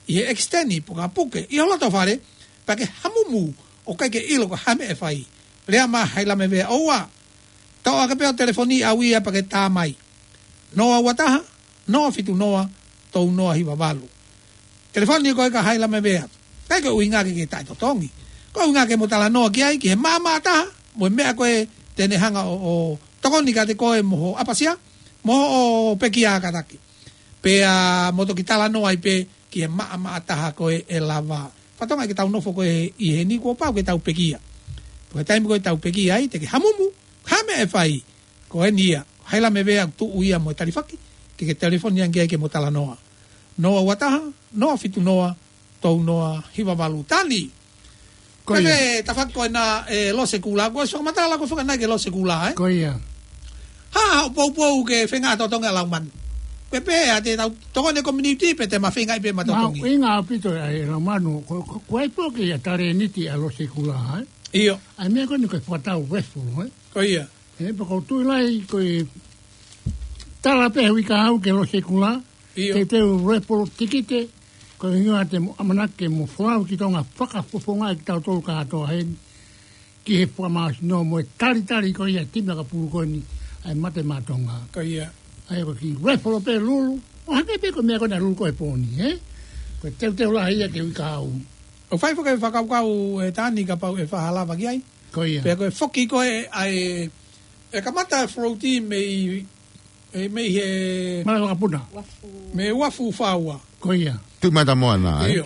ʻi he ʻekisiteni pe ko ha puke ʻi ho loto fale, pea ke hamumu ʻoku ʻikai ke ʻilo ko e hā e meʻa ʻe fai. Lea mai ʻa Haila Mevea, ʻoua. Toʻo hake pē hoʻo telefoni ʻau ia pea ke tā mai. Noa ua taha, noa fitu noa, tolu noa hiva valu. Telefoni ko ē kia Haila Mevea. ʻIkai ko e ʻuhinga ke ke taʻetotongi. Ko e ʻuhinga ke mo talanoa ki ai, ki he maʻamaʻa taha, mo e meʻa ko ē te ne hanga ʻo, ʻo tokoni kiate koe mo hoʻo ʻapasia, mo hoʻo pekia kātaki. Pea mo toki talanoa ai pē ki he maʻamaʻa taha ko ē ʻe lava. Fakatonga ke tau nofo ko ē ʻi heni kuo pau ke tau pekia. Ko e taimi ko ē tau pekia ai, te ke hamumu, hā e meʻa ʻe fai. Ko eni ia, Haila Mevea ʻoku tuʻu ia mo e talifaki, ke ke telefoni ange ki ai ke mo talanoa. Noa ua taha, noa fitu noa, tolu noa hiva valu. Tani. Ko ia. Pea tafaʻaki ko ena ʻe Lose Kula, ko e fakamatala ko ē fakaʻanai ki he Lose Kula, ē? Ko ia. Ha, ha, poupou ke feinga ʻa Totongi ʻa Laumanu. Pea pehē ʻa e tau tokoni community pea te ma feinga ʻi pē ma Totongi. Mahuʻinga ʻaupito ʻa e Laumanu, ko, ko, ko ai pē ke ia talēniti ʻa Losekula, ē? ʻIo. ʻA e meʻa ko eni ko e fakatau raffle, ē? Ko ia. Ē, pea ko e tui lahi ko e tala pē he uike kahaʻu ki Losekula, ʻIo. Te teu raffle tikite, ko e ʻuhinga te mo ʻamanaki ke mo folau ki Tonga fakafofongaʻi kitautolu kātoa heni, ki he fakamāsino mo e talitali ko ia timi ʻakapulu ko eni, ʻa e Mate Maʻa Tonga. Ko ia. ʻA ia ko e kiʻi raffle pē Lulu, ʻo hangē pē ko e meʻa ko ena Lulu ko e pōni, ē? Ko e teuteu lahi ia ki he uike kahaʻu. ʻOku fai foki e fakakaukau ʻe Tani kapau ʻe faʻa lava ki ai. Ko ia. Pea ko e foki ko ē ʻa e, ʻe kamata e float mei, ʻe mei he Malaʻe Vakapuna. Mei Uafu Fā Ua. Ko ia. Tuʻi Matamoana, ē? ʻIo.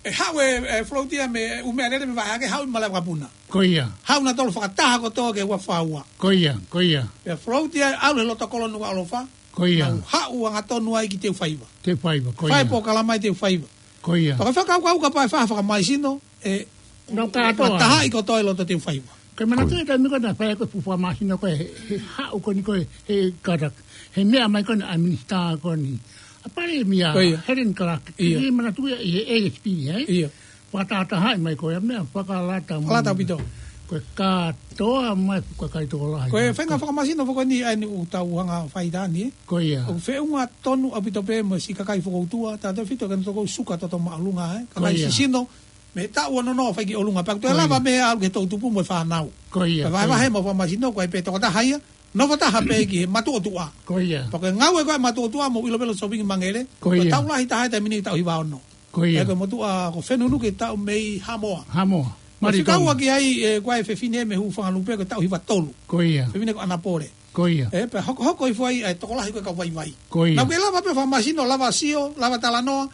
ʻE haʻu e, e float ia mei ʻUmealele mei Vaheake haʻu ʻi Malaʻe Vakapuna. Ko ia. Haʻu nautolu fakataha kotoa ki Uafu Fā Ua. Ko ia, ko ia. Pea float ia ʻalu he loto kolo Nukuʻalofa. Ko ia. Nau haʻu angatonu ai ki Teufaiva. Teufaiva, ko ia. Fai polokalama ʻi Teufaiva. Ko ia. Pea ko e fakakaukau kapau ʻe faʻa fakamāsino, ʻe, Nau kātoa. Fakatahaʻi kotoa ʻi loto Teufaiva. Ko e manatu ʻi he taimi ko ē naʻe fai ko ē fuʻu fakamāsino ko ē he, he haʻu ko eni ko ē he kātaki. He meʻa mai ko eni ʻa e minisitā ko eni. ʻA Palēmia, Ko ia. Helen Clark. ʻIo. Kiʻi manatu ia ʻi he A S P, ē? ʻIo. Fakatahatahaʻi mai ko ia meʻa fakalata mai. Fakalata ʻaupito. Ko e kātoa mai ko e kakai tokolahi. Ko e feinga fakamāsino foki eni ʻa eni ʻoku tau hanga fai ʻi Tani, ē? Ko ia. ʻOku feʻunga tonu ʻaupito pē mo e siʻi kakai fokoutua, tautefito ki he toko suka toto māʻolunga, ē? Ko ia. Kakai sisino, mei he taʻu ono noa ʻo fai ki ʻolunga. Pea toe Ko ia. lava mei ai ʻalu ki he toʻutupu mo e fānau. Ko ia, Pea ko ia. vahevahe mo fakamāsino, ko e pē tokotaha ia, nofo taha pē ki he Matuʻotuʻa. Ko ia. Pea ko e ngāue ko ē Matuʻotuʻa mo Ilovelo Shopping Mangaʻele, Ko ko e ia. tau lahi taha ʻi he taimi ni taʻu hiva ono. Ko ia. Pea ko e motuʻa ko Fenunuke taʻu mei Haʻamoa. Haʻamoa. Ko e Mali fika ua Tonga. ki ai, ē, ko e fefine mei Huʻufangalupe ko e taʻu hiva tolu. Ko ia. Fefine ko ʻAnapole. Ko ia. Ē, pea hokohoko hifo ai ʻa e tokolahi ko e kau vaivai. Ko ia. Naʻa ke lava pē fakamāsino, lava sio, lava talanoa,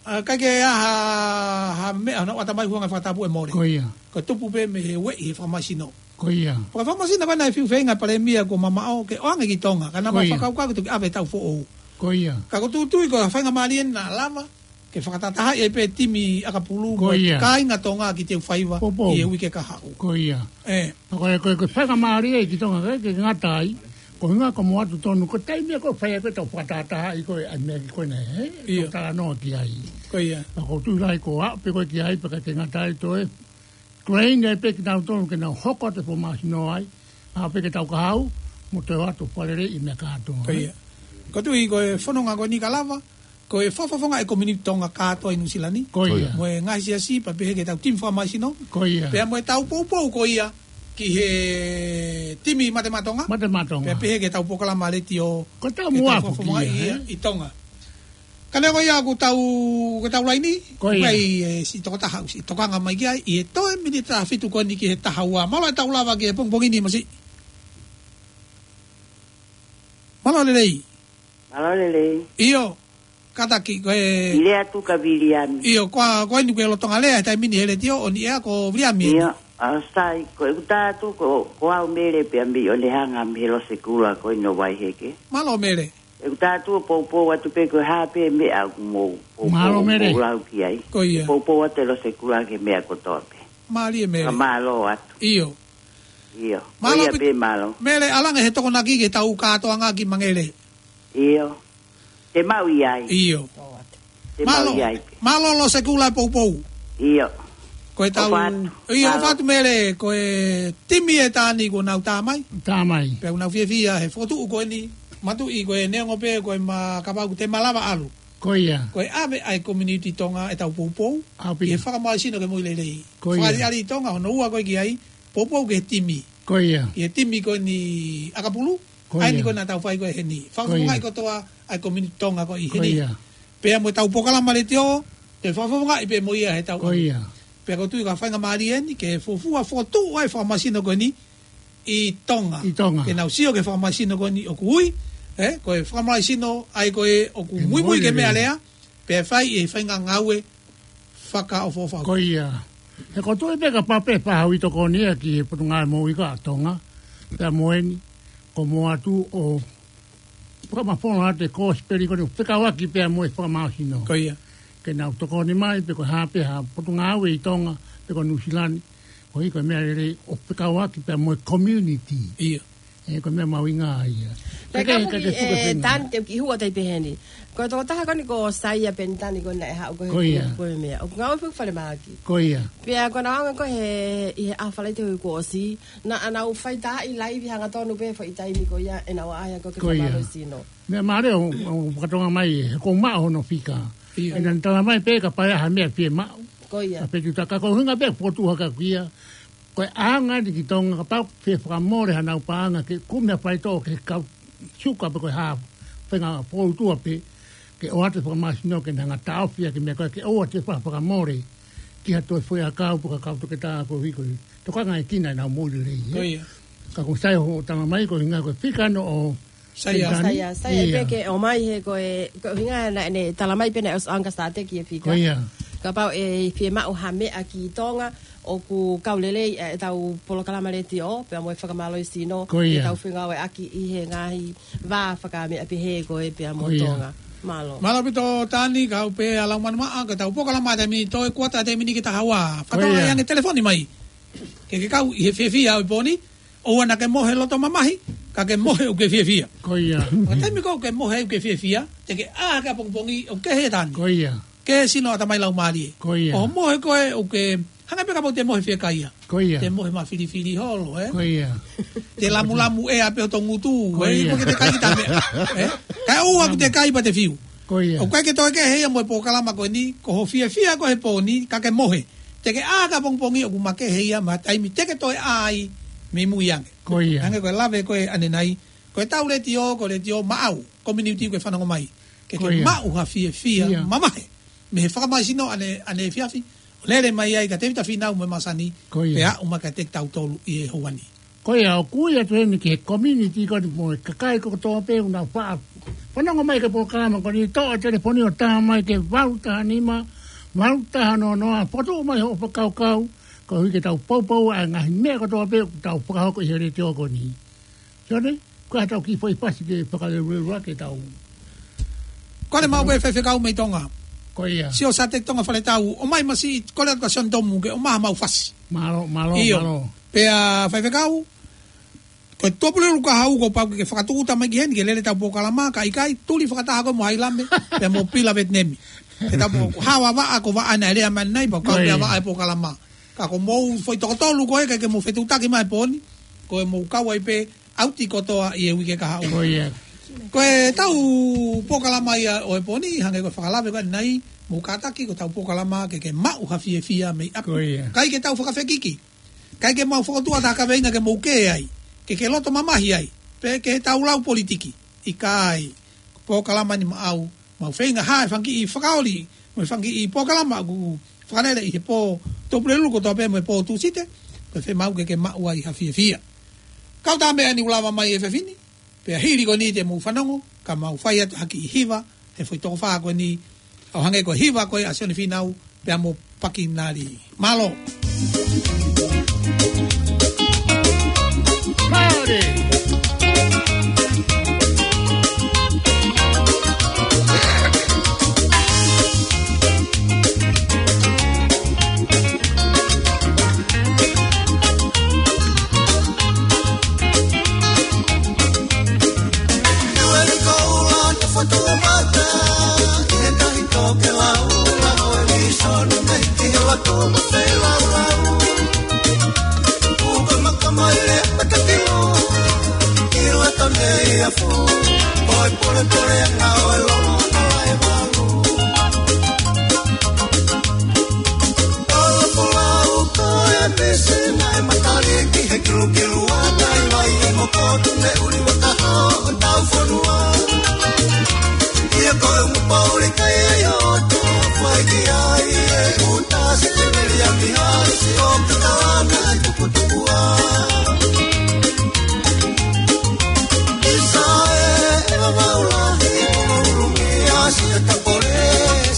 ʻa, ʻikai ke ʻi ai ha, ha meʻa naʻa ʻata mai huanga fakatapu ʻe mole. Ko ia. Ko e tupu pē mei he ueʻi he fakamāsino. Ko ia. Pea ko e fakamāsino ko ē naʻe fiu feinga Palēmia kuo mamaʻo ke ʻoange ki Tonga, ka naʻa Ko ma ia. fakakaukau ke toki ʻave taʻu foʻou. Ko ia. Ka ko e tuʻutuʻuni ko e faingamālie naʻa lava ke fakatahatahaʻi ai pē timi ʻakapulu Ko mo e ia. kāinga Tonga ki Teufaiva Poupou. ʻi he uike kahaʻu. Ko ia. Ē. Ko e, ko e, ko e faingamālie ki Tonga ke, ke ngata ai. Ko e ʻuhinga ko e moʻoni atu tonu, ko e taimi ko ē fai ai ko ē tau fakatahatahaʻi ko ē ʻa e meʻa ko ē, ē? ʻIo. Tau talanoa ki ai. Ko ia. Pea ko e tuʻu lahi ko ē ʻalu pē ko ē ki ai, pea ʻikai ke ngata ai toe. Ko e ʻai pē kinautolu ke nau hoko atu e fakamāsino ai. ʻAlu pē ki he taʻu kahaʻu, mo toe ʻoatu faleleiʻi meʻa kātoa. Ko ia. Ko e tuʻu ʻi he fononga ko eni ka lava, ko e fakafofongaʻi e community Tonga kātoa ʻi Nuʻusila ni. Ko ia. Mo e ngaahi siasi, pea pehē ki he tau timi fakamāsino. Ko ia. Pea mo e tau poupou ko ia ki he timi Mate Maʻa Tonga. Mate Maʻa Tonga. Pea pehē ki he tau polokalama letiō. Ko e tau ke tau muafu fakafofongaʻi ki ia, ia ē? ʻi Tonga. Ka neongo ia ʻoku tau, ʻoku tau laini, Ko ia. ʻoku ʻi ai e siʻi tokotaha ʻoku siʻi tokanga mai ki ai, ʻi he toe miniti ʻe fitu ko eni ki he taha ua. Mālō e tau lava ki he pongipongi ni Masiʻi. Mālō e lelei. Mālō e lelei. ʻIo, kātaki ko e ʻIle atu ka Viliami. ʻIo, ko a, ko eni ko e lolotonga lea he taimi ni he letiō ʻo ni ea ko Viliami. ʻIo, ʻa sai, ko ʻeku tā atu ko, ko au Mele pea mei ʻOnehanga mei he Losekula ko eni ʻo Vaiheke. Mālō Mele. ʻEku tā atu ʻo poupou atu pē ko e hā pē meʻa ʻoku mou poupou Mālō Mele. mou lau ki ai. Ko ia. Poupou atu e Losekula ki he meʻa kotoa pē. Mālie Mele. Ka mālō atu. ʻIo. ʻIo. Mālō Ko ia pi- pē mālō. Mele ʻalu ange he tokonaki ke tau kātoanga ki Mangaʻele. ʻIo. Te mau ʻi ai. ʻIo. Te mau Mālō, ʻi ai. mālō Losekula e poupou. ʻIo. Ko e tau, ʻOfa atu. ʻio, Mālō. ʻOfa atu Mele, ko e timi ʻe Tani kuo nau tā mai. Tā mai. Pea ʻoku nau fiefia he fokotuʻu ko eni, matuʻi ko e neongo pē ko e ma kapau ʻoku te malava ʻalu. Ko ia. Ko e ʻave ʻa e community Tonga e tau poupou. ʻAupi. ʻI he fakamālohisino ke moʻui lelei. Ko ia. Fakaʻaliʻali ʻi Tonga, hono ua ko ē ki ai, poupou ki he timi. Ko ia. ʻI he timi ko eni ʻakapulu, Ko ʻa eni ia. ko ē naʻa tau fai ko ē heni. Ko ia. Fakafofongaʻi kotoa ʻa e community Tonga ko ē ʻi Ko heni. ia. Pea mo e tau polokalama letiō, te fakafofongaʻi pē mo ia he tau Ko ʻaho. ia. Pea ʻoku ou tui ko e faingamālie eni, ke fuofua fokotuʻu ʻa e fakamālohisino ko eni ʻi Tonga. ʻI Tonga. Ke nau sio ki he fakamālohisino ko eni ʻoku ui, ē, ko e fakamālohisino ʻa ia ko ē ʻoku Ke muimui muimui ke meʻa lelei. lea, pea fai e faʻahinga ngāue fakaʻofoʻofa. Ko ia. He ʻoku ou tui pē kapau pē faʻa haʻu ʻo tokoni ia ki he Potungāue Moʻui ʻa Tonga, pea mo eni, ko e moʻoni atu ʻo fakamafola atu e kosipeli ko eni ʻo fekauʻaki pea mo e fakamālohisino. Ko ia. Ke nau tokoni mai, pe ko e hā pē ha potungāue ʻi Tonga, pe ko Nuʻusila ni, koeʻuhi ko e meʻa lelei ʻo fekauʻaki pea mo e community. ʻIo. ʻE, ko e meʻa mahuʻinga ia. Pea ka ke, ka ke fuka e fenga. Tani te u kiʻi hū atu ai pē heni. Ko e tokotaha ko eni ko Saia Penitani ko ena ʻe haʻu ko e Ko ia. Ko e meʻa. ʻOku ngāue foki falemahaki. Ko ia. Pea ko ʻena anga ko ē he, ʻi he ʻaho Falaite kuo ʻosi. Naʻa nau fai taha ʻi laivi hangatonu pē foʻi taimi ko ia ʻenau ʻaʻahi ko ē ke Ko ia. Fakamālohisino. Meʻa mālie ʻo, ʻo fakatonga mai ʻe he ʻoku maʻu hono fika. Ia. ʻE naʻa ne tala mai pē kapau ʻe ʻi ai ha meʻa fiemaʻu. Ko ia. Ka pē tu taka ko hinga pē fokotuʻu hake ʻaku ia. Ko e anga ni ki Tonga kapau ʻe fie fakamole hanau paʻanga ke kumi ha faitoʻo ke kau suka pe ko e hā fenga fōtua pē ke ʻoatu e fakamālohisino ke ne hanga taʻofi ʻa e meʻa ko ē ke ʻoua te fa-, fakamole ki ha toe foʻi ʻakau pe ko ha kau toketā ko hiko. Tokanga e kina ʻenau moʻui lelei, ē? Ko ia. Ka ko Saia hoʻo tala mai ko hinga ko e fika ʻana ʻo Saia. Penitani. Saia, Saia, Ia. Pea ke ʻomai he ko e, ko hinga naʻa ne tala mai pē naʻe ʻosi ʻanga sāteki e fika. Ko ia. Kapau ʻe fiemaʻu ha meʻa ki Tonga, ʻoku kau lelei ʻetau polokalama letiō, pea mo e fakamālohisino, Ko ia. Ke tau fengāueʻaki ʻi he ngaahi vā fakameʻa pehē ko ē pea mo Ko ia. Tonga. Mālō. Mālō ʻaupito Tani, kau pē ʻa Laumanu Maʻa, ko ʻetau polokalama taimi ni toe kuata taimi ni ke taha ua. Ko Fakatonga ia. Ange telefoni mai. Ke ke kau ʻi he fiefia ʻo e pō ni, ʻoua naʻa ke mohe loto mamahi, ka ke mohe ʻoku ke fiefia. Ko ia. Ka taimi ko ē ʻoku ke mohe ʻoku ke fiefia, te ke ʻā hake ʻapongipongi ʻoku ke kehe Tani. Ko ia. Kehe sino ʻatamai laumālie. Ko ia. ʻO mohe ko ē ʻoku ke, hangē pē kapau te mohe fiekaia. Ko ia. Te mohe mafilifili holo, ē? Ko ia. Te lamulamu ʻea pē hoto ngutu, Ko ē? ia. Ko ke te kai ki tame, ē? Kae ʻoua ʻoku te kai pea te fiu. Ko ia. ʻOku ʻikai ke toe kehe ia mo e polokalama ko eni, ko hoʻo fiefia ko ē he pō ni, ka ke mohe. Te ke ʻā hake ʻapongipongi ʻoku makehe ia mo e taimi te ke toe ʻā ai mei mui ange. Ko ia. Hangē ko e lave ko ē ʻanenai, ko ʻetau letiō, ko e letiō maʻau, community ko e fanongo mai. Ke ke Ko ia. Maʻu ha fiefia Ia. Mamahi. Mei he fakamālohisino ʻanenai, ʻaneefiafi, ʻo lele mai ai kia Tēvita Fīnau mo e Masani, Ko ia. Pea aʻu mai kiate kitautolu ʻi he houa ni. Ko ia, ʻoku ui atu heni ki he community ko eni mo e kakai kotoa pē ʻoku nau faʻa fanongo mai ki he polokalama ko eni, toʻo e telefoni ʻo tā mai ki he valu taha nima, valu taha noa noa, fokotuʻu mai hoʻo fakakaukau, koeʻuhi ke tau poupou ʻa e ngaahi meʻa kotoa pē ʻoku tau fakahoko ʻi he letiō ko eni. Sione, ko e hā haʻatau kiʻi foʻi fasi ke fakaleleiʻaki ʻetau Kole maʻu pē faifekau mei Tonga. Ko ia. Sio Sateki Tonga Faletau, ʻomai masiʻi, kole atu kia Sione Tomu ke ʻomai haʻamau fasi. Mālō, mālō, ʻIo. Mālō. Pea faifekau, ko e Tuʻapulelulu Kahaʻu kuo pau ke fakatūʻuta mai ki heni ke lele ʻetau polokalama, ka ʻikai, tuli fakataha koe mo Hailame, pea mo Pila Vetinemi. Ke tau pō, hawa vaʻa ko vaʻa naʻe lea mai ʻanenai, pea kau Ko ia. Pea vaʻa e polokalama. Ka ko homou foʻi toko tolu ko ē, ʻikai ke mou fetuʻutaki mai he pō ni, ko e mou kau ai pē, ʻauti kotoa ʻi he uike kahaʻu. Ko ia. Ko ʻetau polokalama ia ʻo e pō ni, hangē ko e fakalave ko ē ʻanenai, mou kātaki ko ʻetau polokalama ke ke maʻu ha fiefia mei ʻapi. Ko ia. ʻIkai ke tau fakafekiki. ʻIkai ke mau fokotuʻu ha taha kaveinga ke mou kē ai. Ke ke loto mamahi ai. Pe ke tau lau politiki. ʻIkai. Ko e polokalama ni maʻau, mau feinga hā e fanga kiʻi fakaoli, mo e fanga kiʻi polokalama ʻoku fakalele ʻi he pō Tuʻapulelulu kotoa pē mo e pō Tūsite, ko e fiemaʻu ke ke maʻu ai ha fiefia. Kau tā meʻa ni ʻoku lava mai he efiafi ni, pea hili ko eni te mou fanongo, ka mau fai atu ha kiʻi hiva, he foʻi toko fā ko eni, ʻo hangē ko e hiva ko ē ʻa Sione Fīnau, pea mo Pakinali. Mālō. Mālō. Tokelau, lau e visone mei ki he lako mo fei laulau. Uka maka mai le matakilo, ki lata mei a fu, oi pole pole anga ʻo e lolo na lai valu. Olo polau ko e misi naʻe matali ki he kilukilu a tai vai e moko tu me uli wataha ʻo tau fonua. Ia ko e umu pauli kai e o to fai ki ai e uta se te meli a mi hai si o kutana e tukutukua. Isa e e mamaulahi ko ulumi a si e tapole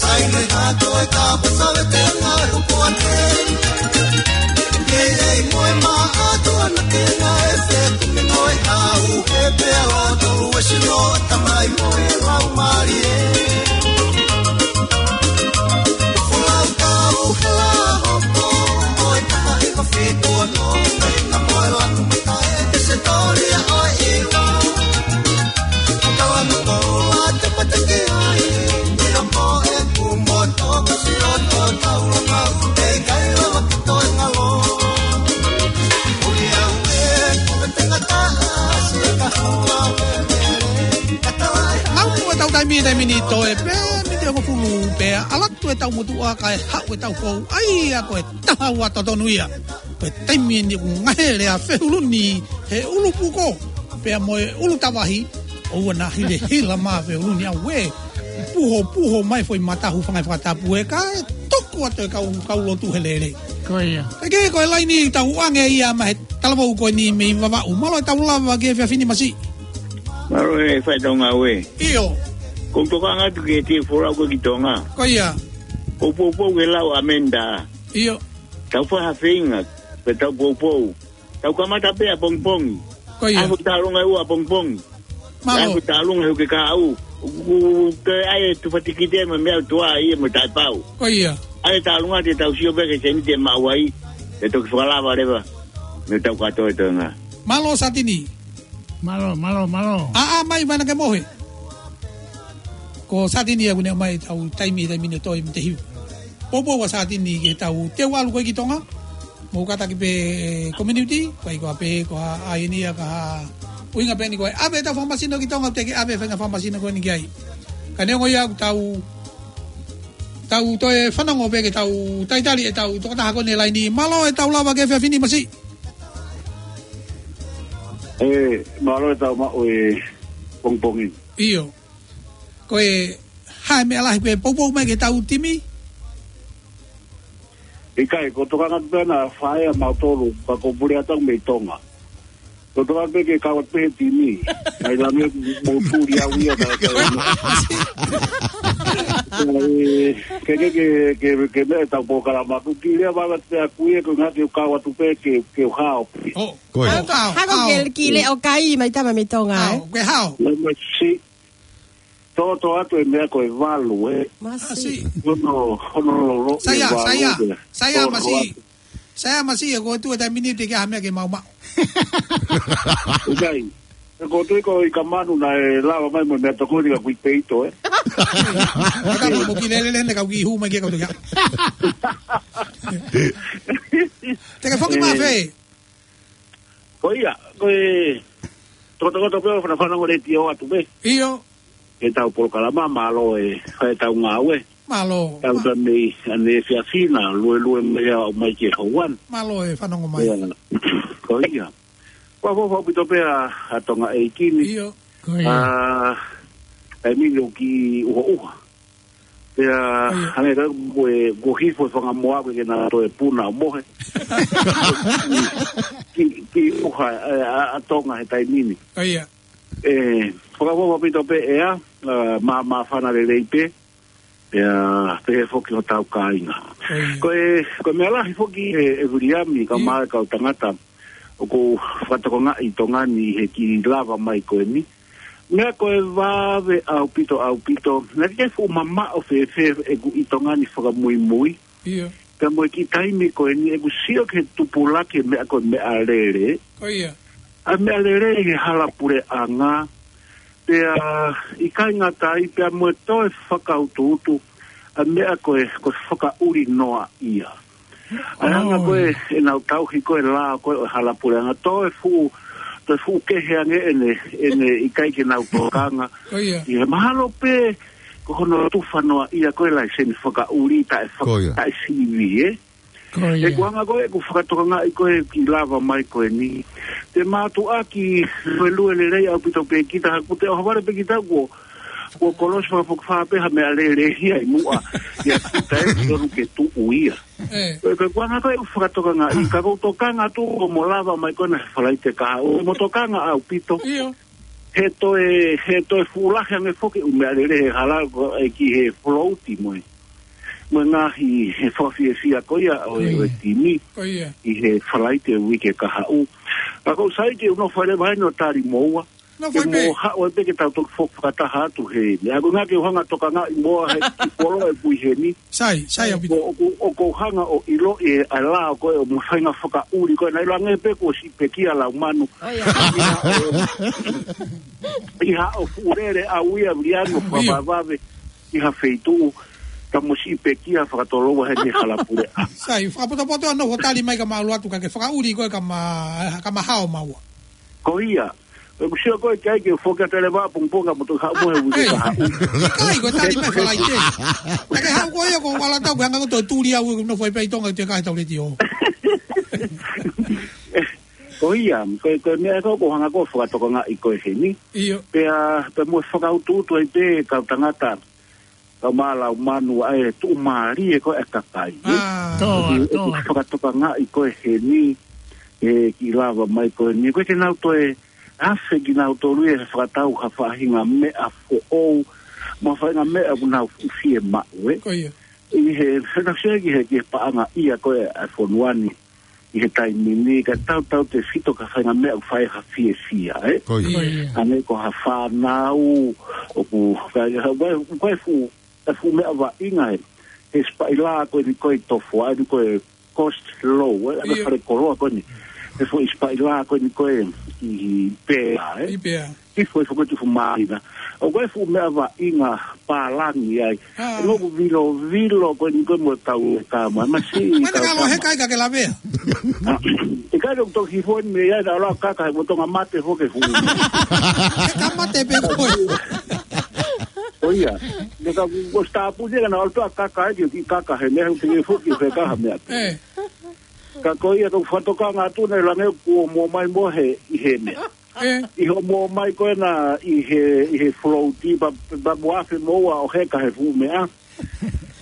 sai me hato e tapa save te ngai upuate. Ia ia i moe mā atu ana ke ngā e whetu me noe au he pea o tolu e sino tamai moe lau mālie. Folau kau he la hoko o e taha i ka fitu ano me ka moe lanu mata e te se tōlia o e Taimi ni toe pē, miniti hongofulu pē, ʻalu atu e taʻu motuʻa kae haʻu e taʻu foʻou, ʻa ia ko e taha ua totonu ia. Ko e taimi ni ʻoku ngaohi ʻa Feuluni he ʻulu puko, pea mo e ʻulu tavahi, ʻoua naʻa hilahila mai Feuluni ʻauē. Puhopuho mai foʻi matahu fanga fakatapu ē kae tuku atu e kau, kau lotu he lele. Ko ia. Ke ko e laini tau ʻange ia mei he talavou ko eni mei Vavaʻu. Mālō e tau lava ki he efiafi ni Masiʻi. Mālō e faitau ngāue. ʻIo. Ko u tokanga atu ki he folau ko ē ki Tonga. Ko ia. Ko u poupou ke lau ʻa Menda. ʻIo. Tau fai ha feinga, pea tau poupou. Tau kamata pē ʻa pongipongi. Ko ia. ʻAi hoʻo tālunga ʻi ʻapongipongi. Mālō. ʻAi hoʻo tālunga he uike kahaʻu. Ko e ʻai e tufa tikite mo e meʻa ʻoku tuʻa ia mo taʻepau. Ko ia. ʻAi e tālunga te tau sio pē ki he sēniti ʻe maʻu ai. Te toki fakalava leva. Mei he tau kātoa ʻi Tonga. Mālō Satini. Mālō, mālō, mālō. ʻĀ, ʻā mai, Vaina ke mohe. Ko Satini ʻoku ne ʻomai tau taimi, taimi ne toe mei te hiu. Poupou ʻa Satini ke tau teu ʻalu ko ē ki Tonga. Mou kātaki pē community, ko ai ko ā pē, ko ā ʻa eni ia ka ʻuhinga pē eni ko e ʻave tau fakamasino ki Tonga, te ke ʻave faʻahinga fakamasino ko eni ki ai. Ka neongo ia ʻoku tau, tau toe fanongo pē ke tau talitali e tau tokotaha ko eni laini. Mālō e tau lava ki he efiafi ni Masiʻi. Ē, mālō e tau maʻu e pongipongi. ʻIo. Ko e hā e meʻa lahi pē poupou mai ki he tau timi? ʻIkai, ko u tokanga atu pē naʻa faʻa ʻa mautolu, ka ko u pule atu au mei Tonga. Ko u tokanga pē ke kau atu pē he timi. Mai langi mo tuli au ia ka, ka, ē, ke, ke, ke, ke, ke meʻa tau polokalama. Ko u kilia vava te aku ia, ko e ngati u kau atu pē ke, ke u hao. ʻŌ. Ko ia. Hao, hao, hao. Hako ke ki le o kai mai tama mei Tonga, ē? Hao, ke hao. Mai Masiʻi. Toto atu e meʻa ko e valu, ē. Masiʻi. Masiʻi. Hono, hono lolo, Saia, e valu, Saia, ē. Saia Toto Masiʻi. Atu. Saia Masiʻi, ko e tuʻu e taimi ni te ke ʻai ha meʻa ke maumau. ʻIkai. Ko u tui ko ʻIkamanu naʻe lava mai mo e meʻatokoni ka kuo peito, ē. Kata mo ki lele lele ka ki hū mai ke kau tukia. Te ke foki mai Ē. fē. Ko ia, ko e tokotokoto pē ʻo fanafanongo letiō atu pē. ʻIo. Ke tau polokalama, mālō e, e tau ngāue. Mālō. Tau Mā- ta mei, ʻanefia fina, luelue mei ʻaho mai ki he houa ni. Mālō e fanongo mai. Ia, ko ia. Ua fofo pito pē ʻa, ʻa Tonga ʻeiki ni. ʻIo. Ko ia. ʻA, e mino ki uhoʻuha. Pea, ʻIo. hangē ka ko e, ko hifo e fanga moa ko ē ke na toe puna ʻo mohe. Ki, ki uha, ē, ʻa, ʻa Tonga he taimi ni. ʻIo. Ē, fakafokapito pē ʻea, ē, mā, māfana lelei pē. Pea, pehē foki hotau kāinga. ʻIo. Ko e, ko e meʻa lahi foki ē, ē Viliami, ka ʻIo. mai kau tangata. ʻOku ou fakatokangaʻi ʻi Tonga ni he kiʻi lava mai ko eni. Meʻa ko e vave ʻaupito, ʻaupito. Naʻe ʻikai fuʻu mamaʻo fēfē ʻeku ʻi Tonga ni fakamuimui. ʻIo. Pea mo e kiʻi taimi ko eni ʻeku sio ki he tupulaki e meʻa ko e meʻalele. Ko ia. ʻA e meʻalele ʻi he hala puleʻanga. Pea ʻikai ngata ai pea mo e toe fakautuutu. ʻA e meʻa ko e, ko e fakaʻuli noa ia. ʻA e anga ko ē, ʻOi. ʻenau tauhi ko ē lao ko ē ʻo e hala puleʻanga. Toe fuʻu, toe fuʻu kehe ange ʻene, ʻene ʻikai ke nau tokanga. Ko ia. ʻI he mahalo pē, ko hono tufa noa ia ko e laiseni fakaʻuli taʻe faka-, Ko ia. taʻe sivi, ē? Ko ia. ʻEku anga ko ē, ʻeku fakatokangaʻi ko ē kiʻi lava mai ko eni. Te mātuʻaki luelue lelei ʻaupito pē kita, ha kute ʻohovale pē kita kuo, kuo kolosi fakafokifā pē ha meʻalele ia ʻi muʻa. Ia kita ē, tonu ke tuʻu ia. Ē. Ko e, ko e kuanga ko e fakatokangaʻi, ka ʻoku ou tokanga atu ko mo lava mai ko ena he Falaite kahaʻu, mo tokanga ʻaupito. ʻIo. He toe, he toe fuʻu lahi ange foki ʻū meʻalele he hala ko ē ki he float mo e. Mo e ngaahi he fakafiefia ko ia ʻo e, ʻo e Ko ia. timi. Ko ia. ʻI he Falaite uike kahaʻu. Ka ʻoku ou sai ke u nofo leva ʻo tali moua. Nofo Ke mo pē. haʻu ai pē ke tau toki foki fakataha atu he. Ia ko e ʻuhinga ke u hanga ʻo tokangaʻi moua he kiʻi polo ʻeku ʻi heni. Sai, sai ʻaupito. ʻOku, ʻoku, ʻoku ou hanga ʻo ʻiloʻi e ʻa e lao ko ē ʻo mo e faʻahinga fakaʻuli ko ē naʻe ʻiloange pē kuo siʻi pekia lau manu. ʻOi, ʻa. ʻI haʻo fuʻu lele ʻa uia Viliami ʻo ʻIo. fakavavevave ʻi ha feituʻu. Ka mo siʻi pekia fakatoloua heni hala puleʻanga. Sai, fakapotopoto ʻa nofo tali mai ka ma ʻalu atu ka ke fakaʻuli ko ē ka ma, ka ma hao maua. Ko ia. Ko e kusia ko e kai ke foki atu e leva pongipongi mo toki haʻu mo e uike ka haʻu. ʻIkai, ko e tali mai Falaite. Naʻa ke haʻu ko ia ko ʻAlatau, ko e anga ko e toe tuli au, no fai pē ʻi Tonga te ka e tau leti o. Ko ia, ko e, ko e meʻa ko, ko hanga ko fakatokangaʻi ko e heni. ʻIo. Pea, pea mo fakautuutu ai pē kau tangata ka mālō manu ʻa e tuʻumālie ko e kakai. ʻE, ʻe fakatokangaʻi ko e heni, ʻe kiʻi lava mai ko eni. Ko e ke nau toe afe kinautolu ʻe fakatau ha faʻahinga meʻa foʻou, mo ha faʻahinga meʻa ʻoku nau fuʻu fiemaʻu, ē. Ko ia. ʻI he, he nau sio ki he, ki he paʻanga ia ko e, ʻa e fonua ni, ʻi he taimi ni, ka tautautefito ki ha faʻahinga meʻa ʻoku fai ha fiefia, ē? Ko ia. Ko ia. ʻA ē ko ha fānau, ʻoku, ka, ka, ko e, ko e fuʻu, ko e fuʻu meʻa vaʻinga ē. He sipaʻila ko eni ko e tofu, ʻa eni ko e coast low, ē? ʻA e fale koloa ko eni. He fuʻu sipaʻila ko eni ko e ʻi Pea, ē? ʻI Pea. ʻI fuʻu, ʻi fuʻu tufu māina. ʻOku ʻi ai e fuʻu meʻa vaʻinga pālangi ai. ʻE ngoku vilovilo ko eni ko e mo tau e kama. Masi, mai na kau kalo kama. He kai ka ke lavea. ʻE kai lo toki hifo eni mei ai na ʻalu ʻo kaka he mo tonga mate foki fuʻu. He ka mate pē ko e. Ko ia. Ne ka ko stapuni ka na ʻalu ʻo kaka ai ki kaka he meʻa, ʻoku ke foki he kaha meʻa. Ka ko ia ka fakatokanga atu ne lange kuo mo mai mo he ʻi he meʻa. ʻI hoʻomo mai ko ena ʻi he, ʻi he float, pea, pea mo afe mo ua ʻo heka he fuʻu meʻa.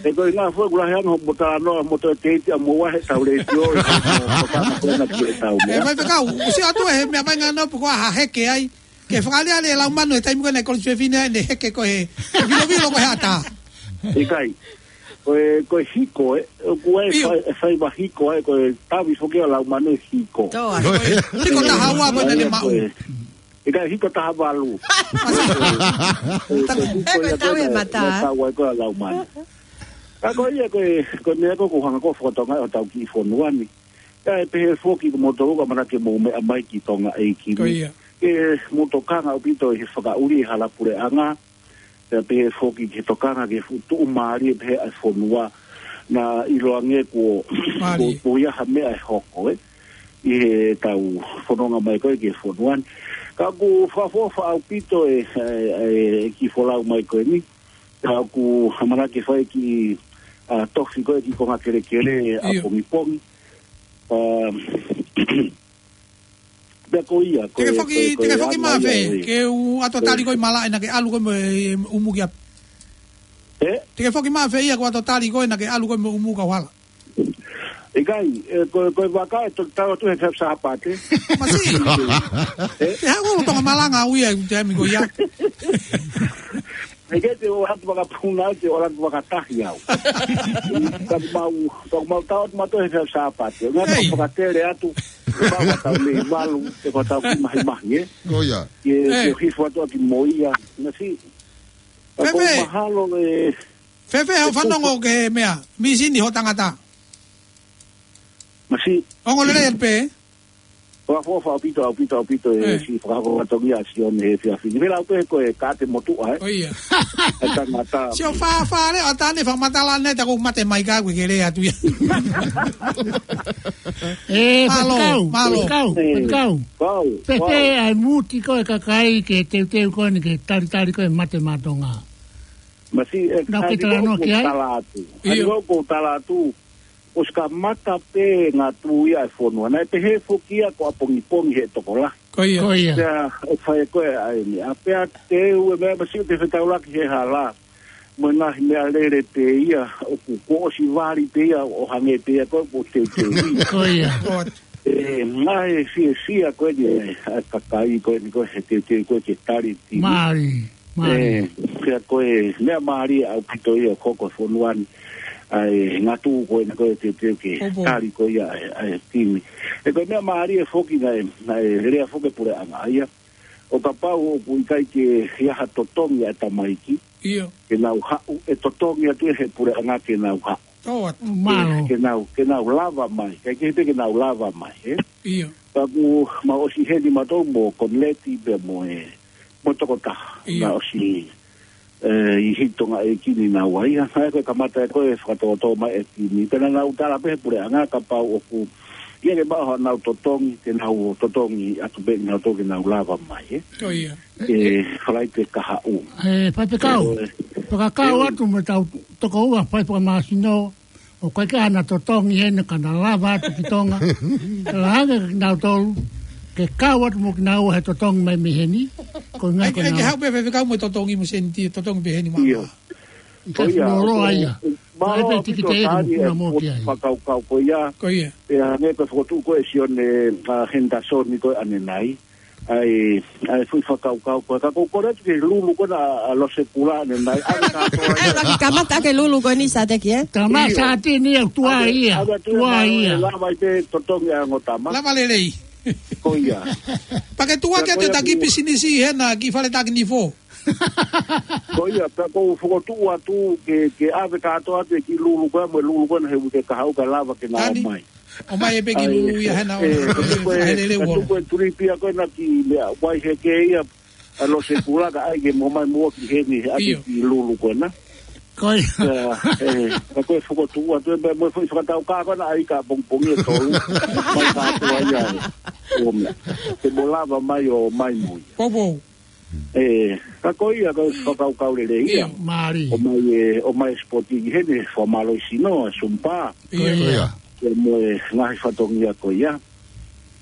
ʻE ko e ngaahi fuʻu kula he anga hoʻomo talanoa mo toe teiti ʻa mo ua he tau leti o, ʻi hoʻomo tokanga ko ena ki he tau meʻa. Mai pē kau, ʻosi atu he meʻa mai ngano pē ko ha heke ai. Ke fakaʻaliʻali e lau manu he taimi ko ena e kolo sefine ai ne heke ko e, vilovilo ko e hata. ʻIkai. Ko e, ko e hiko, ē, ʻoku ʻi ai e fai, e faiva hiko, ē, ko e tavi foki ʻa e lau manu hiko. Hiko taha ua ko ena ne maʻu. ʻIkai, hiko taha valu. Ko e, ko e hiko ia ko ena, ne tau ai ko e lau manu. Ka ko ia ko e, ko e meʻa ko ʻoku hanga ko fakatokangaʻi ʻo tau kiʻi fonua ni. Ka ʻe pehē foki ko moutolu ka manake mou meʻa mai ki Tonga ʻeiki ni. Ke mou tokanga ʻaupito ʻi he fakaʻuli e hala puleʻanga. Pea pehē foki ke tokanga ki he fuʻu tuʻumālie pehē ʻa e fonua. Naʻa ʻiloange kuo, kuo, kuo ʻi ai ha meʻa ʻe hoko, ē. ʻI he tau fononga mai ko e ki he fonua ni. Ka ʻoku fakaʻofoʻofa ʻaupito e, e, e kiʻi folau mai ko eni. Ka ʻoku hamanaki fai kiʻi, ʻa, tofi ko e kiʻi konga kelekele ʻapongipongi. ʻA, Pea ko ia, ko e, ko e, ko e anga ia ē. Te ke foki mafē, ke u ʻato tali ko e malaʻe naʻa ke ʻalu ko e mo e ʻumu ki ʻapi. Te ke foki mafē ia ko e ʻato tali ko e naʻa ke ʻalu ko e mo e ʻumu kau hala. ʻIkai, ʻe, ko e, ko e vaka ʻe toki tau atu he Sāpate. Masi. Te haʻu ʻo tonga malanga au ia, te ami ko ia. ʻE ke te ʻo atu vakapuna, te ʻo atu vakatahi au. Ka mau, ka mau tau atu mato he Sāpate. Ngā tau fakatele atu, mau tau mei malu, te ko tau ki mahi mahi, ē? Ko ia. Ke, ke hifo atu ʻaki mo ia. Nasi. Ka ko mahalo e. Fefe, hau fanongo ke meʻa. Misini ho tangata. Masi. Ongo lele pē. Ko e fakaʻofoʻofa ʻaupito, ʻaupito, ʻaupito e si fakahoko tongia si on he fiafini. Vela upe ko e kate motuʻa, ē? Ko ia. E tangata. Si o fa, fa le, o tane fakamatala ne ta ko mate mai ka ko e kele atu ia. Malo, malo. Kau, kau. Pepe ai muti ko e kakai ke teuteu ko ni ke talitali ko e mate matonga. Masi e nau ke talanoa ki ai. Tala atu. Ai ko tala atu. ʻOsi kamata pē ngā tū ia e fonua. Naʻe pehē foki ia ko ʻapongipongi he tokolahi. Ko ia. Ko ia. Pea ʻe fai ko e ai ni. A pea te u e meʻa masi te fetaulaki he hala. Mo e ngaahi meʻa lele pē ia, ʻoku ko ʻosi vali pē ia, ʻo hangē pē ia ko e ko teuteu. Ko ia. E, ngaahi fiefia ko e ni, e, ʻa e kakai ko e ni ko e he teuteu ko e ke tali timi. Mālie. Mālie. ʻE, pea ko e meʻa mālie ʻaupito ia ʻoku hoko he fonua ni, ʻa e ngā tū ko ena ko e teuteu ke tali ko ia ʻa e, ʻa e timi. ʻE ko e meʻa mālie foki naʻe, naʻe lea foki puleʻanga ia. ʻO kapau ʻoku ʻikai ke ʻi ai ha totongi ʻa e tamaiki. Ke nau haʻu, ʻe totongi atu ʻe he puleʻanga ke nau haʻu. Ke nau, ke nau lava mai, kai ke he pē ke nau lava mai, ē? Ka ʻoku mau ʻosi heni matou mo Konileti pea mo e mo tokotaha. Naʻa ʻosi, e, ʻi he Tonga ʻeiki ni naua ia. Naʻe ko e kamata ē ko e fakatōtō mai e timi. Pea naʻa nau tala pē he puleʻanga kapau ʻoku Ia ke maʻu haʻanau totongi, ke nau totongi atu pē kinautolu ke nau lava mai, ē. Ko ia. ʻE, Falaite Kahaʻu. ʻE, Faifekau. Ko e, fakakau atu mo ʻetau tokoua fai fakamāsino, ʻoku ʻikai ke ʻi ai hano totongi heni ka na lava atu ki Tonga. Ka la hake kinautolu, ke kau atu mo kinaua he totongi mai mei heni. Ko e ngaahi ʻAi, ko ʻai ke nau haʻu pē Faifekau mo e totongi mo Sēniti, totongi pē heni mama. Ia. Ko ia, fuoloa ko ia. Mālō ʻaupito Tani e fuʻu fakakaukau ko ia. Ko ia. Pea hangē ko e fokotuʻu ko ē ʻe Sione, ʻa, Henderson ko ē ʻanenai. ʻAi, ʻai fuʻu fakakaukau ko ia. Ka ʻoku ou kole atu ke lulu ko ena ʻa, ʻa Lose Kula ʻanenai. ʻAve kātoa ia. ʻAi, ʻoku kamata ke lulu ko eni Sateki, ē? Tama Satini, ʻoku tuai ia. ʻAve, ʻave atu ia, tuai ia. Lava ʻi he totongi ʻa e ongo tama. Lava lelei. Ko ia. Pea ke tuai atu e taki pisinisi hena ki Faletaki Nifo. Ko ia, pea ʻoku ou fokotuʻu atu ke, ke ʻave kātoa atu e kiʻi lulu ko ē, mo e lulu ko ena he uike kahaʻu ka lava ke na ʻomai. ʻOmai e pē kiʻi lulu ia hena ʻo, ʻe, ka tuku e, ka tuku e tulipi ia ko ena ki meʻa, Vaiheke ia, ʻa Lose Kula ka ʻai ke mo ʻomai muʻa ki heni, ʻai ke kiʻi lulu ko ena. Ko ia. ʻE, ka ko e fokotuʻu atu e, mo e foʻi fakatau ka ko ena ʻai ka pongipongi ʻe tolu. Mai kātoa ia e. ʻO meʻa. Ke mo lava mai ʻo mai mo ia. Poupou. ʻE, ka ko ia, ka fakakaukau lelei ia. ʻIo. Mālie. ʻOmai e, ʻomai e sipoti ki heni, fakamālohisino, e Sumpa. ʻIo. Ko ia. Pea mo e ngaahi fatongia ko ia.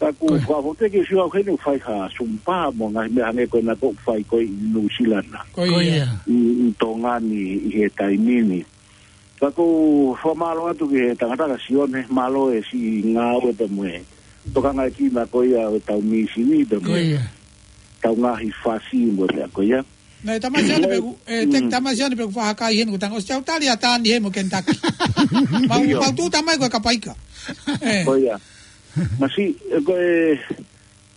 Ka ʻoku fakafoki ke sio au heni ʻoku fai ha Sumpa, mo e ngaahi meʻa hangē ko ena ʻoku fai ko ē ʻi Nuʻusila na. Ko ia. ʻI, ʻi Tonga ni ʻi he taimi ni. Ka ʻoku ou fakamālō atu ki he tangata ko Sione, mālō e siʻi ngāue pea mo e tokanga ʻi he kiʻi meʻa ko ia ʻo e tau mīsini pea mo e tau ngaahi fasi mo e meʻa ko ia. Naʻe tama Sione pē ʻoku, ʻe, te tama Sione pē ʻoku fahakai heni ko e tanga ʻosi tau tali ʻa Tani he mo Kentucky. Mau, mau tuʻu tamai ko e kapaika. ʻE. Ko ia. Masiʻi, ʻe, ko e,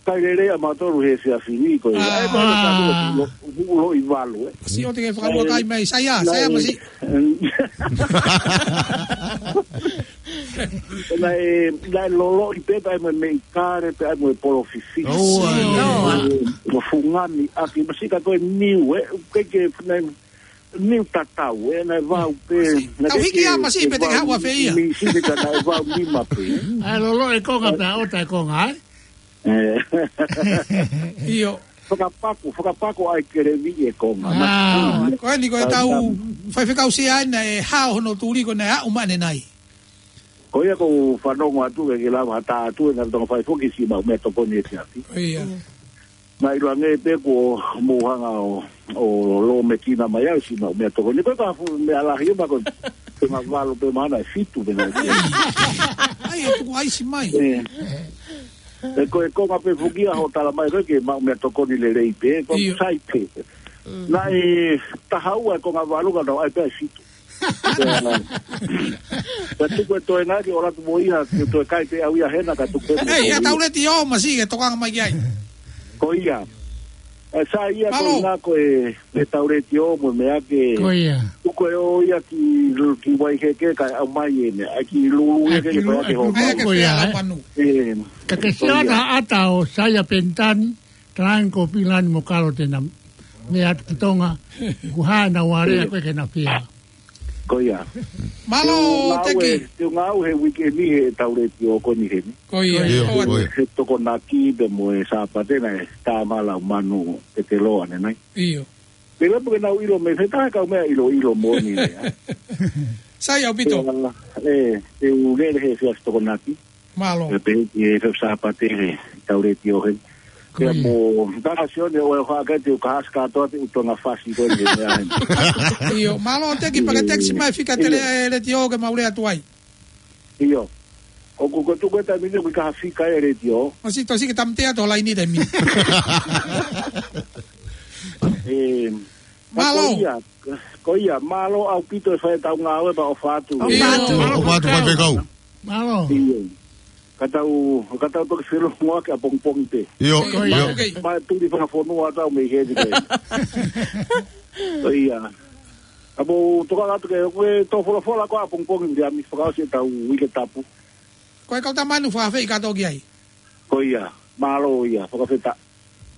kai lelei ʻa mautolu he efiafi ni ko ia. ʻE, ko e, ko e, lo, lo, lo i valu, ʻe. Masiʻi ʻoua te ke fakalua kai mai, Saia, Saia, masiʻi. Naʻe, naʻe loloʻi pē, pea mo e meʻi kale, pea mo e polo fifi. ʻOua. ʻE, mo fungani, ʻaki, masiʻi ka ko e niu, ʻe, ke ke, naʻe, niu tatau, ʻe, naʻe vau pē. Tau hiki a masiʻi pē te ke haʻu ʻo fai ia. Mīsini ka naʻe vau nima pē. ʻAi loloʻi e konga pea ʻota e konga, ʻai? ʻE. ʻIo. Fakapako, fakapako ʻai kelevi e konga. Ko eni ko e tau faifekau Siaina ʻe hao hono tuli ko ena ʻe aʻu mai ʻanenai. Ko ia ʻoku ou fanongo atu ke ke lava ha tā atu e ngaahi tonga fai foki siʻi maʻu meʻatokoni ʻe siafi. Ko ia. Naʻe ʻiloange pē kuo mou hanga ʻo, ʻo lōmekina mai au siʻi maʻu meʻatokoni. Ko e ka fuʻu meʻa lahi ʻe ma ko e ngaahi valu pē mana ʻe fitu pē na. ʻAi, ʻe tuku ʻaisi mai. ʻE. ʻE ko e konga pē fukia ho tala mai ko e ke maʻu meʻatokoni lelei pē, ko sai pē. Naʻe taha ua e konga valu ka tau ʻai pē ʻe fitu. Ka tuku e toe ngaki ʻo latu mo ia, ke toe kai pē au ia hena ka tuku pē mo ia. ʻEi, ʻe tau leti ʻo masiʻi ke tokanga mai ki ai. Ko ia. ʻE sai ia ko e ngako e, e tau leti ʻo mo meʻa ke. Ko ia. Tuku e ʻo ia ki, ki Vaiheke ka ʻomai ʻene, ʻai ki lulu ia ke, ko ia ke hoko. Ko ia, ʻe. Ka ke sio ʻata ʻo Saia Penitani, Talaange ko Pilani mo Kalo te na meʻa atu ki Tonga, ʻoku hā ʻena warea ko e ke na fia. Ko ia. Mālō, Teki. Te u ngāue he uike ni he tau leti ʻo ko eni heni. Ko ia. He Tokonaki pea mo e Sāpate naʻe tā mai ʻa Laumanu Peteloa ʻanenai. ʻIo. Pea ʻoku ke nau ʻilo mei fē, taha e kau meʻa ʻiloʻilo moʻoni ia. Sai ʻaupito. ʻE, te u lele he efiafi Tokonaki. Mālō. Pea pehē ki he efiafi Sāpate he tau leti ʻo heni. Pea mo, tanga Sione ʻo e hake te u kahasi kātoa te u tonga fasi ko eni he meʻa heni. ʻIo, mālō Teki, pea ke tekisi mai fika tele e leti ʻo ke mau lea atu ai. ʻIo. ʻOku ko tuku e taimi ni ʻoku ʻikai ha fika e leti ʻo. Masiʻi tosi ke tamtea to laini taimi. ʻE, Mālō. Ko ia, ko ia, mālō ʻaupito e fai tau ngāue pea ʻofa atu. ʻIo. Mālō, ʻofa atu, faifekau. Mālō. ʻIo. Ka tau, ka tau toki felongoaki ʻapongipongi pē. ʻIo, ʻio. Mai tuli fakafonua tau mei heni pē. Ko ia. Ka mou tokanga atu ke, ko e tō folofola ko ē ʻapongipongi, Viliami, fakaʻosi e tau uike tapu. Ko e kau tamanu fakaafeʻi kātoa ki ai. Ko ia, mālō ia, fakafetaʻi.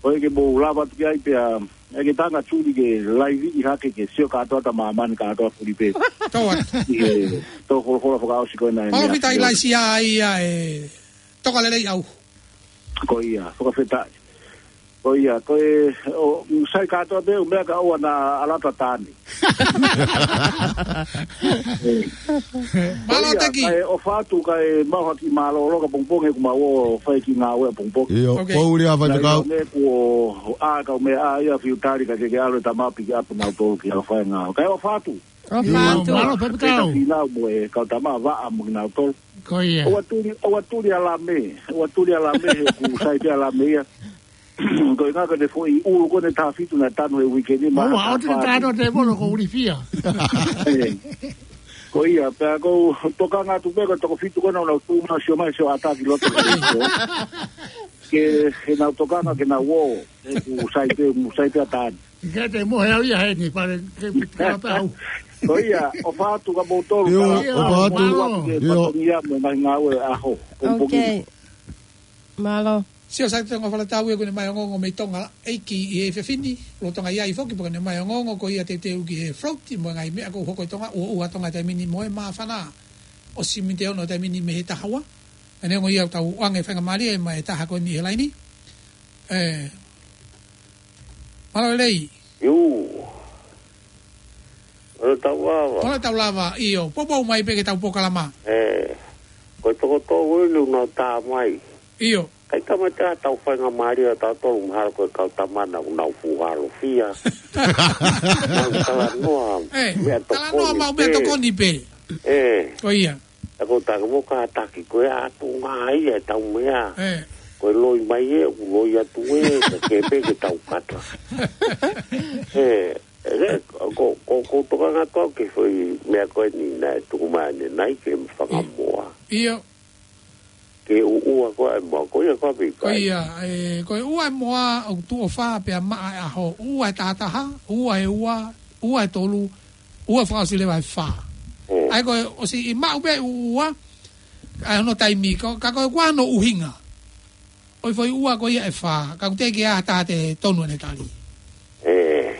Ko e ke mou lava atu ki ai pea, ʻe ke tanga tuli ke laiviʻi hake ke sio kātoa ʻa māmani kātoa fulipē. Tō atu. ʻI he tō folofola fakaʻosi ko ena. Palōfita ʻIlaisiā ia ʻe Toka lelei au. Ko ia, fakafetaʻi. Ko ia, ko e, ʻo, sai kātoa pē ʻū meʻa kae ʻoua naʻa ʻalu atu ʻa Tani. Mālō, Ko ia, Teki. Kae ʻofa atu, kae mau haki mālōlō ka pongipongi ʻoku mau ō fai ki ngāue ʻapongipongi. ʻIo, Ok. Pouli ʻa Naʻe faifekau. ʻi ai e meʻa kuo ʻā kau meʻa ʻā ia fiu tali ka ke ke ʻalu e tama pick up nautolu ki ʻalu fai ngāue. Kae ʻofa atu. ʻOfa ʻIo, atu. Mālō, faifekau. Peka finau mo e kau tama vaʻa mo kinautolu. Ko ia. ʻOua tuli, ʻoua tuli ʻa Lame. ʻOua tuli ʻa Lame he ʻoku sai pē ʻa Lame ia. Ko e ngaka ne foʻi ʻulu ko ʻene taha fitu naʻe tanu he uike ni, ma Maua, ha ʻoua te ke taha tāno te mono ko ulifia. Ē. Ko ia, pea ko u tokanga atu pē ko e toko fitu ko ena ʻoku nau tuʻu mai ʻo sio mai, sio ʻatā ki loto. Ke, ke nau tokanga, ke nau ō. ʻOku sai pē, ʻoku sai pē ʻa Tani. Ke te mohe au ia heni, pale, ke, ke pea au. Ko ia, ʻofa atu kia moutolu, ʻIo, ka ʻofa atu. Mālō. Ke ʻIo. fatongia mo e ngaahi ngāue ʻaho. Pongipongi. Ok. Mālō. Sio, sai te ngoa fala tau ia ko ʻene mai ongoongo mei Tonga, ʻEiki ʻi he efiafi ni, lolotonga ʻi ai foki, pea ko ʻene mai ongoongo ko ia teuteu ki he float, mo e ngaahi meʻa ʻoku hoko ʻi Tonga, ʻoku ʻuha Tonga taimi ni mo e māfana. ʻOsi miniti ʻe ono taimi ni mei he taha ua. ʻE neongo ia ʻoku tau ʻoange faingamālie mai e taha ko eni he laini. Ē. Mālō lelei. ʻIo. Mālō tau lava. Mālō tau lava, ʻio. Poupou mai pē ki he tau polokalama. Ē. Ko e toko tolu eni ʻoku nau tā mai. ʻIo. ʻIkai tama te ʻa tau faingamālie ʻa tautolu mahalo ko e kau tama na ʻoku nau fuʻu halo fia. Nau talanoa, Ē, meʻa talanoa tokoni mau meʻa pē. tokoni pē. Ē. Ko ia. ʻA ko e taki mo kātaki ko e ʻatu ngā ia e tau meʻa. Ē. Ko e loi mai ē, ʻoku loi atu ē, ka ke pē ke tau kata. Ē, ē, ko, ko, ko tokanga atu au ki he foʻi meʻa ko eni naʻe tuku mai ʻanenai ke fakamoa. ʻIo. Ke ʻuʻua ko e moa, ko ia ko e pika. Ko ia, ē, ko e ʻuʻua e moa, ʻoku tuʻo fā pea maʻa e ʻaho, ʻuʻua e taha taha, ʻuʻua e ua, ʻuʻua e tolu, ʻuʻua fakaʻosi leva e fā. Mm. ʻA ia ko e ʻosi ʻi maʻu pē ʻuʻua, ʻa hono taimi, ko, ka ko e ʻuʻua hono ʻuhinga. ʻOi foʻi ʻuʻua ko ia e fā, ka ʻoku teʻeki ai ha taha te tonu ʻene tali. Ē.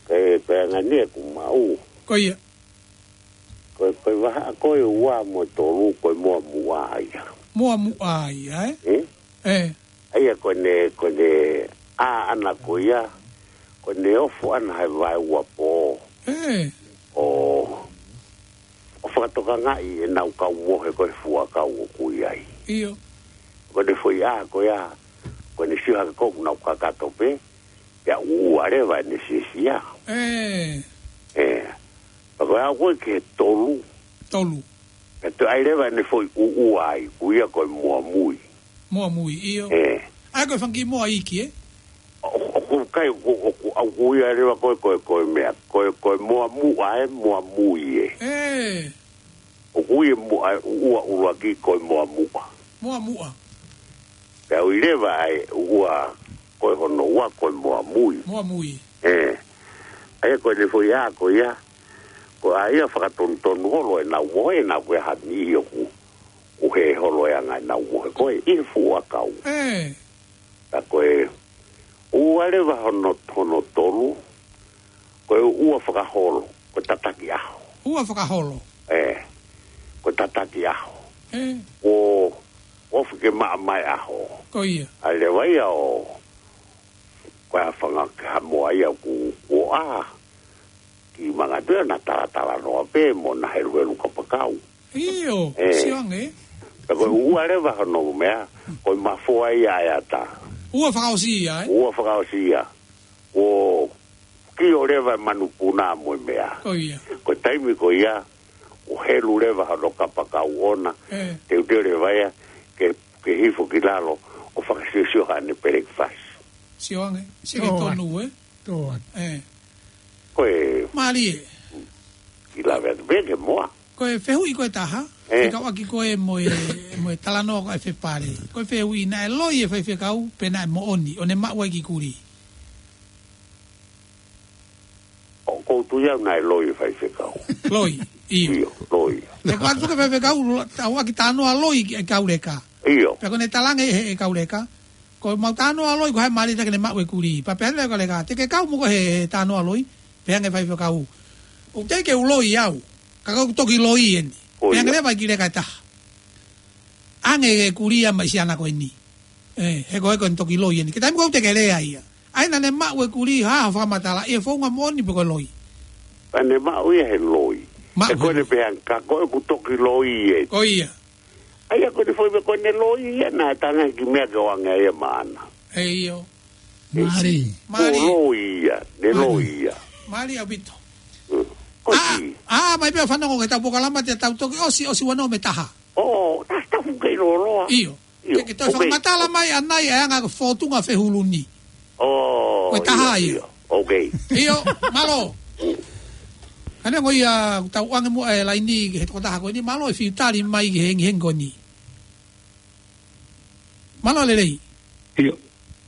Ko e pea ngani ʻoku maʻu. Ko ia. Ko e, ko e vahaʻa ko e ua mo e tolu, ko e moa muʻa ia. Moa muʻa ia, ē? Ē? Ē. ʻA ia ko ʻene, ko ʻene ʻā ʻana ko ia, ko ʻene ofo ʻana he vaeuapō. Ē. ʻO, ʻo fakatokangaʻi ʻenau kau mohe ko e fuakau ʻoku ʻi ai. ʻIo. Ko ʻene foʻi ʻā ko ia, ko ʻene sio hake ko ʻoku nau kakato pē, pea ʻuʻua leva ʻene sisia. Ē. Ē. Pea ko e aʻu ko ē ki he tolu. Tolu. Pea toe ʻai leva ʻene foʻi ʻuʻua ai, ʻoku ʻia ko e moa mui. Moa mui, ʻio. Ē. ʻA ia ko e fanga kiʻi moa iiki, ē? ʻO, ʻo, ʻoku ʻikai, ʻoku, ʻoku, ʻoku ʻia leva ko e, ko e, ko e meʻa, ko e, ko e moa muʻa, ē, moa mui, ē. Ē. ʻOku ʻia moa, ʻuʻua ʻuluaki ko e moa muʻa. Moa muʻa. Pea ʻoku ʻi leva ai ʻuʻua ko e hono ua ko e moa mui. Moa mui. Ē. ʻA ia ko ʻene foʻi ʻā ko ia, ko e ʻā ia fakatonutonu holo ʻenau mohe, ʻenau ko e hami ʻoku, ʻoku hē holo e anga ʻenau mohe ko ē ʻi he fuakau. Ē. Ka ko e ʻuʻua leva hono, hono tolu, ko e ʻuʻua fakaholo, ko e tataki ʻaho. ʻUʻua fakaholo. Ē, ko e tataki ʻaho. Ē. ʻO, ʻo fike maʻa mai ʻaho. Ko ia. ʻA leva ia ʻo, ko e fanga kiʻi moa ia ʻoku, ʻoku ʻā. Ki manga tu ʻena talatalanoa pē mo ʻena heluhelu kapakau. ʻIo, Ē. sio ange. Pea ko e ʻuʻua leva hono meʻa, ko e mafoa ia ʻa e ata. ʻUʻua fakaʻosi ia, ē? ʻUʻua fakaʻosi ia. ʻO kio leva e manupuna mo e meʻa. Ko ia. Ko e taimi ko ia, ʻo helu leva hono kapakau ʻona, Ē. teuteu leva ia, ke, ke hifo ki lalo, ʻo fakasiosio haʻane pelekifasi. Sio ange, sio ki Tō. tonu, ē? Tō atu. Ē. Ko e Mālie. Ki lave atu pē ke moa. Ko e fehuʻi ko e taha, Ē. fekauʻaki ko ē mo e, mo e talanoa ko e fepale. Ko e fehuʻi naʻe loi e faifekau, pe naʻe moʻoni, ʻo ne maʻu ai e kiʻi kulī. ʻOku ou tui au naʻe loi e faifekau. Loi, ʻio. ʻIo, loi. Te patu ke faifekau, lo-, tau ʻaki talanoa loi ki he kau leka. ʻIo. Pea ko ʻene talaange ʻe he, he kau leka. Ko ʻemau talanoa loi ko hai mālie ta ke ne maʻu e kulī. Pea pehē leva e kau leka. Te ke kau mo ko e he, he talanoa loi. Pehē ange e faifekau. ʻOku teʻeki ke u loi au. Ka ʻoku ou toki loi eni. ʻO Pehē ange ia. leva e kiʻi leka ʻe taha. ʻAnge e kulī ia mai siana ko eni. ʻE, he ko e ko eni toki loi eni. Ke taimi ko ē te ke lea ia. ʻAi naʻa ne maʻu e kulī, ha, ha fakamatala, ʻi he founga moʻoni pe ko e loi. Naʻa ne maʻu ia he loi. Maʻu he loi. He ko ʻene pehē ange, ka ko ʻeku toki loi eni. Ko ia. ʻAi ia ko ʻene foʻi meʻa ko ʻene loi ia naʻe tangaki meʻa ke ʻoange ia maʻana. ʻE ʻio. Mālie. Mālie. Ko e loi ia, ne loi ia. Mālie ʻaupito. Mm. Ko ʻa, ʻi. ʻA, mai pē ʻo fanongo ki heʻetau polokalama te tau toki ʻosi, ʻosi ua noa mo e taha. ʻO, ta, ta fuke loloa. ʻIo. ʻIo. Ke, ke toe fakamatala mai ʻanai ʻa e anga ko e fōtunga fehulu ni. ʻO, ko e taha ʻio, ia. ʻIo. Ok. ʻIo, mālō. Hangē ko ia, tau ʻoange muʻa e laini ki he tokotaha ko eni, mālō e fiu tali mai ki he hengihengi ko eni. Mālō lelei. ʻIo,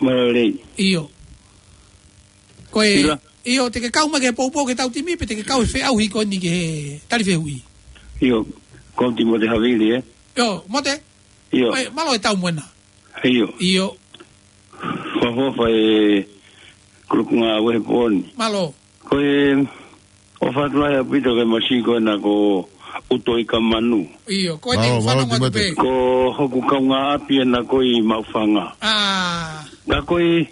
mālō lelei. ʻIo. Ko e, ʻio, te ke kau mai ki he poupou ki heʻetau timi, pe te ke kau he feʻauhi ko eni ki he tali fehuʻi. ʻIo, ko Timote Havili, ē? ʻIo, Mote. ʻIo. Ko e, mālō e tau mo ena. ʻIo. ʻIo. Fakaʻofoʻofa e kulukunga ʻo e pō ni. Mālō. Ko e, ʻofa atu lahi ʻaupito ki he masiʻi ko ena ko ʻUto Ikamanu. ʻIo, ko e te fanongo atu pē. Mālō, mālō, Timote. Ko hoku kaungāʻapi ena ko ē ʻi Maʻufanga. ʻA. Ka ko e,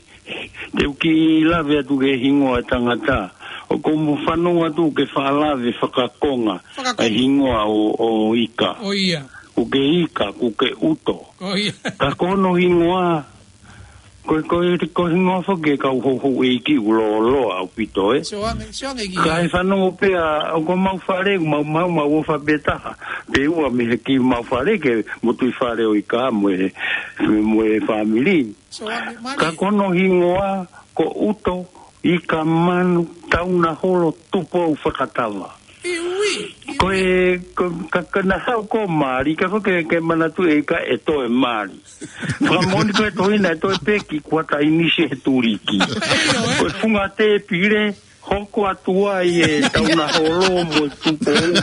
te u kiʻi lave atu ki he hingoa e tangata. ʻOku ou fanongo atu ke faʻa lave fakakonga. Fakakonga. E hingoa ʻo, ʻo Ika. ʻO ia. Kuo ke Ika, kuo ke ʻUto. ʻO ia. Ka ko hono hingoa, ko, ko, ko e hingoa foki e kau houhouʻeiki ʻoku lōloa ʻaupito, ē? Sio ange, sio ange ki ai. Kae fanongo pē ʻa, ʻoku mau fale, mau, mau, mau ʻofa pē taha. Pea ua mei he kiʻi mau fale ke motuʻi fale ʻo Ika mo e, mo e fāmili. Sio ange, mālie. Ka ko hono hingoa, ko ʻUto Ikamanu Taunaholo Tupou Fakatava. ʻIo, ui, ui. Ko e, ko, ka, ka naʻa haʻu ko Mali, ka ko ke, ke manatu e Ika ʻe toe Mali. Fakamoʻoni ko e tohina ʻe toe pē ki kuata ʻinisi he tuliki. ʻIo, ē. Ko e funga tēpile, hoko atu ai e Taunaholo mo e Tupou.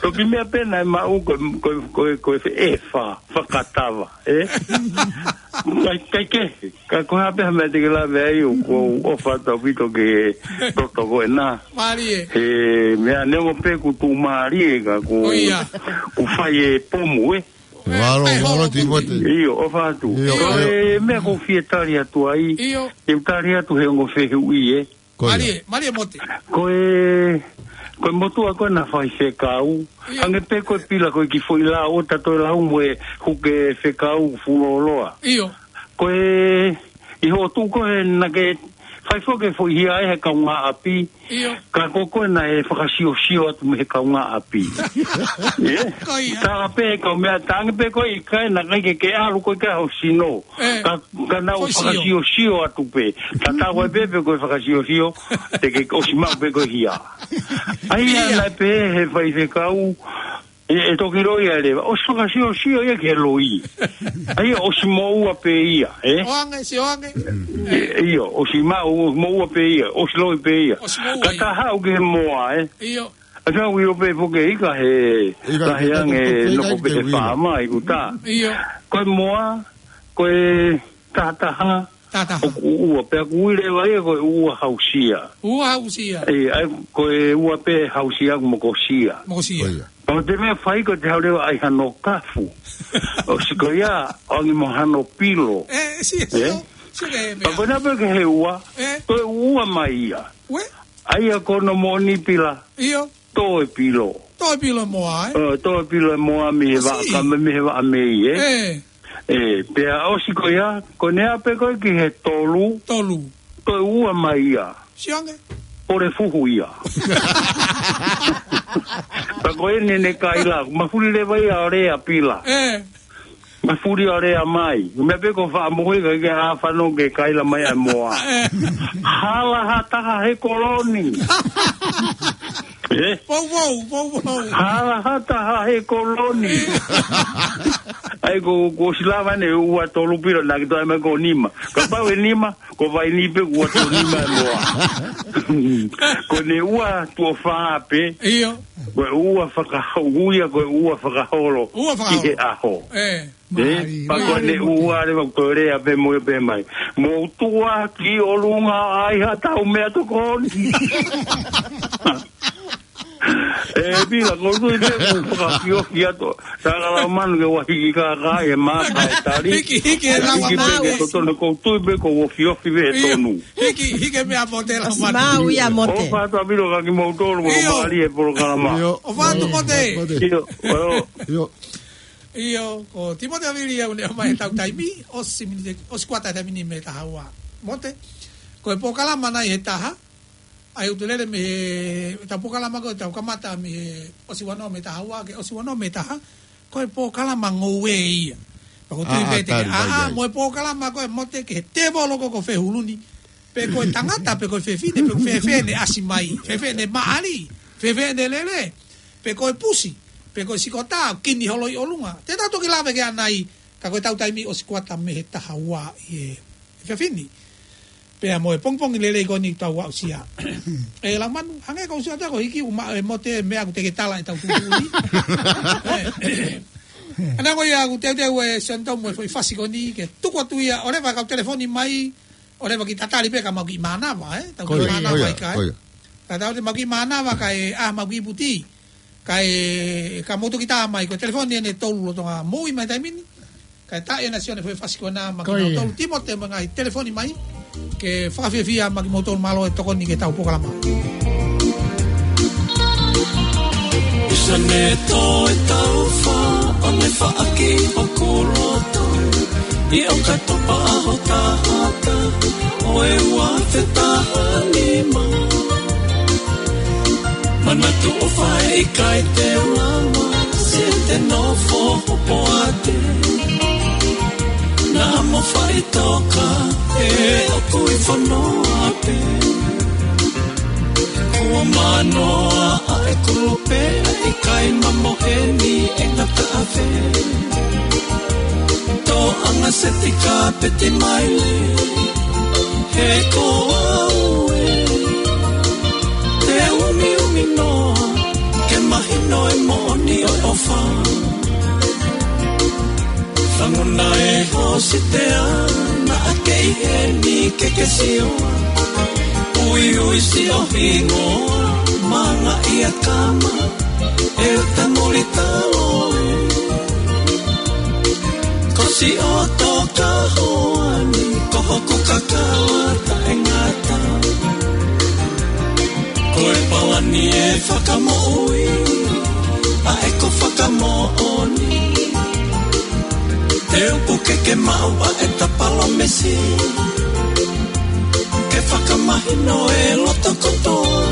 Toki meʻa pē naʻe maʻu ko, ko, ko, ko e fe-, ʻe fa, Fakatava, ē? Kai, kai ke, ka ko e hā pē ha meʻa te ke lave ai ʻoku ou ʻofa atu ʻaupito ki he toto ko ena. Mālie. He meʻa neongo pē kuo tuʻumālie ka kuo, ʻo ia, kuo fai e pomu, ē? Mālō, mālō, Timote. ʻIo, ʻofa atu. ʻIo, ko e meʻa ʻoku ou fie tali atu ai. ʻIo. Te u tali atu he ongo fehuʻi, ē? Ko ia. Mālie, mālie Mote. Ko e, ko e motuʻa ko ena fai fekau. ʻIo. Hangē pē ko e pila ko e kiʻi foʻi lao ʻo tato e lau mo e huke fekau fuoloa. ʻIo. Ko e, ʻi hoʻo tuʻu ko ē naʻa ke fai foki e foʻi hia ʻe he kaungāʻapi. ʻIo. Ka ko koe naʻe fakasiosio atu mei he kaungāʻapi. ʻIo. Ko ia. Tā pē kau meʻa tangi pē ko e ʻikai naʻe ʻikai ke ke ʻalu ko e ʻikai ho sino. ʻE. Ka, ka naʻa ku fakasiosio atu pē. Tatau ai pē pe ko e fakasiosio, te ke ʻosi maʻu pē ko e hia. ʻAi ia. Ia naʻe pehē he faifekau, ʻe, ʻe toki loi ia leva. ʻOsi fakasiosio ia ki he loi. ʻAi ia ʻosi moʻua pē ia, ē? ʻOange, sio ange. ʻE, ʻio, ʻosi maʻu, moʻua pē ia, ʻosi loi pē ia. ʻOsi moʻua ia. Ka ta haʻu ki he moa, ē? ʻIo. ʻA ka ui o pē foki ʻikai he, ʻikai ka he ange noko pē he fāmai kuta. ʻIo. Ko e moa, ko e tahataha, tahataha, ʻoku ua, pea ʻoku ui leva ia ko e ua hausia. Ua hausia. ʻE, ʻai, ko e ua pē hausia ʻoku mokosia. Mokosia. ʻIo. Pea ko e meʻa fai ko e te haʻu leva ʻai hano kafu. ʻOsi ko ia, ʻoange mo hano pilo. ʻE, si, si, ʻe? Si ke meʻa. Pea ko ena pē ke he ua, ʻe, toe ua mai ia. ʻUe? ʻAi ia ko hono moʻoni pila. ʻIo. Toe pilo. Toe pilo moa, ē? ʻE, toe pilo moa mei he vaʻa, ka mei he vaʻa mei, ē? ʻE. ʻE, pea ʻosi ko ia, ko ena pē ko e ki he tolu. Tolu. Toe ua mai ia. Sio ange. Pole fuhu ia. Pea ko ena ne kaila, mafuli leva ia ʻo lea pila. ʻE. Mafuli ʻo lea mai. Meʻa pē ko faʻa mohe ka ke ʻa fano ke kaila mai ʻa moa. ʻE. Hala ha taha he koloni. ʻE? Pou, pou, pou, pou. Hala ha taha he koloni. ʻAi ko, ko sila vane ua tolu pilo naʻa ke toe mai ko nima. Kapau ʻe nima, ko vai ni pē ua tolu nima ʻe moa. Ko ena ua tuʻo fā pē. ʻIo. Ko e ua fakaholo, ui ia ko e ua fakaholo. Ua fakaholo. Ki he ʻaho. ʻE. ʻE, pea ko ena ua leva ko e lea pē mo ia pē mai. Mou tuʻu ki ʻolunga ʻai ha tau meʻatokoni. E pila, ʻoku ou tui pē ʻoku fakafiofi atu. Saka Laumanu ke ua hiki kākā e maka e tali. Hiki, hiki e Hiki pē Laumanu. Ke totonu, ʻoku ou tui pē ʻoku ofiofi pē he ʻIo, tonu. Hiki, hiki e meʻa Mote Laumanu. Mau ia Mote. ʻOfa atu ʻaupito kia kimoutolu, ʻIo. Mālie e polokalama. ʻIo. ʻOfa atu Mote. Mote. ʻIo, ʻio. ʻIo. ʻIo, ko Timote Vili ia ʻoku ne ʻomai ʻetau taimi, ʻosi miniti, ʻosi kuata taimi ni mei he taha ua. Mote, ko e polokalama nai he taha, ʻa ia ʻoku te lele mei he, ʻetau polokalama ko ē ʻoku tau kamata mei he ʻosi ua noa mei he taha ua, ki he ʻosi ua noa mei he taha, ko e polokalama ngoue ia. Pea ʻoku ou tui pē te ke ʻaʻa, mo e polokalama ko ē Mote ki he tēvolo ko ē ko Fehuluni, pe ko e tangata, pe ko e fefine, pe ko e fēfē ʻene ʻasi mai, fēfē ʻene maʻali, fēfē ʻene lele, pe ko e pusi, pe ko e sikota, kini holo ʻi ʻolunga. Te tau toki lave ki ai ʻanai, ka ko ʻetau taimi ʻosi kuata mei he taha ua ʻi he efiafi ni. Pea mo e pongipongi lelei ko eni ʻoku tau aʻusia. ʻE Laumanu, hangē ko e ʻuhinga ko e hiki ʻuma e Mote meʻa ʻoku te ke tala ʻetau tuʻutuʻuni. ʻE. ʻAna ko ia ʻoku teuteu e Sione Tomu e foʻi fasi ko eni ke tuku atu ia, ʻoleva kau telefoni mai, ʻoleva ke tatali pē ka mau kiʻi mānava, ē? Tau kiʻi mānava ʻikai. Ka tau te mau kiʻi mānava kae ʻai mau kiʻi puti. Kae, ka mou toki tā mai, ko e telefoni eni ʻe tolu lolotonga moʻui mai he taimi ni. Kae tā ʻe Sione e foʻi fasi ko ena maʻa kimoutolu Timote mo e ngaahi telefoni mai. Ke fakafiefia maʻa kimoutolu, mālō e tokoni ki heʻetau polokalama. Sione Tomu e tau fa, ʻo ne faʻaki hoku loto. ʻI ʻo ka topa ʻaho taha taha, ʻo e ua afe taha nima. Manatu ʻofa ʻe ʻikai te u lava, se te nofo hopoate. Naʻa mo faʻitoka, ʻe ʻoku ʻi fanoa pē. Kuo manoa ʻa e kulupe, ʻikai mamohe ni e ngata afe. Tōʻanga seti kapeti maile, he ko au ē. Te umiumi noa, ke mahino e moʻoni ʻo e ʻofa. Langona e hositea, naʻa ke ʻi heni ke ke sio. Uiui siʻo hingoa, manga ia kama, e uta muli talo ē. Ko siʻoto ka hoa ni, ko hoku kakala taʻengata. Ko e palani e fakamoʻui, ʻa ē ko fakamoʻoni. Te u puke ke maʻu ʻa ʻeta palōmesi. Ke fakamahino e loto kotoa.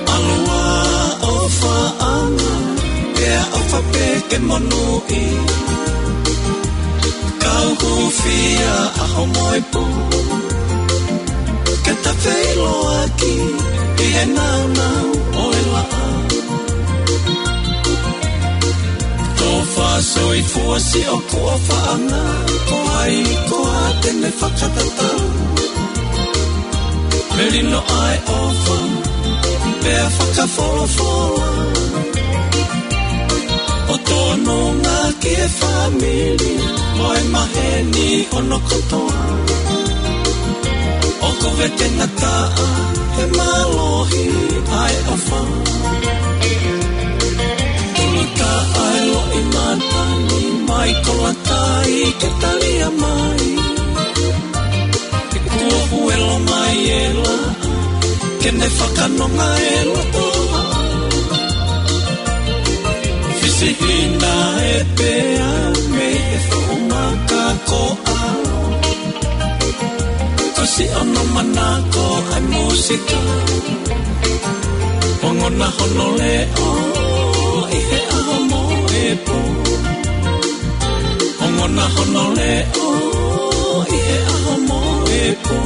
ʻAlu ā ʻofaʻanga, pea ʻofa pē ke monūʻia. Kau hūfia ʻaho mo e pō. Ke ta feʻiloaki ʻi he naunau ʻo e laʻā. Tofa soifua siʻoku ʻofaʻanga, ko hai koā te ne fakatatau. Melino ʻa e ʻofa, pea fakafolofola. ʻO tonu ngā ki he fāmili, mo e maheni hono kotoa. ʻOku vete ngataʻa, he mālohi ʻa e ʻofa. Tuluta ʻa e loʻimata ni, mai kolatai ke talia mai. Kuo huelo mai e laʻā, ke ne fakanonga e loto. Fisihina e pea mei he fuʻu maka ko ʻAlo. Ko siʻono manako ʻa e mūsika. Ongona hono leʻo ʻi he ʻaho mo e pō. Ongona hono leʻo ʻi he ʻaho mo e pō.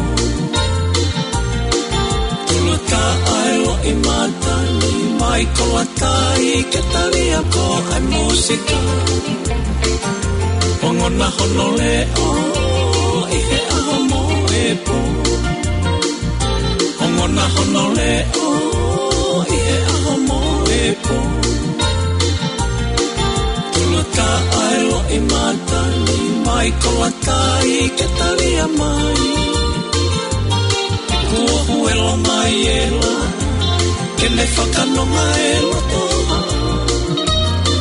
Tuluta ʻa e loʻimata ni, mai kolatai ke talia ko e mūsika. Ongona hono leʻo ʻi he ʻaho mo e pō. Ongona hono leʻo ʻi he ʻaho mo e pō. Tuluta ʻa e loʻimata ni, mai kolatai ke talia mai. Kuo huelo mai e laʻā, ke ʻE fakanonga e loto